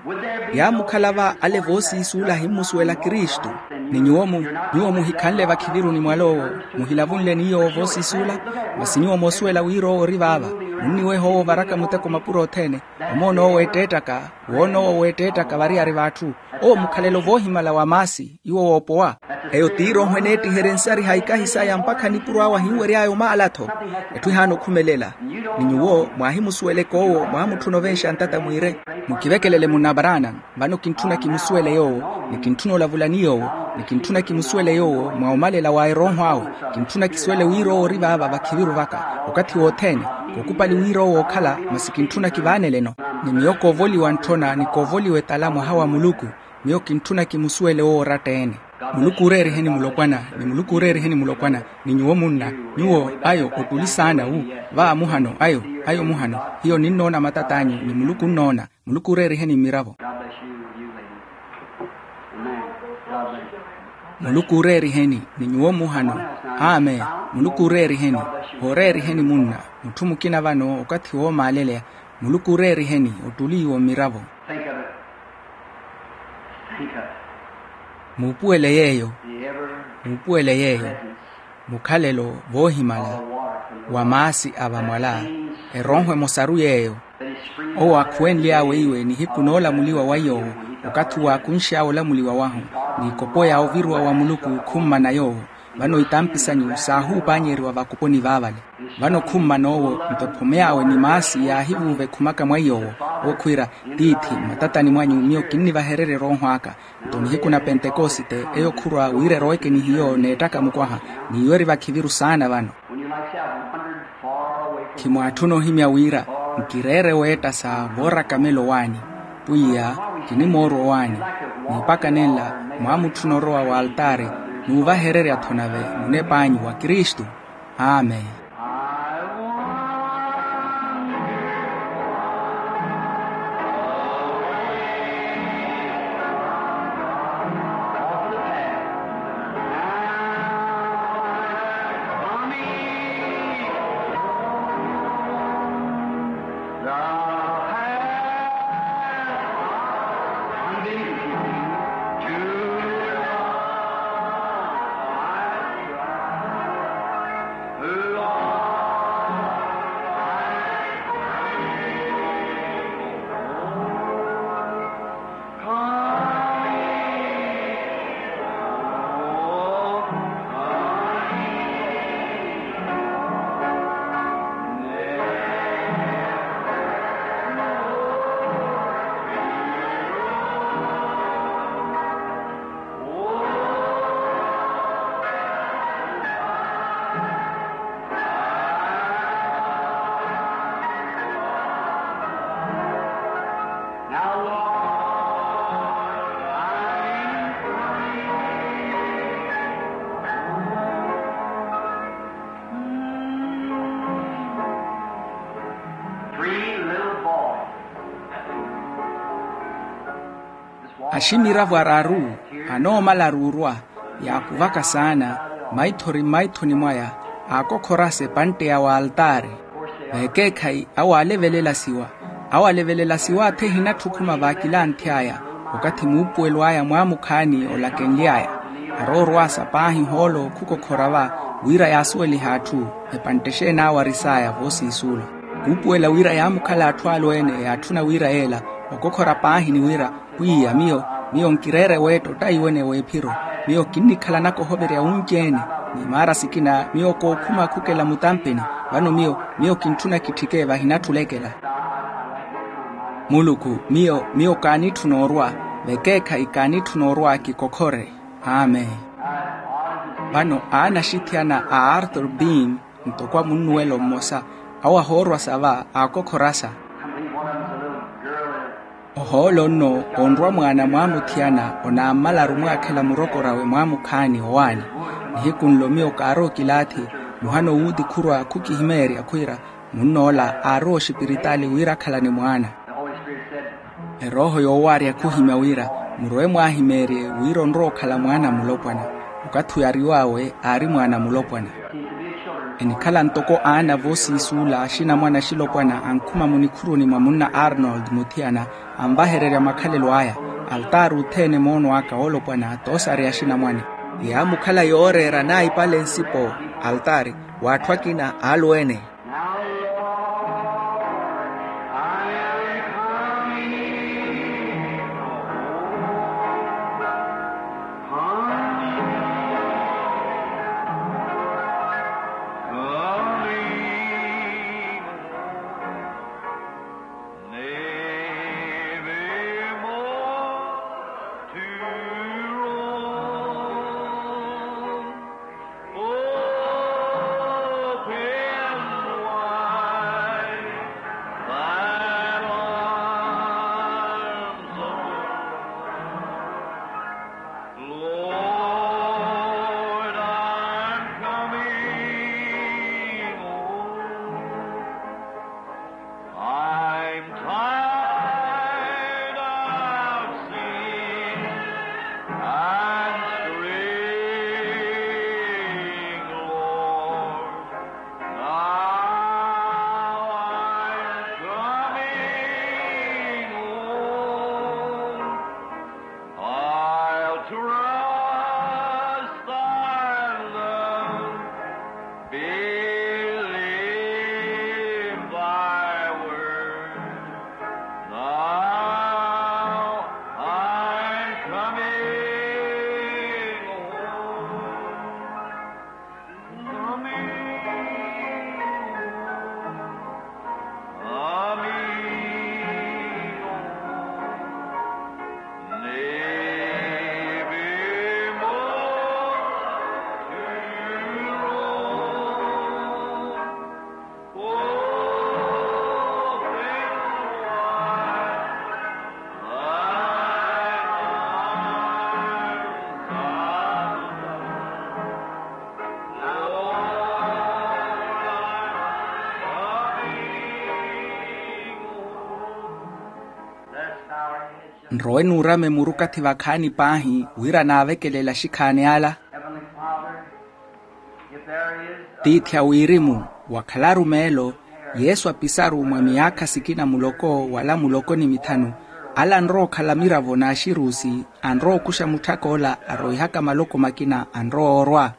yaamukhala va ale voosiisuula ahimmusuwela kristu. Ni nyuwo mu nyuwo muhikhanle vakhiviruni mwal'owo, muhilavunle ni yoowo voosiisuula. Masi nyuwo moosuwela wira owo ori vaava. Munniweha owo ovaraka muteko mapuro othene. Omoona owo weetteettaka. Woona owo weetteettaka variyari v'atthu. Owo mukhalelo voohimala wa maasi iwo woopowa. Eyo t'irooho eneettiherye nsariha ikahi saya mpakha nipuro awe ahinwery'aya omaala-tho. Etthu ehaana okhumelela. Ni nyuwo mwaahimusuweleke owo mwaamutthuna ovenxa ntata mwiire. Mukivekelele munna abraana. Vano kintthuna kimusuwele yoowo, ni kintthuna olavula ni yoowo, ni kintthuna kimusuwele yoowo mwa omalela wa erooho awe. Kintthuna kisuwele wira owo ori vaava vakhiviru vaka okathi wothene. Kookupali wira owo ookhala masi kintthuna kivaaneleno. Ni miyo koovoliwa ntthona ni koovoliwa etala mwaha wa muluku. Miyo kintthuna kimusuwele owo oratta-ene. Muluku ooreeriheni mulopwana. Ni muluku ooreeriheni mulopwana. Ni nyuwo munna, nyuwo ayo ottuli saana wu. Va muhano ayo, ayo muhano. Hiyo ninnoona matat'anyu ni muluku onnoona. Muluku ooreeriheni mmiravo. Muluku ooreeriheni ni nyuwo muhano. Amen. Muluku ooreeriheni. Hooreeriheni munna. Mutthu mukina vano okathi woomaaleleya. Muluku ooreeriheni ottuli iwo mmiravo. Muupuwele yeeyo. Muupuwele yeeyo. Mukhalelo voohimala wa maasi a vamwala, erooho emosaru yeeyo. Owo aakhuwenly'awe iwe nihiku noolamuliwa wa iy'owo, okathi owo akunx'awe olamuliwa wahu, n'ikopo ya oviruwa wa muluku khummana yoowo. Vano itampi sanyu saahuupaanyeriwa vakoponi vaavale. Vano khummana owo, nto ephome awe ni maasi yaahivuuva ekhumaka mwa iy'owo. Owo khwiira, tiithi, mmatatani mwanyu miyo kinnivahererya erooho aka. Nto nihiku na pentekosite eyo khurwa wira eroweke ni hiyo n'ettaka mukwaha, n'iyo eri vakhiviru saana vano. Khimwaatthuna ohimya wira nkireere weetta sa vooraka melo owaani. Pwiya, kinimoorwa owaani. Ni epaka nenla mwaamutthuna orowa wa altaari, n'uvahererya-tho nave munep'anyu wa kristu. Amen. Aximiravo araru anoomala aruurwa, yaakuvaka saana, maithori mmaithoni mwaya, aakokhorasa epantte ya waltaari. Vekeekhayi awo aalevelela siwa. Awo alevelela siwa athi ehinatthi okhuma vaakilanthy'aya. Okathi muupuwelo aya mwaamukhaani olakenly'aya, aroorwasa paahi ohoolo khukokhora va, wira yaasuwelihe atthu. Epantte exeeni awo aris'aya voosiisuula. Khuupuwela wira yaamukhala atthu alweene yaatthuna wira yeela, okokhora paahi ni wira, pwiya miyo, miyo nkireere weetta ottaiwene w'ephiro. Miyo kinnikhalanaka ohoverya wunci-ene, ni maara sikina miyo kookhuma khukela mutampeni. Vano miyo, miyo kintthuna kitthike vahinatthi olekela. Muluku, miyo, miyo kaanitthuna orwa, vekeekhayi kaanitthuna orwa kikokhore. Amen. Vano aana axithiyana a arthur beam, ntoko a munnuwelo mmosa, awo ahoorwasa va aakokhorasa. Ohoolo nno onrwa mwaana mwaamuthiyana, onaammalaru mwaakhela murokor'awe mwaamukhaani owaani. Nihiku nlo miyo kaarowa okilaathi, muhana owuuti khurwa khukihimeerya khwiira, munn'ola aarowa oxipiritaali wira akhalane mwaana. Erooho yoowaarya khuhimya wira, murowe mwaahimeerye wira onrowa okhala mwaana a mulopwana. Okathi oyariw'awe aari mwaana a mulopwana. Enikhala ntoko aana voosiisuula axinamwane axilopwana ankhuma munikhuruni mwa munna arnold muthiyana, anvahererya makhalelo aya. Altaari othene moono aka oolopwana toosareya axinamwane. Yaamukhala yooreera naipale nsipo, altaari, w'atthu akina alweene. Nrowe nuurame muru okathi vakhaani paahi wira naavekelela axikhaani ala. Tiithi a wirimu, wakhalaru meelo yesu apisaru mwa miyaakha sikina muloko wala muloko ni mithanu, ala anrowa okhala miravo n'axiruusi anrowa okuxa mutthak'ola aroihaka maloko makina anrowa oorwa.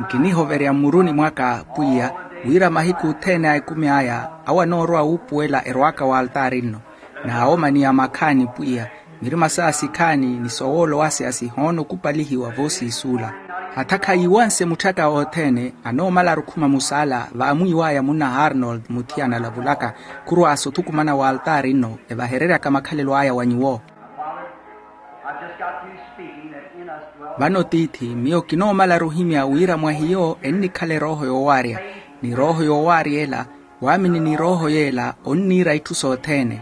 Nkinihoverya mmuruni mwaka pwiya wira mahiku othene a ekumi aya awo anoorowa wuupuwela erwaaka w'altaari nno. N'awomaniya makhaani pwiya mirima saa sikhaani ni sowoolo wase asihoona okupalihiwa voosiisuula. Hatha khayiiwanse mutthaka othene anoomala arukhuma musaala vaamwiiw'aya munna arnold muthiyana alavulaka khurwaasa othukumana w'altaari nno evahereryaka makhalelo aya wa nyuwo. Vano tiithi miyo kinoomalaru ohimya wira mwa hiyo ennikhala erooho yoowaarya ni erooho yoowaarya ela waamini ni erooho yeela onniira itthu sothene.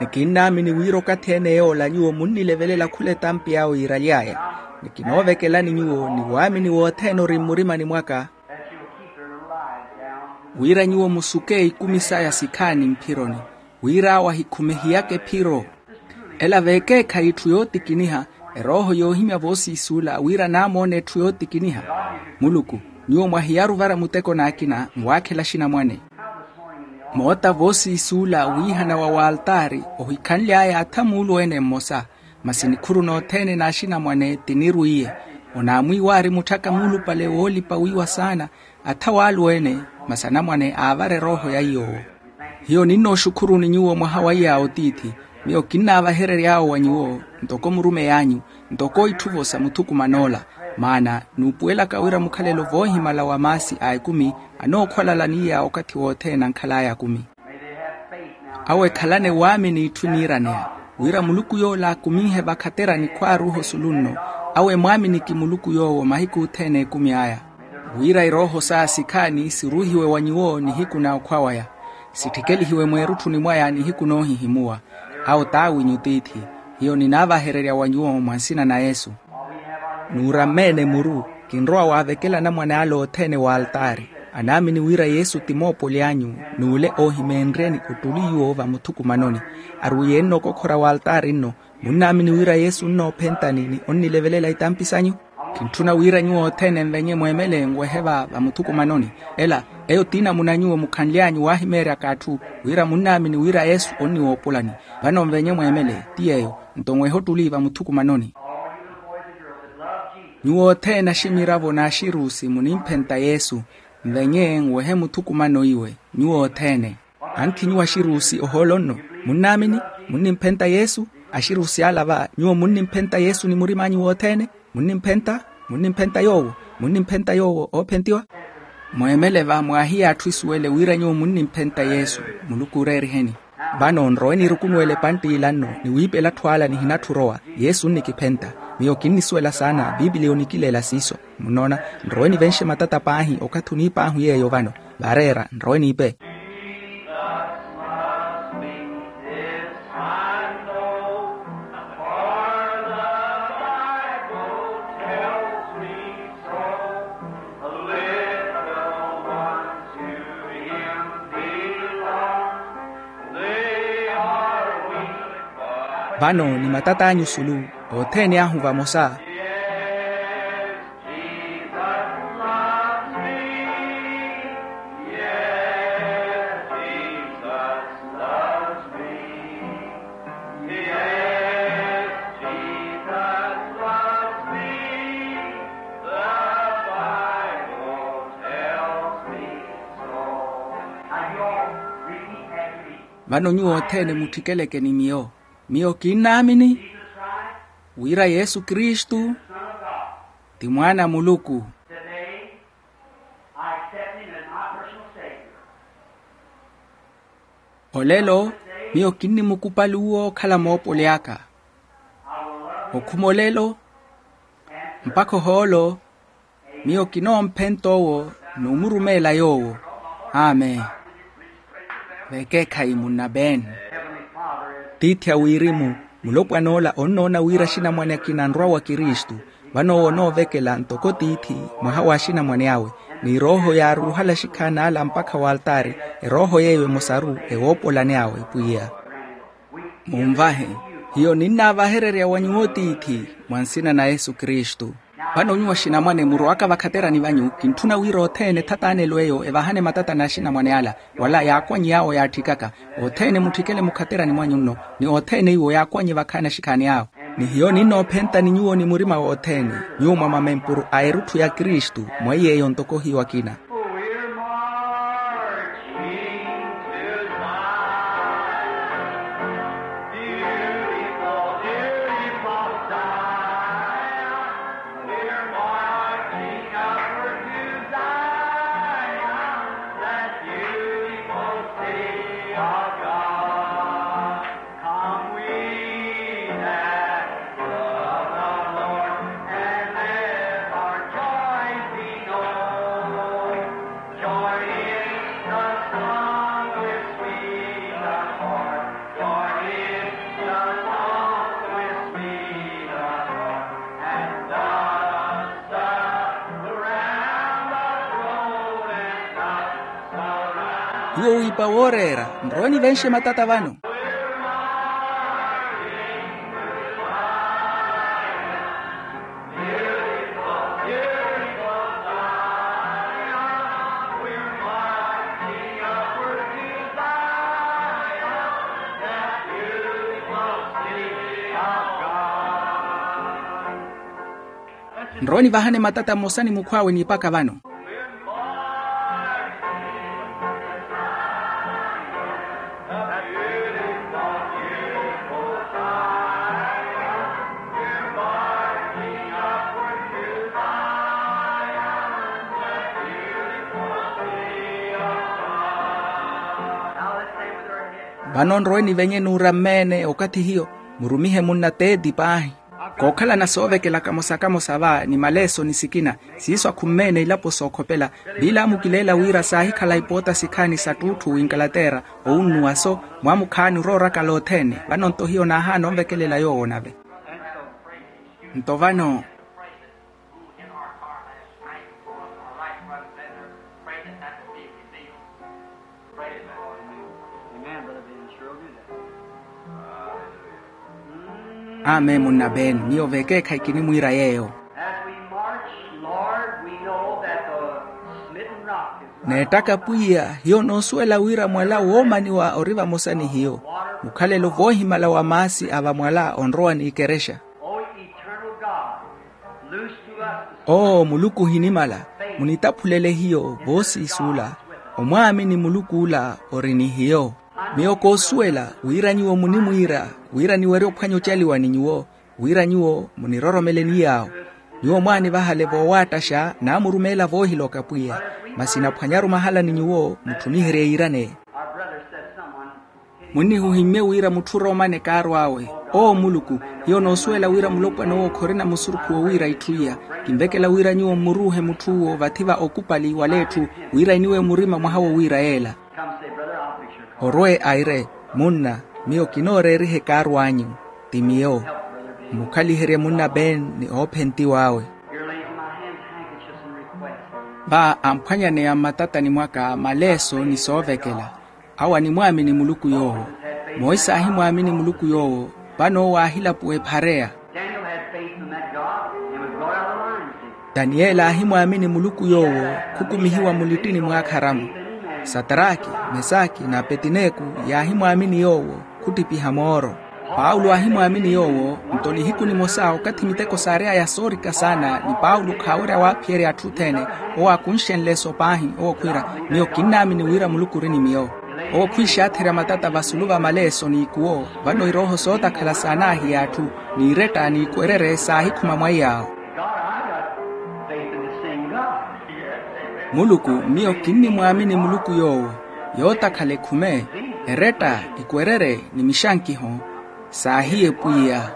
Ni kinnaamini wira okathi ene yoola nyuwo munnilevelela khula etampi awe yiiraly'aya. Ni kinoovekelani nyuwo ni waamini wothene ori mmurimani mwaka wira nyuwo musuke ikumi saya sikhaani mphironi wira awo ahikhumihiyaka ephiro. Ela veekeekhayi etthu yootikiniha erooho yoohimya voosiisuula wira naamoona etthu yootikiniha. Muluku, nyuwo mwahiyaru ovara muteko n'akina nwaakhela axinamwane. Moota voosiisuula wiihana wa waltaari ohikhanly'aya atha muulu-ene mmosa. Masi nikhuru nothene n'axinamwane tinirwiiye onaamwiiwaari mutthaka muulupale woolipa wiiwa saana. Atha w'alu-ene masi anamwane aavara erooho ya iy'owo. Hiyo ninnooxukhuruni nyuwo mwaha wa iyaawo tiithi. Miyo kinnaavaherery'awo wa nyuwo ntoko murumey'anyu ntoko itthuvo sa muthukuman'ola. Maana nuupuwelaka wira mukhalelo voohimala wa maasi a ekumi anookhwalala ni iyaawo okathi wothene ankhal'aya akumi. Awo ekhalane waamini itthu eniiraneya wira muluku yoola akuminhe vakhaterani khwaaruuha osulu nno. Awo emwaaminiki muluku yoowo mahiku othene ekumi aya wira erooho saa sikhaani siruuhiwe wa nyuwo nihiku na okhwa waya sitthikelihiwe mweerutthuni mwaya nihiku noohihimuwa. Awo t'awinyu tiithi. Hiyo ninaavahererya wa nyuwo mwa nsina na yesu. Nuuramme-ene muru kinrowa waavekela anamwane ale othene w'altaari anaamini wira yesu ti moopoli anyu n'ule oohimeenryeni ottuli nyuwo vamuthukumanoni. Arwiiye-ene okokhora w'altaari nno munnaamini wira yesu onnoophentani ni onnilevelela itampi sanyu. Kintthuna wira nyuwo othene nvenye mweemele nwehe va vamuthukumanoni. Ela eyo t'inamuna nyuwo mukhanly'anyu waahimeeryaka atthu wira munnaamini wira yesu onniwoopolani. Vano nvenye mweemele ti yeeyo nto nwehe ottuli vamuthukumanoni. Nyuwo othene aximiravo n'axiruusi munimphenta yesu nvenye nwehe muthukumano iwe. Nyuwo othene anthi nyuwo axiruusi ohoolo nno munnaamini munnimphenta yesu. Axiruusi ala va nyuwo munnimphenta yesu ni murim'anyu wothene munnimphenta munnimphenta yoowo munnimphenta yoowo oophentiwa. Mweemele va mwaahiya atthu isuwele wira nyuwo munnimphenta yesu. Muluku ooreeriheni. Vano nrowe niirukunuwele epantti ila nno ni wiipela atthu ala nihinatthu orowa. Yesu onnikiphenta miyo kinnisuwela saana piipiliya onikileela siiso. Munnoona nrowe nivenxe matata paahi okathi oniip'ahu yeeyo vano. Vaareera nrowe niipe. Vano ni matat'anyu sulu othene ahu vamosa. Vano nyuwo othene mutthikeleke ni miyo. Miyo kinnaamini. Wira yesu kristu ti mwaana a muluku. Today I accept him as my personal savior. Olelo miyo kinnimukupali uwo okhala moopoli aka. Okhuma olelo mpakha ohoolo miyo kinoomphenta owo n'umurumeela yoowo. Amen. Vekeekhayi munna ben. Tiithi a wirimu, mulopwan'ola onnoona wira axinamwane akina anrwa wa kristu. Vano owo onoovekela ntoko tiithi mwaha w'axinamwane awe, ni erooho yaaruruhala axikhaani ala mpakha w'altaari. Erooho yeeyo emosaru ewoopolani awe pwiya. Munvahe, hiyo ninnaavahererya wa nyuwo tiithi mwa nsina na yesu kristu. Vano nyuwo axinamwane murowaka vakhaterani vanyu kintthuna wira othene ethatanelo eyo evahane matata n'axinamwane ala, wala yaakwanyi yaawo yaatthikaka. Othene mutthikele mukhaterani mwanyu nno, ni othene iwo yaakwanyi vakhaani axikhaani awo. Ni hiyo ninnoophentani nyuwo ni murima wothene, nyuwo mwa mamempuru a erutthu ya kristu, mweiy'eyo ntoko hiyo akina. Hiyo wiipa wooreera, nrowe nivenxe matata vano. Nrowe nivahane matata mmosa ni mukhw'awe niipaka vano. Vano nrowe nivenye n'urammeene okathi hiyo, murumihe munna teeti paahi. Kookhalana soovekela kamosa kamosa va ni maleeso ni sikina, siiso akhummene ilapo sookhopela. Viilamukileela wira saahikhala ipoota sikhaani sa ttuutthu w'inkalatera, owunnuwa so, mwamukhaani oroorakala othene. Vano-nto hiyo naahaana onvekelela yoowo nave. Nto vano. Amen munna ben, miyo vekeekhayi kinimwiira yeeyo. As we march, Lord, we know that the smitten rock is neettaka pwiya, hiyo noosuwela wira mwala woomaniwa ori vamosa ni hiyo. Mukhalelo voohimala wa maasi a vamwala onrowa n'ikerexya. O eternal God, loose to us the owo muluku ohinimala, munitaphulele hiyo voosiisuula. Omwaamini muluku ola ori ni hiyo. Miyo koosuwela wira nyuwo munimwiira wira niwerye ophwanya ocaliwa ni nyuwo, wira nyuwo muniroromele ni yaawo. Nyuwo mwaanivahale voowattaxa naamurumeela voohiloka pwiya. Masi naphwanyaru mahala ni nyuwo mutthuniherye yiiraneyi. Munnihuhimmye wira mutthu oroomane kaarw'awe. Owo muluku, hiyo noosuwela wira mulopwana owo khorina musurukhu wowiira itthu iya. Kinvekela wira nyuwo mmuruuhe mutthu owo vathi va okupali wala etthu, wira eniwe murima mwaha wowiira yeela. Orwe aire, munna, miyo kinooreeriha ekaarw'anyu. Ti miyo. Mmukhaliherye munna ben ni oophentiw'awe. Va amphwanyaneya mmatatani mwaka maleeso ni soovekela. Awo animwaamini muluku yoowo. Monse aahimwaamini muluku yoowo. Vano owo aahilapuwa ephareya. Daniel had faith in that God and was brought out of the lion's den. Taniyeli aahimwaamini muluku yoowo, khukumihiwa mulittini mw'akharamu. Sataraki, mesaki n'apetineku yaahimwaamini yoowo, khuttipiha mooro. Paulo aahimwaamini yoowo. Nto nihiku nimosa okathi miteko saary'aya soorika saana ni paulo khaawerya waaphiyerya atthu othene, owo aakunxenle eso paahi owo khwiira, miyo kinnaamini wira muluku ori ni miyo. Owo khwiixaatherya matata vasulu va maleeso n'ikuwo. Vano irooho sootakhala saanaahiya atthu, n'iretta n'ikwerere saahikhuma mwaiy'awo. Muluku, miyo kinnimwaamini muluku yoowo. Yootakhala ekhume, eretta, ikwerere ni mixankiho saahiye pwiya.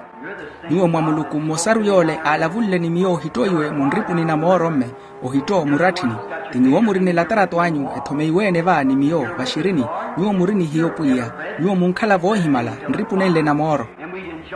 Nyuwo mwa muluku mmosaru yoole aalavunle ni miyo ohittoiwe munripuni na mooro-mme, ohitto muratthini. Ti nyuwo muri ni latarato anyu ethomeiwe-ene va ni miyo vaxirini. Nyuwo muri ni hiyo pwiya. Nyuwo munkhala voohimala nripunenle na mooro.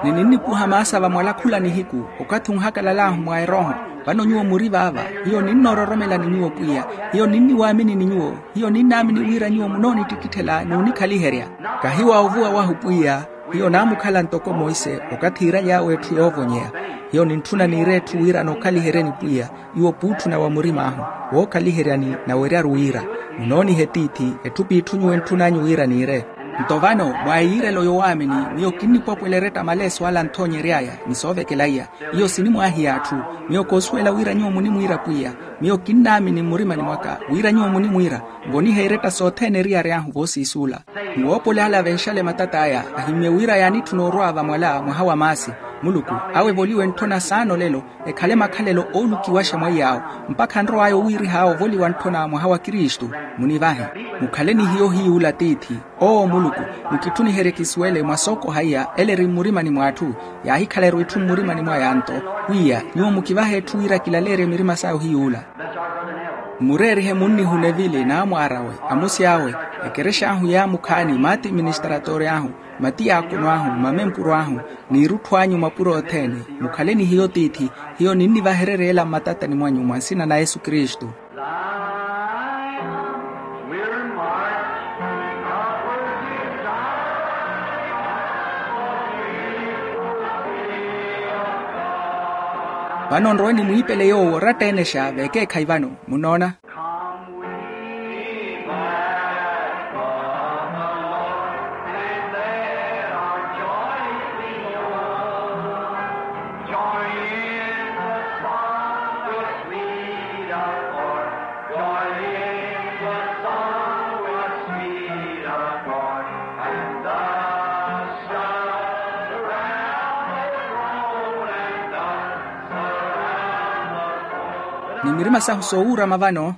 Ni ninnipuha maasa va mwala khula nihiku, okathi onhakalal'ahu mwa erooho. Vano nyuwo muri vaava. Hiyo ninnoororomela ni nyuwo pwiya. Hiyo ninniwaamini ni nyuwo. Hiyo ninnaamini wira nyuwo munoonittikitthela n'unikhaliherya. Kahi wa ovuwa wahu pwiya. Hiyo naamukhala ntoko monse, okathi iiraly'awe etthu yoovonyeya. Hiyo nintthuna niire etthu wira nookhaliheryeni pwiya. Nyuwo puutthuna wa murim'ahu, wookhaliheryani naweryaru wira munoonihe tiithi. Etthu p'itthu nyuwo entthun'anyu wira niire. Nto vano mwa eyiirelo yowaamini, miyo kinnipwapwela eretta maleeso ala anthoonyery'aya ni soovekela iya. Iyo sinimwaahiya atthu. Miyo koosuwela wira nyuwo munimwiira pwiya. Miyo kinnaamini mmurimani mwaka wira nyuwo munimwiira. Nvonihe eretta sothene eriyari ahu voosiisuula. Ni woopole ale avenxale matat'aya, ahimmye wira yaanitthuna orwa vamwala mwaha wa maasi. Muluku, awe evoliwe ntthona saana olelo, ekhale makhalelo oolukiwaxa mwaiy'awo, mpakha nrow'aya owiirih'awe ovoliwa ntthona mwaha wa kristu. Munivahe. Mukhale ni hiyo hiy'ula tiithi. Owo muluku, mukitthuniherye kisuwele mwa sookoha iya ele eri mmurimani mw'atthu. Yaahikhala erwitthu mmurimani mwaya nto, pwiya nyuwo mukivahe etthu wira kilaleerye mirima saya ohiy'ula. Mmureerihe munnihu nevili n'amwaar'awe, amusi awe, ekerexa ahu yaamukhaani mati ministratore ahu, mati yaakono ahu, mamempuro ahu, n'irutthu anyu mapuro othene. Mukhale ni hiyo tiithi. Hiyo ninnivahererya ela mmatatani mwanyu mwa nsina na yesu kristu. Vano nrowe nimwiipele yoowo oratta enexa vekeekhayi vano. Munoona? Ni mirima sahu soowuurama vano.